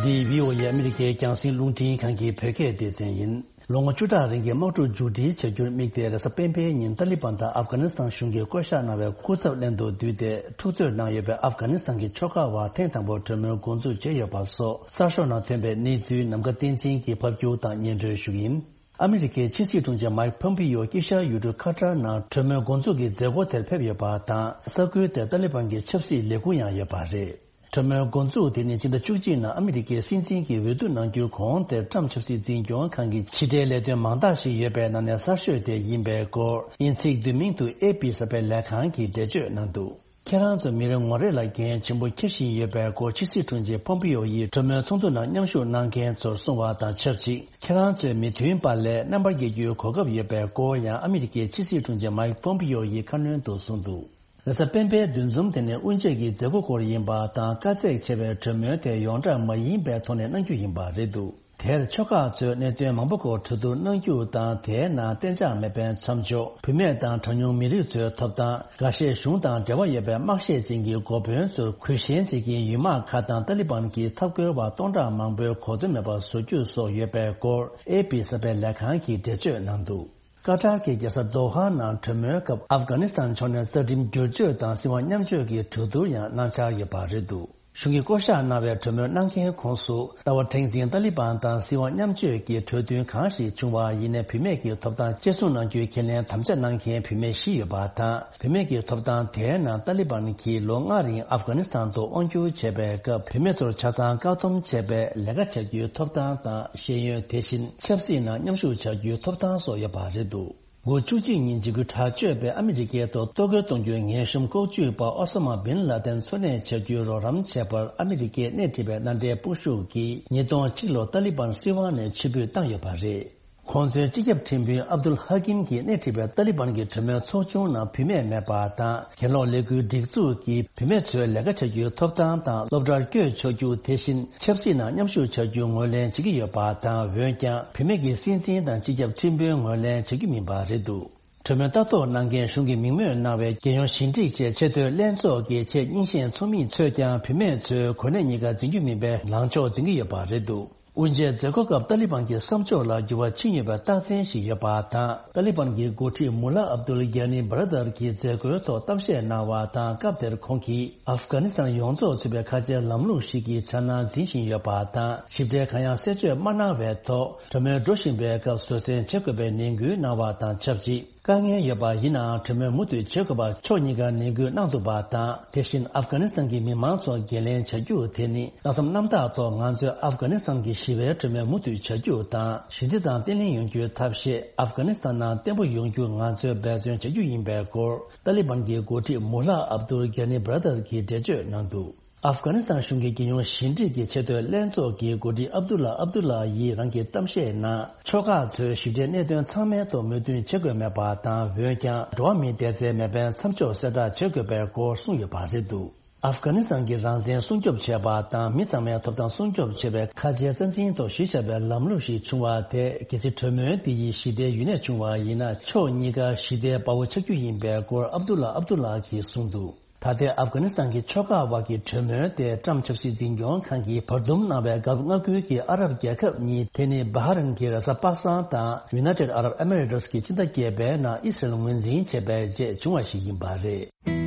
འདི་བྷི་ཨོ་ཨེ་ཨ་མི་རི་ཀའི་རྒྱང་སྲིང་རླུང་འཕྲིན་ཁང་གི་བོད་སྐད་སྡེ་ཚན་ཡིན། ལོ་ངོ་བཅུ་ཕྲག་རིང་གི་དམག་འཁྲུག་མཇུག་སྒྲིལ་བྱ་རྒྱུར་དམིགས་ཏེ། རེས་གཟའ་སྤེན་པའི་ཉིན་ཏཱ་ལི་བན་དང་ཨབ་གྷ་ནི་སི་ཐན་གཞུང་གིས་བསྐོ་བཞག་གནང་བའི་སྐུ་ཚབ་ལྷན་དུ་བསྡུས་ཏེ། འཁྲུག་རྩོད་གནང་ཡོད་པའི་ཨབ་གྷ་ནི་སི་ཐན་གྱི་ཆོལ་ཁ་བར་ཐེངས་དང་པོར་གྲོས་མོལ་འགོ་འཛུགས་བྱས་ཡོད་པ་སོགས། གསར་ཤོག་ནང་ཐོན་པའི་གནས་ཚུལ་ནམ་མཁའ་བསྟན་འཛིན་གྱིས་ཕབ་སྒྱུར་དང་སྙན་སྒྲོན་ཞུ་གི་ཡིན། ཨ་མི་རི་ཀའི་ཕྱི་སྲིད་དྲུང་ཆེ་མའིག་ཕོམ་པི་ཡོ་དཀྱིལ་ཤར་ཡུལ་གྲུ་ཁ་ཏར་ནང་གྲོས་མོལ་འགོ་འཛུགས་ཀྱི་མཛད་སྒོ་དེར་ཕེབས་ཡོད་པ་དང་། ས་ཁུལ་དེར་ཏཱ་ལི་བན་གྱི་ཆབ་སྲིད་ལས་ཁུངས་ཡང་ཡོད་པ་རེད། གྲོས་མོལ་འགོ་འཛུགས་དེ་ནི་སྤྱི་ཟླ་བཅུ་གཅིག་ནང་ཨ་མི་རི་ཀའི་སྲིད་འཛིན་གྱི་འོས་བསྡུ་གནང་རྒྱུའི་གོང་དེར་ཊམ་ཕྱི་སྲིད་འཛིན་སྐྱོང་ཁང་གི་ཕྱི་འབྲེལ་ལས་དོན་མང་དག་ཞིག་ཡོད་པའི་ནང་ནས་གསར་ཤོས་དེ་ཡིན་པའི་སྐོར། དབྱིན་ཚིག་བསྡུས་མིང་དུ་ཨེ་པི་གསར་པའི་ལས་ཁང་གིས་འགྲེལ་བརྗོད་གནང་འདུག་ཁྱེད་རང་ཚོ་མི་རེ་ངོ་རེ་ལ་འགན་ཆེན་པོ་འཁྱེར་བཞིན་ཡོད་པའི་སྐོར། ཕྱི་སྲིད་དྲུང་ཆེ་ཕོམ་པི་ཡོ་ཡིས་གྲོས་མོལ་ཚོགས་འདུ་ནང་མཉམ་ཞུགས་གནང་མཁན་ཚོར་གསུངས་པ་དང་ཆབས་ཅིག་ཁྱེད་རང་ཚོས་མི་མཐུན་པ་ལས་རྣམ་པར་རྒྱལ་རྒྱུའི་གོ་སྐབས་ཡོད་པའི་སྐོར་ཡང་ཨ་མི་རི་ཀའི་ཕྱི་སྲིད་དྲུང་ཆེ་མའིག་ཕོམ་པི་ཡོ་ཡིས་ཁ་སྣོན་དུ་གསུངས་འདུག་རེས་གཟའ་སྤེན་པའི་འདུ་འཛོམས་དེ་ནི་དབུ་འབྱེད་ཀྱི་མཛད་སྒོ་སྐོར་ཡིན་པ་དང་། དཀའ་ཚེགས་ཆེ་བའི་གྲོས་མོལ་དེ་ཡོངས་གྲགས་མ་ཡིན་པའི་ཐོག་ནས་གནང་རྒྱུ་ཡིན་པ་རེད་འདུག་དེར་ཆོལ་ཁ་ཚོས་གནད་དོན་མང་པོ་སྐོར་གྲོས་བསྡུར་གནང་རྒྱུ་དང་། དེའི་ནང་གཏན་འཇགས་མེད་པའི་མཚམས་འཇོག་བུད་མེད་དང་གྲངས་ཉུང་མི་རིགས་ཚོའི་ཐོབ་ཐང་། འགའ་ཤས་གཞུང་དང་འབྲེལ་བ་ཡོད་པའི་དམག་ཤེད་ཅན་གྱི་འགོ་དཔོན་ཚོར་གུས་ཞེན་བྱེད་ཀྱིན་ཡུལ་དམག་ཁག་དང་ཏཱ་ལི་བན་གྱི་འཐབ་རྒོལ་བ་སྟོང་ཕྲག་མང་པོའི་གོ་འཛོལ་མེད་པར་བཟོ་རྒྱུ་སོགས་ཡོད་པའི་སྐོར། ཨེ་པི་གསར་པའི་ལས་ཁང་གིས་འགྲེལ་བརྗོད་གནང་འདུག་ཀ་ཏར་གྱི་རྒྱལ་ས་དོ་ཧ་ནང་གྲོས་མོལ་སྐབས། ཨབ་གྷ་ནི་སི་ཐན་ཕྱོགས་ནས་རྩ་ཁྲིམས་བསྒྱུར་བཅོས་དང་སྲིད་དབང་མཉམ་སྤྱོད་ཀྱི་གྲོས་བསྡུར་ཡང་གནང་འཆར་ཡོད་པ་རེད་འདུག་གཞུང་གིས་བསྐོ་བཞག་གནང་བའི་གྲོས་མོལ་གནང་མཁན་ཁོངས་སུ། ཟླ་བ་དྲན་འཛིན་ཏཱ་ལི་བན་དང་སྲིད་དབང་མཉམ་སྤྱོད་ཀྱི་གྲོས་མཐུན་གང་ཞིག་བྱུང་བ་ཡིན་ནའི། བུད་མེད་ཀྱི་ཐོབ་ཐང་གཅེས་སྲུང་གནང་རྒྱུའི་ཁས་ལེན་དམ་བཅའ་གནང་མཁན་བུད་མེད་བཞི་ཡོད་པ་དང་། བུད་མེད་ཀྱི་ཐོབ་ཐང་དེའི་ནང་ཏཱ་ལི་བན་གྱིས་ལོ་ལྔ་རིང་ཨབ་གྷ་ནི་སི་ཐན་དུ་དབང་བསྒྱུར་བྱས་པའི་སྐབས། བུད་མེད་ཚོར་ཆ་ཚང་བཀག་སྡོམ་བྱས་པའི་ལས་ཀ་བྱ་རྒྱུའི་ཐོབ་ཐང་དང་། ཤེས་ཡོན། དེ་བཞིན་ཆབ་སྲིད་ནང་མཉམ་ཞུགས་བྱ་རྒྱུའི་ཐོབ་ཐང་སོགས་ཡོད་པ་རེད་འདུག་འགོ་བཅུ་གཅིག་ཉིན་འཇིགས་སྐུལ་དྲག་སྤྱོད་པས་ཨ་མི་རི་ཀའི་ཐོག་གཏོར་རྒོལ་གཏོང་རྒྱུའི་ངན་གཤོམ་ལྐོག་ཇུས་པ་ཨོ་ས་མ་བིན་ལ་དན་འཚོ་གནས་བྱ་རྒྱུའི་རོགས་རམ་བྱས་པར་ཨ་མི་རི་ཀས་སྣེ་ཁྲིད་པའི་མནའ་འབྲེལ་དཔུང་ཤུགས་ཀྱིས། ཉིས་སྟོང་གཅིག་ལོར་ཏཱ་ལི་བན་སྲིད་དབང་ནས་ཕྱིར་འབུད་བཏང་ཡོད་པ་རེད། ཁོང་ཚོའི་སྤྱི་ཁྱབ་ཁྲིམས་དཔོན་ཨབ་དུལ་ཧ་ཀིམ་གྱིས་སྣེ་ཁྲིད་པའི་ཏཱ་ལི་བན་གྱི་གྲོས་མོལ་ཚོགས་ཆུང་ནང་བུད་མེད་མེད་པ་དང་། གྱེན་ལོག་ལས་འགུལ་སྒྲིག་འཛུགས་ཀྱིས་བུད་མེད་ཚོའི་ལས་ཀ་བྱ་རྒྱུའི་ཐོབ་ཐང་དང་། སློབ་གྲྭར་བསྐྱོད་ཆོག་རྒྱུ། དེ་བཞིན་ཆབ་སྲིད་ནང་མཉམ་ཞུགས་བྱ་རྒྱུ་ངོས་ལེན་བྱེད་ཀྱི་ཡོད་པ་དང་། འོན་ཀྱང་། བུད་མེད་ཀྱི་སྲིད་འཛིན་དང་སྤྱི་ཁྱབ་ཁྲིམས་དཔོན་ངོས་ལེན་བྱེད་རྒྱུ་མིན་པ་རེད་འདུག་གྲོས་མོལ་ལྟ་རྟོག་གནང་མཁན་གཞུང་གིས་མིང་སྨོས་གནང་བའི་རྒྱལ་ཡོངས་ཞི་འགྲིག་ཆེད་ཆེས་མཐོའི་ལྷན་ཚོགས་ཀྱི་ཆེས་རྙིང་ཤོས་ཚོགས་མི་ཚོས་ཀྱང་བུད་མེད་ཚོའི་གོ་གནས་གཉིས་ཀ་འཛིན་རྒྱུ་མིན་པའི་ལངས་ཕྱོགས་འཛིན་གྱི་ཡོད་པ་རེད་འདུག་དབུ་འབྱེད་མཛད་སྒོ་སྐབས་ཏཱ་ལི་བན་གྱི་བསམ་ཕྱོགས་ལ་འགྱུར་བ་ཕྱིན་ཡོད་པའི་རྟགས་མཚན་ཞིག་ཡོད་པ་དང་། ཏཱ་ལི་བན་གྱི་འགོ་ཁྲིད་མུ་ལ་ཨབ་དུལ་གྷ་ནི་བྷ་ར་དར་གྱིས་མཛད་སྒོའི་ཐོག་གཏམ་བཤད་གནང་བ་དང་། སྐབས་དེར་ཁོང་གིས་ཨབ་གྷ་ནི་སི་ཐན་ཡོངས་རྫོགས་ཚུད་པའི་ཁ་ཆེའི་ལམ་ལུགས་ཤིག་གི་འཆར་སྣང་འཛིན་བཞིན་ཡོད་པ་དང་། ཞིབ་ཕྲའི་གང་ཡང་གསལ་བརྗོད་མ་གནང་བའི་ཐོག་གྲོས་མོལ་འགྲོ་བཞིན་པའི་སྐབས་བཟོད་བསྲན་བྱེད་དགོས་པའི་ནན་སྐུལ་གནང་བ་དང་ཆབས་ཅིག་དཀའ་ངལ་ཡོད་པ་ཡིན་ནའང་གྲོས་མོལ་མུ་མཐུད་བྱེད་དགོས་པ་ཕྱོགས་གཉིས་ཀར་ནན་སྐུལ་གནང་འདུག་པ་དང་། དེ་བཞིན་ཨབ་གྷ་ནི་སི་ཐན་གྱི་མི་མང་ཚོར་འགན་ལེན་བྱ་རྒྱུ་དེ་ནི་ལྷག་བསམ་རྣམ་དག་ཐོག་ང་ཚོས་ཨབ་གྷ་ནི་སི་ཐན་གྱི་ཞི་བའི་གྲོས་མོལ་མུ་མཐུད་བྱ་རྒྱུ་དང་། ཞི་བདེ་དང་བརྟན་ལྷིང་ཡོང་རྒྱུའི་ཐབས་ཤེས་ཨབ་གྷ་ནི་སི་ཐན་ནང་བརྟན་པོ་ཡོང་རྒྱུ་ང་ཚོས་འབད་བརྩོན་བྱ་རྒྱུ་ཡིན་པའི་སྐོར། ཏཱ་ལི་བན་གྱི་འགོ་ཁྲིད་མུ་ལ་ཨབ་དུལ་གྷ་ནི་བྷ་ར་དར་གྱིས་འགྲེལ་བརྗོད་གནང་འདུག་ཨབ་གྷ་ནི་སི་ཐན་གཞུང་གི་རྒྱལ་ཡོངས་ཞི་འགྲིག་གི་ཆེས་མཐོའི་ལྷན་ཚོགས་ཀྱི་འགོ་ཁྲིད་ཨབ་དུ་ལ་ཨབ་དུ་ལ་ཡིས་རང་གི་གཏམ་བཤད་ནང་། ཕྱོགས་ཁག་ཚོས་ཞི་བདེའི་གནད་དོན་ཚང་མའི་ཐོག་མོས་མཐུན་བྱེད་དགོས་མེད་པ་དང་། འོན་ཀྱང་། འགྲོ་བ་མིའི་བདེ་རྩའི་མེ་འཕེན་མཚམས་འཇོག་གསལ་བསྒྲགས་བྱེད་དགོས་པའི་སྐོར་གསུངས་ཡོད་པ་རེད་འདུག་ཨབ་གྷ་ནི་སི་ཐན་གྱི་རང་བཙན་སྲུང་སྐྱོབ་བྱེད་པ་དང་། མི་ཚང་མའི་ཐོབ་ཐང་སྲུང་སྐྱོབ་བྱེད་པའི་ཁ་ཆེའི་རྩ་འཛིན་ཐོག་གཞི་བཞག་པའི་ལམ་ལུགས་ཤིག་བྱུང་བ་དེ། གལ་སྲིད་གྲོས་མོལ་འདི་ཡིས་ཞི་བདེའི་ཡུན་གནས་བྱུང་བ་ཡིན་ན། ཕྱོགས་གཉིས་ཀ་ཞི་བདེའི་དཔའ་བོ་ཆགས་རྒྱུ་ཡིན་པའི་སྐོར་ཨབ་དུ་ལ་ཨབ་དུ་ལ་གིས་གསུངས་འདུག་ད་ལྟའི་ཨབ་གྷ་ནི་སི་ཐན་གྱི་ཕྱོགས་ཁག་དབར་གྱི་གྲོས་མོལ་དེ་ཊམ་ཆབ་སྲིད་འཛིན་སྐྱོང་ཁང་གིས་བར་འདུམ་གནང་བའི་སྐབས། མངའ་ཁུལ་གྱི་ཨ་རབ་རྒྱལ་ཁབ་གཉིས། དེ་ནི་བྷ་ཧ་རན་གྱི་རེས་གཟའ་པ་སངས་དང་། ཡུ་ནའི་ཊེཌ་ཨ་རབ་ཨེ་མི་རེ་ཊི་སི་གྱི་སྤྱི་ཟླ་བརྒྱད་པའི་ནང་ཨི་སི་རལ་ངོས་འཛིན་བྱས་པའི་རྗེས་བྱུང་བ་ཞིག་ཡིན་པ་རེད།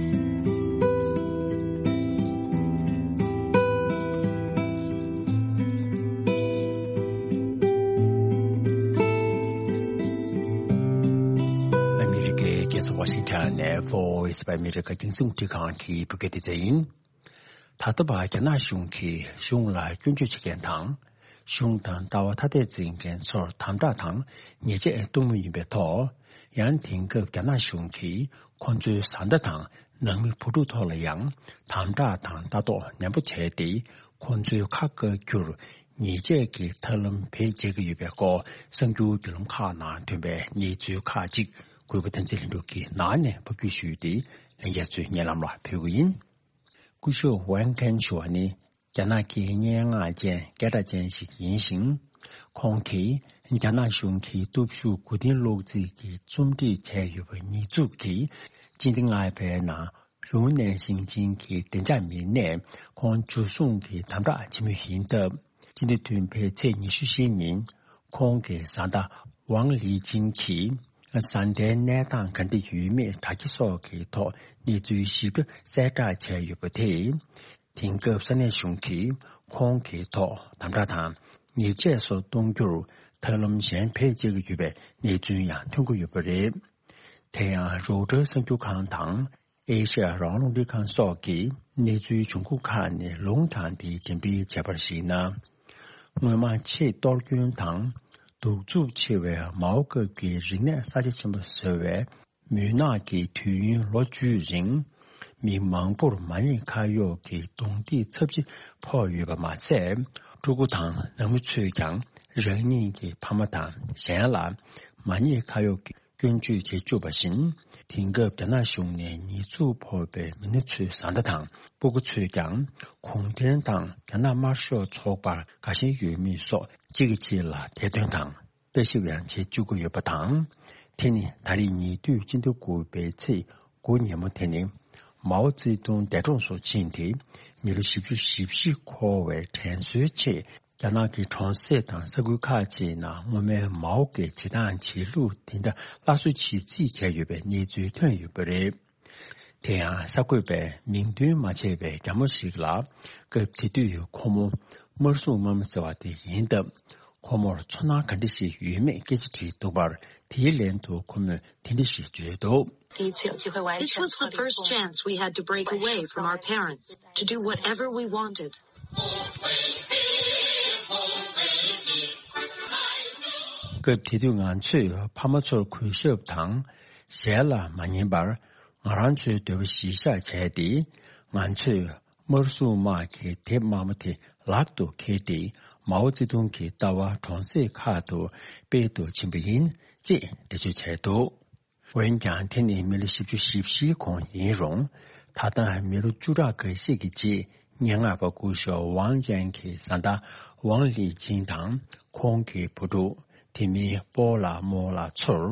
ཨ་མི་རི་ཀའི་རྒྱལ་ས་ཝ་ཤིང་ཊོན་ནས་Voice of America རྒྱང་སྲིང་རླུང་འཕྲིན་ཁང་གི་བོད་སྐད་སྡེ་ཚན་ཡིན། ད་ལྟ་བར་རྒྱ་ནག་གཞུང་གིས་གཞུང་ལ་སྐྱོན་བརྗོད་བྱེད་མཁན་དང་། གཞུང་དང་ལྟ་བ་ཐ་དད་འཛིན་མཁན་ཚོར་དམ་དྲག་དང་ཉེས་ཆད་གཏོང་མུས་ཡིན་པའི་ཐོག། ཡང་དེང་སྐབས་རྒྱ་ནག་གཞུང་གིས་ཁོང་ཚོའི་བཟའ་ཟླ་དང་ནང་མི་བུ་ཕྲུག་ཐོག་ལ་ཡང་དམ་དྲག་དང་ལྟ་རྟོག་ནན་པོ་བྱས་ཏེ། ཁོང་ཚོའི་ཁ་བཀག་རྒྱུར་ཉེས་ཆད་ཀྱི་ཐབས་ལམ་བེད་སྤྱད་ཀྱི་ཡོད་པའི་སྐོར། གསར་འགྱུར་བརྒྱུད་ལམ་ཁག་ནང་ཐོན་པའི་གནས་ཚུལ་ཁག་ཅིག་གུས་པ་བསྟན་འཛིན་ལྷུན་གྲུབ་ཀྱིས་ནང་ནས་ཕབ་སྒྱུར་ཞུས་ཏེ། ལྷན་རྒྱས་ཚོའི་སྙན་ལམ་ལ་ཕུལ་གྱི་ཡིན། སྐུ་ཞབས་ཝན་ཁན་ཞུ་བ་ནི། རྒྱ་ནག་གི་སྙན་ངག་ཅན་སྐད་གྲགས་ཅན་ཞིག་ཡིན་ཞིང་། ཁོང་གིས་རྒྱ་ནག་གཞུང་གིས་སྟོབས་ཤུགས་མགོ་རྟིང་སློག་རྩིས་ཀྱི་རྩོམ་སྒྲིག་བྱས་ཡོད་པ་ཉེས་འཛུགས་ཀྱིས། སྤྱི་ཟླ་ལྔ་པའི་ནང་ལུང་ནན་ཞིང་ཆེན་གྱི་བདེ་འཇགས་མི་སྣས་ཁོང་འཇུ་བཟུང་གིས་དམ་དྲག་བྱེད་མུས་ཡིན་སྟབས། སྤྱི་ཟླ་བདུན་པའི་ཚེས་ཉི་ཤུ་བཞི་ཉིན། ཁོང་གི་བཟའ་ཟླ་ཝང་ལི་ཅིང་གིས་བཟའ་ཟླའི་གནས་སྟངས་ག་འདྲ་ཡོད་མེད་དྲ་རྒྱ་སོགས་ཀྱི་ཐོག་གནས་ཚུལ་ཞིབ་ཕྲ་གསལ་བསྒྲགས་བྱས་ཡོད་པ་དེས། དེང་སྐབས་ས་གནས་གཞུང་གིས་ཁོང་གི་ཐོག་དམ་དྲག་དང་ཉེས་ཆད་སོགས་གཏོང་རྒྱུར་ཐབས་ལམ་གཞན་བེད་སྤྱད་ཀྱི་ཡོད་པའི་གནས་ཚུལ་ཡང་ཐོན་གྱི་ཡོད་པ་རེད། དེ་ཡང་རོའུ་ཊར་གསར་འགྱུར་ཁང་དང་། ཨེ་ཤ་ཡ་རང་དབང་རླུང་འཕྲིན་ཁང་སོགས་ཀྱིས་གནས་ཚུལ་བྱུང་ཁུངས་ཁག་ནས་ལུང་དྲངས་ཏེ་འགྲེམས་སྤེལ་བྱས་པར་གཞིགས་ན། སྔོན་མ་ཆེས་གཏོར་སྐྱོན་དང་གདུག་རྩུབ་ཆེ་བའི་མའོ་སྐབས་ཀྱི་རིག་གནས་གསར་བརྗེ་ཆེན་པོ་ཟེར་བའི་མུན་ནག་གི་དུས་ཡུན་ལོ་བཅུའི་རིང་། མི་མང་པོར་མ་ཉེས་ཁ་གཡོག་གི་རྡུང་རྡེག་ཚབས་ཆེ་ཕོག་ཡོད་པ་མ་ཟད། ཕྲུ་གུ་དང་ནང་མི་ཚོས་ཀྱང་རང་ཉིད་ཀྱི་ཕ་མ་དང་གཞན་ལ་མ་ཉེས་ཁ་གཡོག་གི་སྐྱོན་བརྗོད་བྱེད་བཅུག་པ་བཞིན། དེང་སྐབས་རྒྱ་ནག་གཞུང་ནས་ཉེས་འཛུགས་ཕོག་པའི་མི་སྣ་ཚོའི་བཟའ་ཟླ་དང་སྤུ་གུ་ཚོས་ཀྱང་གུང་ཁྲན་ཏང་རྒྱ་ནག་དམར་ཤོག་ཚོགས་པར་དགའ་ཞེན་ཡོད་མེད་སོགས་གཅིག་གིས་གཅིག་ལ་དེད་དོན་དང་བརྟག་ཞིབ་ཡང་བྱེད་བཅུག་གི་ཡོད་པ་དང་། དེ་ནི་ད་རེས་ཉེ་དུས་སྤྱི་ཟླ་དགུ་པའི་ཚེས་དགུ་ཉིན་མོ་དེ་ནི་མའོ་ཙེ་ཏུང་འདས་གྲོངས་སུ་ཕྱིན་ཏེ་མི་ལོ་བཞི་བཅུ་ཞེ་བཞི་འཁོར་བའི་དྲན་གསོའི་ཆེད། རྒྱ་ནག་གི་གྲོང་གསེབ་དང་ས་ཁུལ་ཁག་ཅིག་ནང་སྔོན་མའི་མའོ་གི་བྱེད་སྟངས་བྱེད་ལུགས་དེ་འདྲ་སླར་གསོ་བྱེད་རྩིས་བྱས་ཡོད་པའི་གནས་ཚུལ་ཐོན་ཡོད་པ་རེད། དེ་ཡང་གསར་འགོད་པས་མིང་འདོན་མ་བྱས་པའི་རྒྱ་མོ་ཞིག་ལ། སྐབས་དེ་དུས་ཁོ་མོ་དམར་སྲུང་དམག་མི་ཟེར་བ་དེ་ཡིན་སྟབས། ཁོ་མོར་ཚོར་སྣང་ག་འདྲ་ཞིག་ཡོད་མེད་སྐད་ཆ་དྲིས་འདུག་པར། དེའི་ལན་དུ་ཁོ་མོས་དེ་འདྲ་ཞིག་བརྗོད་འདུག། This was the first chance we had to break away from our parents, to do whatever we wanted. སྐབས་དེ་དུས་ང་ཚོས་ཕ་མ་ཚོར་གུས་ཞབས་དང་ཞལ་ལ་མ་ཉན་པར། ང་རང་ཚོའི་འདོད་པ་གཞིར་བཞག་བྱས་ཏེ། ང་ཚོས་དམར་སྲུང་དམག་གི་དེབ་དམར་མོ་དེ་ལག་ཏུ་འཁྱེར་ཏེ། མའོ་ཙེ་ཏུང་གི་ལྟ་བ་གྲོང་གསེབ་ཁག་ཏུ་སྤེལ་དུ་ཕྱིན་པ་ཡིན། ཅེས་འགྲེལ་བརྗོད་བྱས་འདུག། འོན་ཀྱང་། དེ་ནི་མི་ལོ་བཞི་བཅུ་ཞེ་བཞིའི་གོང་ཡིན་རུང་། ད་ལྟ་མི་ལོ་བཅུ་ཕྲག་འགའ་ཤས་ཀྱི་རྗེས། སྙན་ངག་པ་སྐུ་ཞབས་ཝང་ཅན་གྱི་བཟའ་ཟླ་ཝང་ལི་ཅིང་དང་། ཁོང་གི་བུ་ཕྲུག་དེ་མིན་སྤོ་ལགས་རྨོ་ལགས་ཚོར་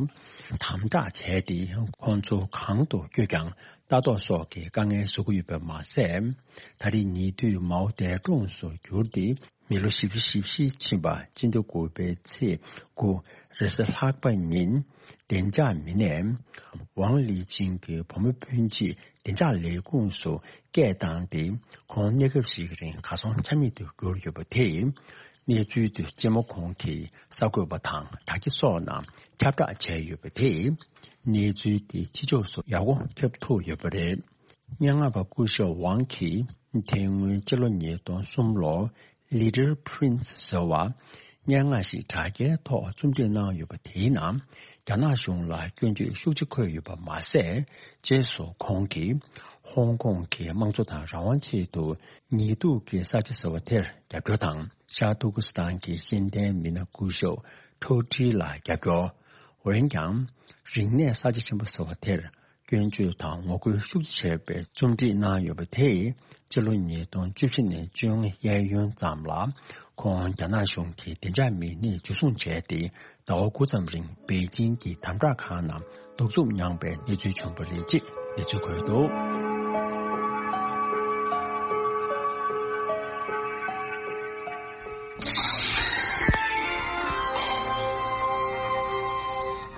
དམ་དྲག་བྱས་ཏེ། ཁོང་ཚོ་གང་དུ་བསྐྱོད་ཀྱང་ལྟ་རྟོག་སོགས་ཀྱི་དཀའ་ངལ་བཟོ་གི་ཡོད་པ་མ་ཟད། ད་རེས་ཉེ་དུས་མའོ་འདས་གྲོངས་སུ་གྱུར་ཏེ། མི་ལོ་བཞི་བཅུ་ཞེ་བཞི་ཕྱིན་པ། སྤྱི་ཟླ་དགུ་པའི་ཚེས་དགུ་རེས་གཟའ་ལྷག་པ་ཉིན། བདེ་འཇགས་མི་སྣས་ཝང་ལི་ཅིང་གི་བུ་མོ་སྤུན་མཆེད་བདེ་འཇགས་ལས་ཁུངས་སུ་སྐད་བཏང་སྟེ། ཁོང་གནས་སྐབས་ཤིག་རིང་གར་སོང་ཆ་མེད་དུ་གྱུར་ཡོད་པ་དེས། གནས་ཚུལ་དེ་རྗེས་མ་ཁོང་གིས་གསར་འགོད་པ་དང་དྲ་རྒྱ་སོགས་ནང་ཁྱབ་བསྒྲགས་བྱས་ཡོད་པ་དེས། གནས་ཚུལ་དེ་ཕྱི་ཕྱོགས་སུ་ཡག་པོ་ཁྱབ་ཐུབ་ཡོད་པ་རེད། སྙན་ངག་པ་སྐུ་ཞབས་ཝང་གིས་དེ་སྔོན་སྤྱི་ལོ་ཉིས་སྟོང་གསུམ་ལོར། Little Prince ཟེར་བ། སྙན་ངག་ཞིག་དྲ་རྒྱའི་ཐོག་རྩོམ་སྒྲིག་གནང་ཡོད་པ་དེའི་ནང་། རྒྱ་ནག་གཞུང་ལ་སྐྱོན་བརྗོད་ཤུགས་ཆེ་འཁོད་ཡོད་པ་མ་ཟད། རྗེས་སུ་ཁོང་གིས་ཧོང་ཀོང་གི་དམངས་གཙོ་དང་རང་དབང་ཆེད་དུ་ཉེས་གཏུག་གི་ས་ཆ་ཟེར་བ་དེར་རྒྱབ་སྐྱོར་དང་། ཤར་ཏུར་ཀི་སི་ཐན་གྱི་ཤེས་ལྡན་མི་སྣ་སྐུ་ཞབས་ཁྲོ་ཁྲི་ལ་རྒྱབ་སྐྱོར། འོན་ཀྱང་། རིག་གནས་གསར་བརྗེ་ཆེན་པོ་ཟེར་བ་དེར། སྐྱོན་བརྗོད་དང་ངོ་རྒོལ་ཤུགས་ཆེ་བྱས་པའི་རྩོམ་སྒྲིག་གནང་ཡོད་པ་དེས། སྤྱི་ལོ་ཉིས་སྟོང་བཅུ་བཞི་ནས་བཅོ་ལྔ་གཡས་གཡོན་ཙམ་ལ། ཁོང་རྒྱ་ནག་གཞུང་གིས་བདེ་འཇགས་མི་སྣས་འཇུ་བཟུང་བྱས་ཏེ། ཟླ་བ་དགུ་ཙམ་རིང་པེ་ཅིང་གི་དམ་དྲག་ཁང་ནང་གདུག་རྩུབ་མྱངས་པའི་གནས་ཚུལ་བྱུང་བ་རེད་ཅེས་གནས་ཚུལ་འཁོད་འདུག།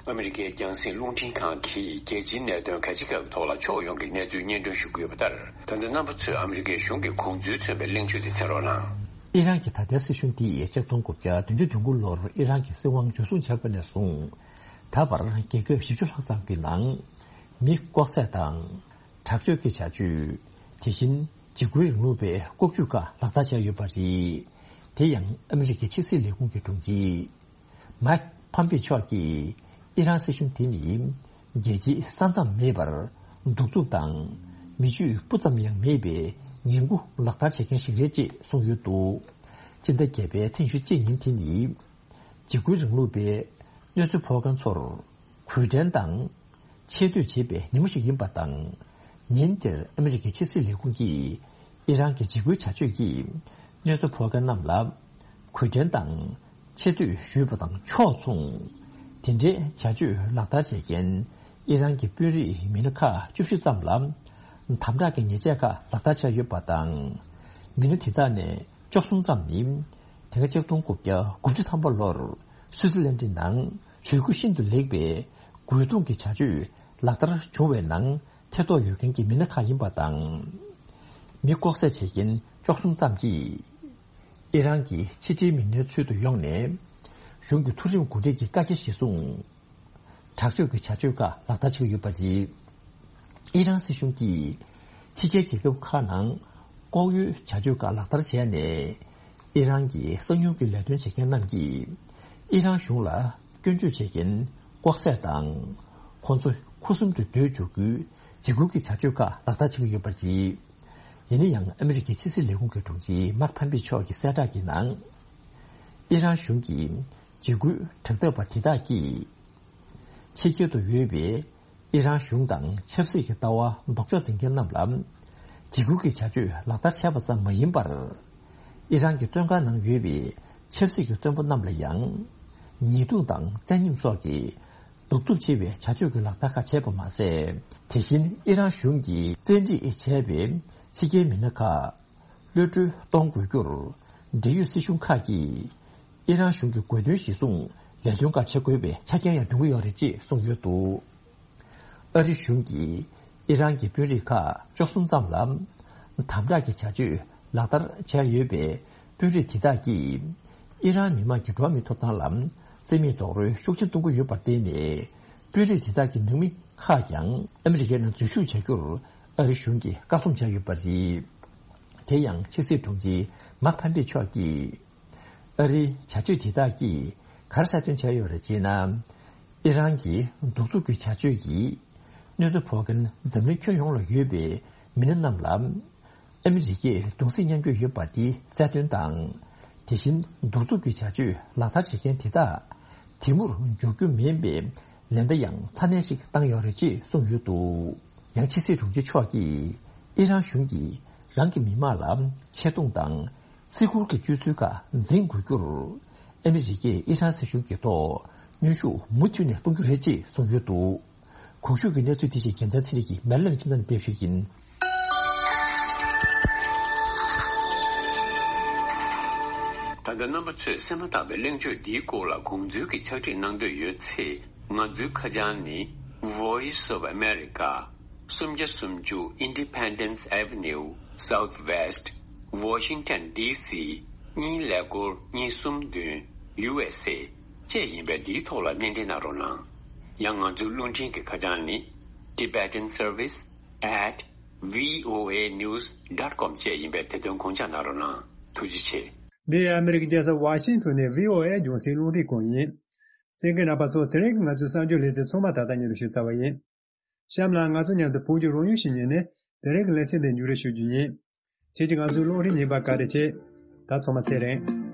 ཨ་མི་རི་ཀའི་རྒྱང་སྲིང་རླུང་འཕྲིན་ཁང་གིས་རྒྱལ་སྤྱིའི་གནད་དོན་གལ་ཆེ་ཁག་གི་ཐོག་ལ་ཕྱོགས་ཡོངས་ཀྱི་གནས་ཚུལ་སྙན་སྒྲོན་ཞུ་གི་ཡོད་པ་ལྟར། ད་ལྟ་རྣམ་པ་ཚོས་ཨ་མི་རི་ཀའི་གཞུང་གི་དགོངས་ཚུལ་མཚོན་པའི་གླེང་བརྗོད་དེ་གསན་རོགས་གནང་། ཨི་རན་གྱི་ད་ལྟའི་སྲིད་གཞུང་འདིས་ཆིག་སྟོང་དགུ་བརྒྱ་བདུན་ཅུ་དོན་དགུ་ལོར་ཨི་རན་གྱི་སྲིད་དབང་འཇུ་བཟུང་བྱས་པ་ནས་བཟུང་། ད་བར་རྒྱལ་ཁབ་བཞི་བཅུ་ལྷག་ཙམ་གྱི་ནང་མི་ལྐོག་བསད་དང་། དྲག་སྤྱོད་ཀྱི་བྱ་སྤྱོད། དེ་བཞིན་ འཇིགས་སྐུལ་རིང་ལུགས་པའི་ལྐོག་ཇུས་ཁག་ལག་བསྟར་བྱས་ཡོད་པ་རེད། དེ་ཡང་ཨ་མི་རི་ཀའི་ཕྱི་སྲིད་ལས་ཁུངས་ཀྱི་དྲུང་ཆེ་མཱིག་ཕམ་པེ་མཆོག་གིས་ཨི་རན་སྲིད་གཞུང་དེ་ནི་རྒྱལ་སྤྱིའི་ས་མཚམས་མེད་པར་གདུག་རྩུབ་དང་མི་ཆོས་སྤུ་ཙམ་ཡང་མེད་པའི་ངན་སྐུལ་ལག་བསྟར་བྱེད་མཁན་ཞིག་རེད་ཅེས་གསུངས་ཡོད་འདུག་སྤྱི་ཟླ་བརྒྱད་པའི་ཚེས་ཉི་ཤུ་གཅིག་ཉིན་དེ་ནི་འཇིགས་སྐུལ་རིང་ལུགས་པའི་གནོད་འཚེ་ཕོག་མཁན་ཚོར་གུས་བཀུར་དང་ཆེ་བསྟོད་བྱེད་པའི་ཉིན་མོ་ཞིག་ཡིན་པ་དང་། ཉིན་དེར་ཨ་མི་རི་ཀའི་ཕྱི་སྲིད་ལས་ཁུངས་ཀྱིས་ཨི་རན་གྱི་འཇིགས་སྐུལ་བྱ་སྤྱོད་ཀྱིས་གནོད་འཚེ་ཕོག་མཁན་རྣམས་ལ་གུས་བཀུར་དང་ཆེ་བསྟོད་ཞུས་པ་དང་ཕྱོགས་མཚུངས། དེ་འདྲའི་བྱ་སྤྱོད་ལག་བསྟར་བྱེད་མཁན་ཨི་རན་གྱི་དཔོན་རིགས་མི་སྣ་ཁག་བཅུ་བཞི་ཙམ་ལ་དམ་དྲག་གི་ཉེས་ཆད་ཁག་ལག་བསྟར་བྱས་ཡོད་པ་དང་། མི་སྣ་དེ་དག་ནས་བཅུ་གསུམ་ཙམ་ནི་དེ་སྔ་ཆིག་སྟོང་དགུ་བརྒྱ་དགུ་བཅུ་ཐམ་པ་ལོར་སུའུ་ཙི་ལན་ཌི་ནང་ཇུས་འགོད་ཤིན་ཏུ་ལེགས་པའི་རྒོལ་རྡུང་གི་བྱ་སྤྱོད་ལག་བསྟར་བྱུང་བའི་ནང་ཐེ་གཏོགས་ཡོད་མཁན་གྱི་མི་སྣ་ཁག་ཡིན་པ་དང་། མི་ལྐོག་བསད་བྱེད་མཁན་བཅུ་གསུམ་ཙམ་གྱིས་ཨི་རན་གྱི་ཕྱི་འབྲེལ་མི་སྣའི་ཚུལ་དུ་ཡོང་ནས་གཞུང་གི་མཐོ་རིམ་འགོ་ཁྲིད་ཀྱི་བཀའ་རྒྱ་གཞིར་བཟུང་དྲག་སྤྱོད་ཀྱི་བྱ་སྤྱོད་ཁག་ལག་བསྟར་བྱེད་ཀྱི་ཡོད་པ་རེད། ཨི་རན་སྲིད་གཞུང་གིས་ཕྱི་རྒྱལ་རྒྱལ་ཁབ་ཁག་ནང་ལྐོག་གཡོའི་བྱ་སྤྱོད་ཁག་ལག་བསྟར་བྱས་ནས། ཨི་རན་གྱི་གསང་ཉུལ་གྱི་ལས་དོན་བྱེད་མཁན་རྣམས་ཀྱིས་ཨི་རན་གཞུང་ལ་སྐྱོན་བརྗོད་བྱེད་མཁན་ལྐོག་བསད་དང་། ཁོང་ཚོ་ཁུ་སིམ་དུ་སྡོད་འཇུག་རྒྱུའི་འཇིགས་སྐུལ་གྱི་བྱ་སྤྱོད་ཁག་ལག་བསྟར་བྱེད་ཀྱི་ཡོད་པ་རེད། ཡིན་ན་ཡང་ཨ་མི་རི་ཀའི་ཕྱི་སྲིད་ལས་ཁུངས་ཀྱི་དྲུང་ཆེ་མཱིག་ཕམ་པེ་མཆོག་གི་གསལ་བསྒྲགས་ཀྱི་ནང་། ཨི་རན་གཞུང་གི་འཇིགས་སྐུལ་དྲག་འཐབ་པ་དེ་དག་གིས། ཕྱི་རྒྱལ་དུ་ཡོད་པའི་ཨི་རན་གཞུང་དང་ཆབ་སྲིད་ཀྱི་ལྟ་བ་ལྡོག་ཕྱོགས་འཛིན་མཁན་རྣམས་ལ་འཇིགས་སྐུལ་གྱི་བྱ་སྤྱོད་ལག་བསྟར་བྱས་པ་ཙམ་མ་ཡིན་པར། ཨི་རན་གྱི་བཙོན་ཁང་ནང་ཡོད་པའི་ཆབ་སྲིད་ཀྱི་བཙོན་པ་རྣམས་ལ་ཡང་ཉེས་རྡུང་དང་བཙན་ཉམས་སོགས་ཀྱི་གདུག་རྩུབ་ཆེ་བའི་བྱ་སྤྱོད་ཀྱི་ལག་བསྟར་ཁག་བྱས་པ་མ་ཟད། དེ་བཞིན་ཨི་རན་གཞུང་གིས་བཙན་ཁྲིད་བྱས་པའི་ཕྱི་རྒྱལ་མི་སྣ་ཁག་གློད་གྲོལ་གཏོང་དགོས་རྒྱུར། འབྲེལ་ཡོད་སྲིད་གཞུང་ཁག་གིས་ཨི་རན་གཞུང་གི་དགོས་འདུན་གཞིར་བཟུང་ལས་དོན་ཁག་བྱེད་དགོས་པའི་ཆ་རྐྱེན་ཡང་འདོན་གྱི་ཡོད་རེད་ཅེས་གསུངས་ཡོད་འདུག་ཨ་རི་གཞུང་གིས་ཨི་རན་གྱི་དཔོན་རིགས་ཁག་བཅུ་གསུམ་ཙམ་ལ་དམ་དྲག་གི་བྱ་སྤྱོད་ལག་བསྟར་བྱས་ཡོད་པའི་དཔོན་རིགས་དེ་དག་གིས་ཨི་རན་མི་མང་གི་འགྲོ་བ་མིའི་ཐོབ་ཐང་ལ་བརྩི་མེད་རྡོག་རོལ་ཤུགས་ཆེན་གཏོང་གི་ཡོད་པར་བརྟེན་ནས། དཔོན་རིགས་དེ་དག་གི་ནང་མི་ཁག་ཀྱང་ཨ་མི་རི་ཀའི་ནང་འཛུལ་ཞུགས་བྱ་རྒྱུར་ཨ་རི་གཞུང་གིས་བཀག་སྡོམ་བྱས་ཡོད་པ་རེད། དེ་ཡང་ཕྱི་སྲིད་དྲུང་ཆེ་མཱིག་ཕམ་པེ་མཆོག་གིས། ཨ་རིའི་བྱ་སྤྱོད་དེ་དག་གིས་ག་རེ་གསལ་སྟོན་བྱས་ཡོད་རེད་ཅེ་ན། ཨི་རན་གྱི་གདུག་རྩུབ་ཀྱི་བྱ་སྤྱོད་ཀྱིས་གནོད་འཚེ་ཕོག་མཁན་འཛམ་གླིང་ཁྱོན་ཡོངས་ལ་ཡོད་པའི་མི་སྣ་རྣམས་ལ་ཨ་མི་རི་ཀས་གདུང་སེམས་མཉམ་སྐྱེད་ཡོད་པ་དེ་གསལ་སྟོན་དང་། དེ་བཞིན་གདུག་རྩུབ་ཀྱི་བྱ་སྤྱོད་ལག་བསྟར་བྱེད་མཁན་དེ་དག་དེ་མུར་འཇོག་རྒྱུ་མིན་པའི་ལན་བརྡ་ཡང་ཚ་ནན་ཞིག་བཏང་ཡོད་རེད་ཅེས་གསུངས་ཡོད་འདུག་ཡང་ཕྱི་སྲིད་དྲུང་ཆེ་མཆོག་གིས་ཨི་རན་གཞུང་གིས་རང་གི་མི་དམངས་ལ་ཆེ་མཐོང་དང་། བརྩི་བཀུར་གྱི་སྤྱོད་ཚུལ་ཁག་འཛིན་དགོས་རྒྱུར། ཨ་མི་རི་ཀས་ཨི་རན་སྲིད་གཞུང་གི་ཐོག་གནོན་ཤུགས་མུ་མཐུད་ནས་གཏོང་རྒྱུ་རེད་ཅེས་གསུངས་ཡོད་འདུག་གོང་ཞུས་ཀྱི་གནས་ཚུལ་དེ་བཞིན་རྒྱལ་མཚན་ཚེ་རིང་གིས་མེ་ལན་ཁྱིམ་ཚང་ནས་སྤེལ་ཞུས་ཡིན། ད་ལྟ་རྣམ་པ་ཚོས་གསན་པར་བཏང་བའི་གླེང་བརྗོད་འདིའི་སྐོར་ལ་དགོངས་ཚུལ་གྱི་ཕྱག་བྲིས་གནང་འདོད་ཡོད་ཚེ། ང་ཚོའི་ཁ་བྱང་ནི། Voice of America། སུམ་བརྒྱ་སུམ་ཅུ་Independence Avenue Southwest Washington D C གཉིས་ཀླད་ཀོར་གཉིས་གསུམ་བདུན་U S A བཅས་ཡིན་པས། འདིའི་ཐོག་ལ་སྣེ་འདྲེན་གནང་རོགས་གནང་། ཡང་ང་ཚོའི་རླུང་འཕྲིན་གྱི་ཁ་བྱང་ནི། Tibetan Service at V O A news dot com བཅས་ཡིན་པས། དེ་དོན་དགོངས་འཇགས་གནང་རོགས་གནང་། ཐུགས་རྗེ་ཆེ། འདི་ཨ་མི་རི་ཀའི་རྒྱལ་ས་ཝ་ཤིང་ཊོན་ནས་V O A རྒྱང་སྲིང་རླུང་འཕྲིན་ཁང་ཡིན། གསན་མཁན་རྣམ་པ་ཚོ། དེ་རིང་གི་ང་ཚོའི་གསར་འགྱུར་ལེ་ཚན་ཚང་མ་ད་ལྟ་ཉིད་དུ་ཞུས་ཚར་བ་ཡིན། གཤམ་ལ་ང་ཚོ་མཉམ་དུ་བོད་ཀྱི་རང་ཡུལ་ཞིག་ཉིད་ནས་དེ་རིང་གི་ལེ་ཚན་འདི་མཇུག་སྒྲིལ་ཞུ་རྒྱུ་ཡིན། ཁྱེད་ཀྱིས་ང་ཚོའི་རླུང་འཕྲིན་ཉན་པར་བཀའ་དྲིན་ཆེ། ད་ཚང་མ་ཚེ་རིང་།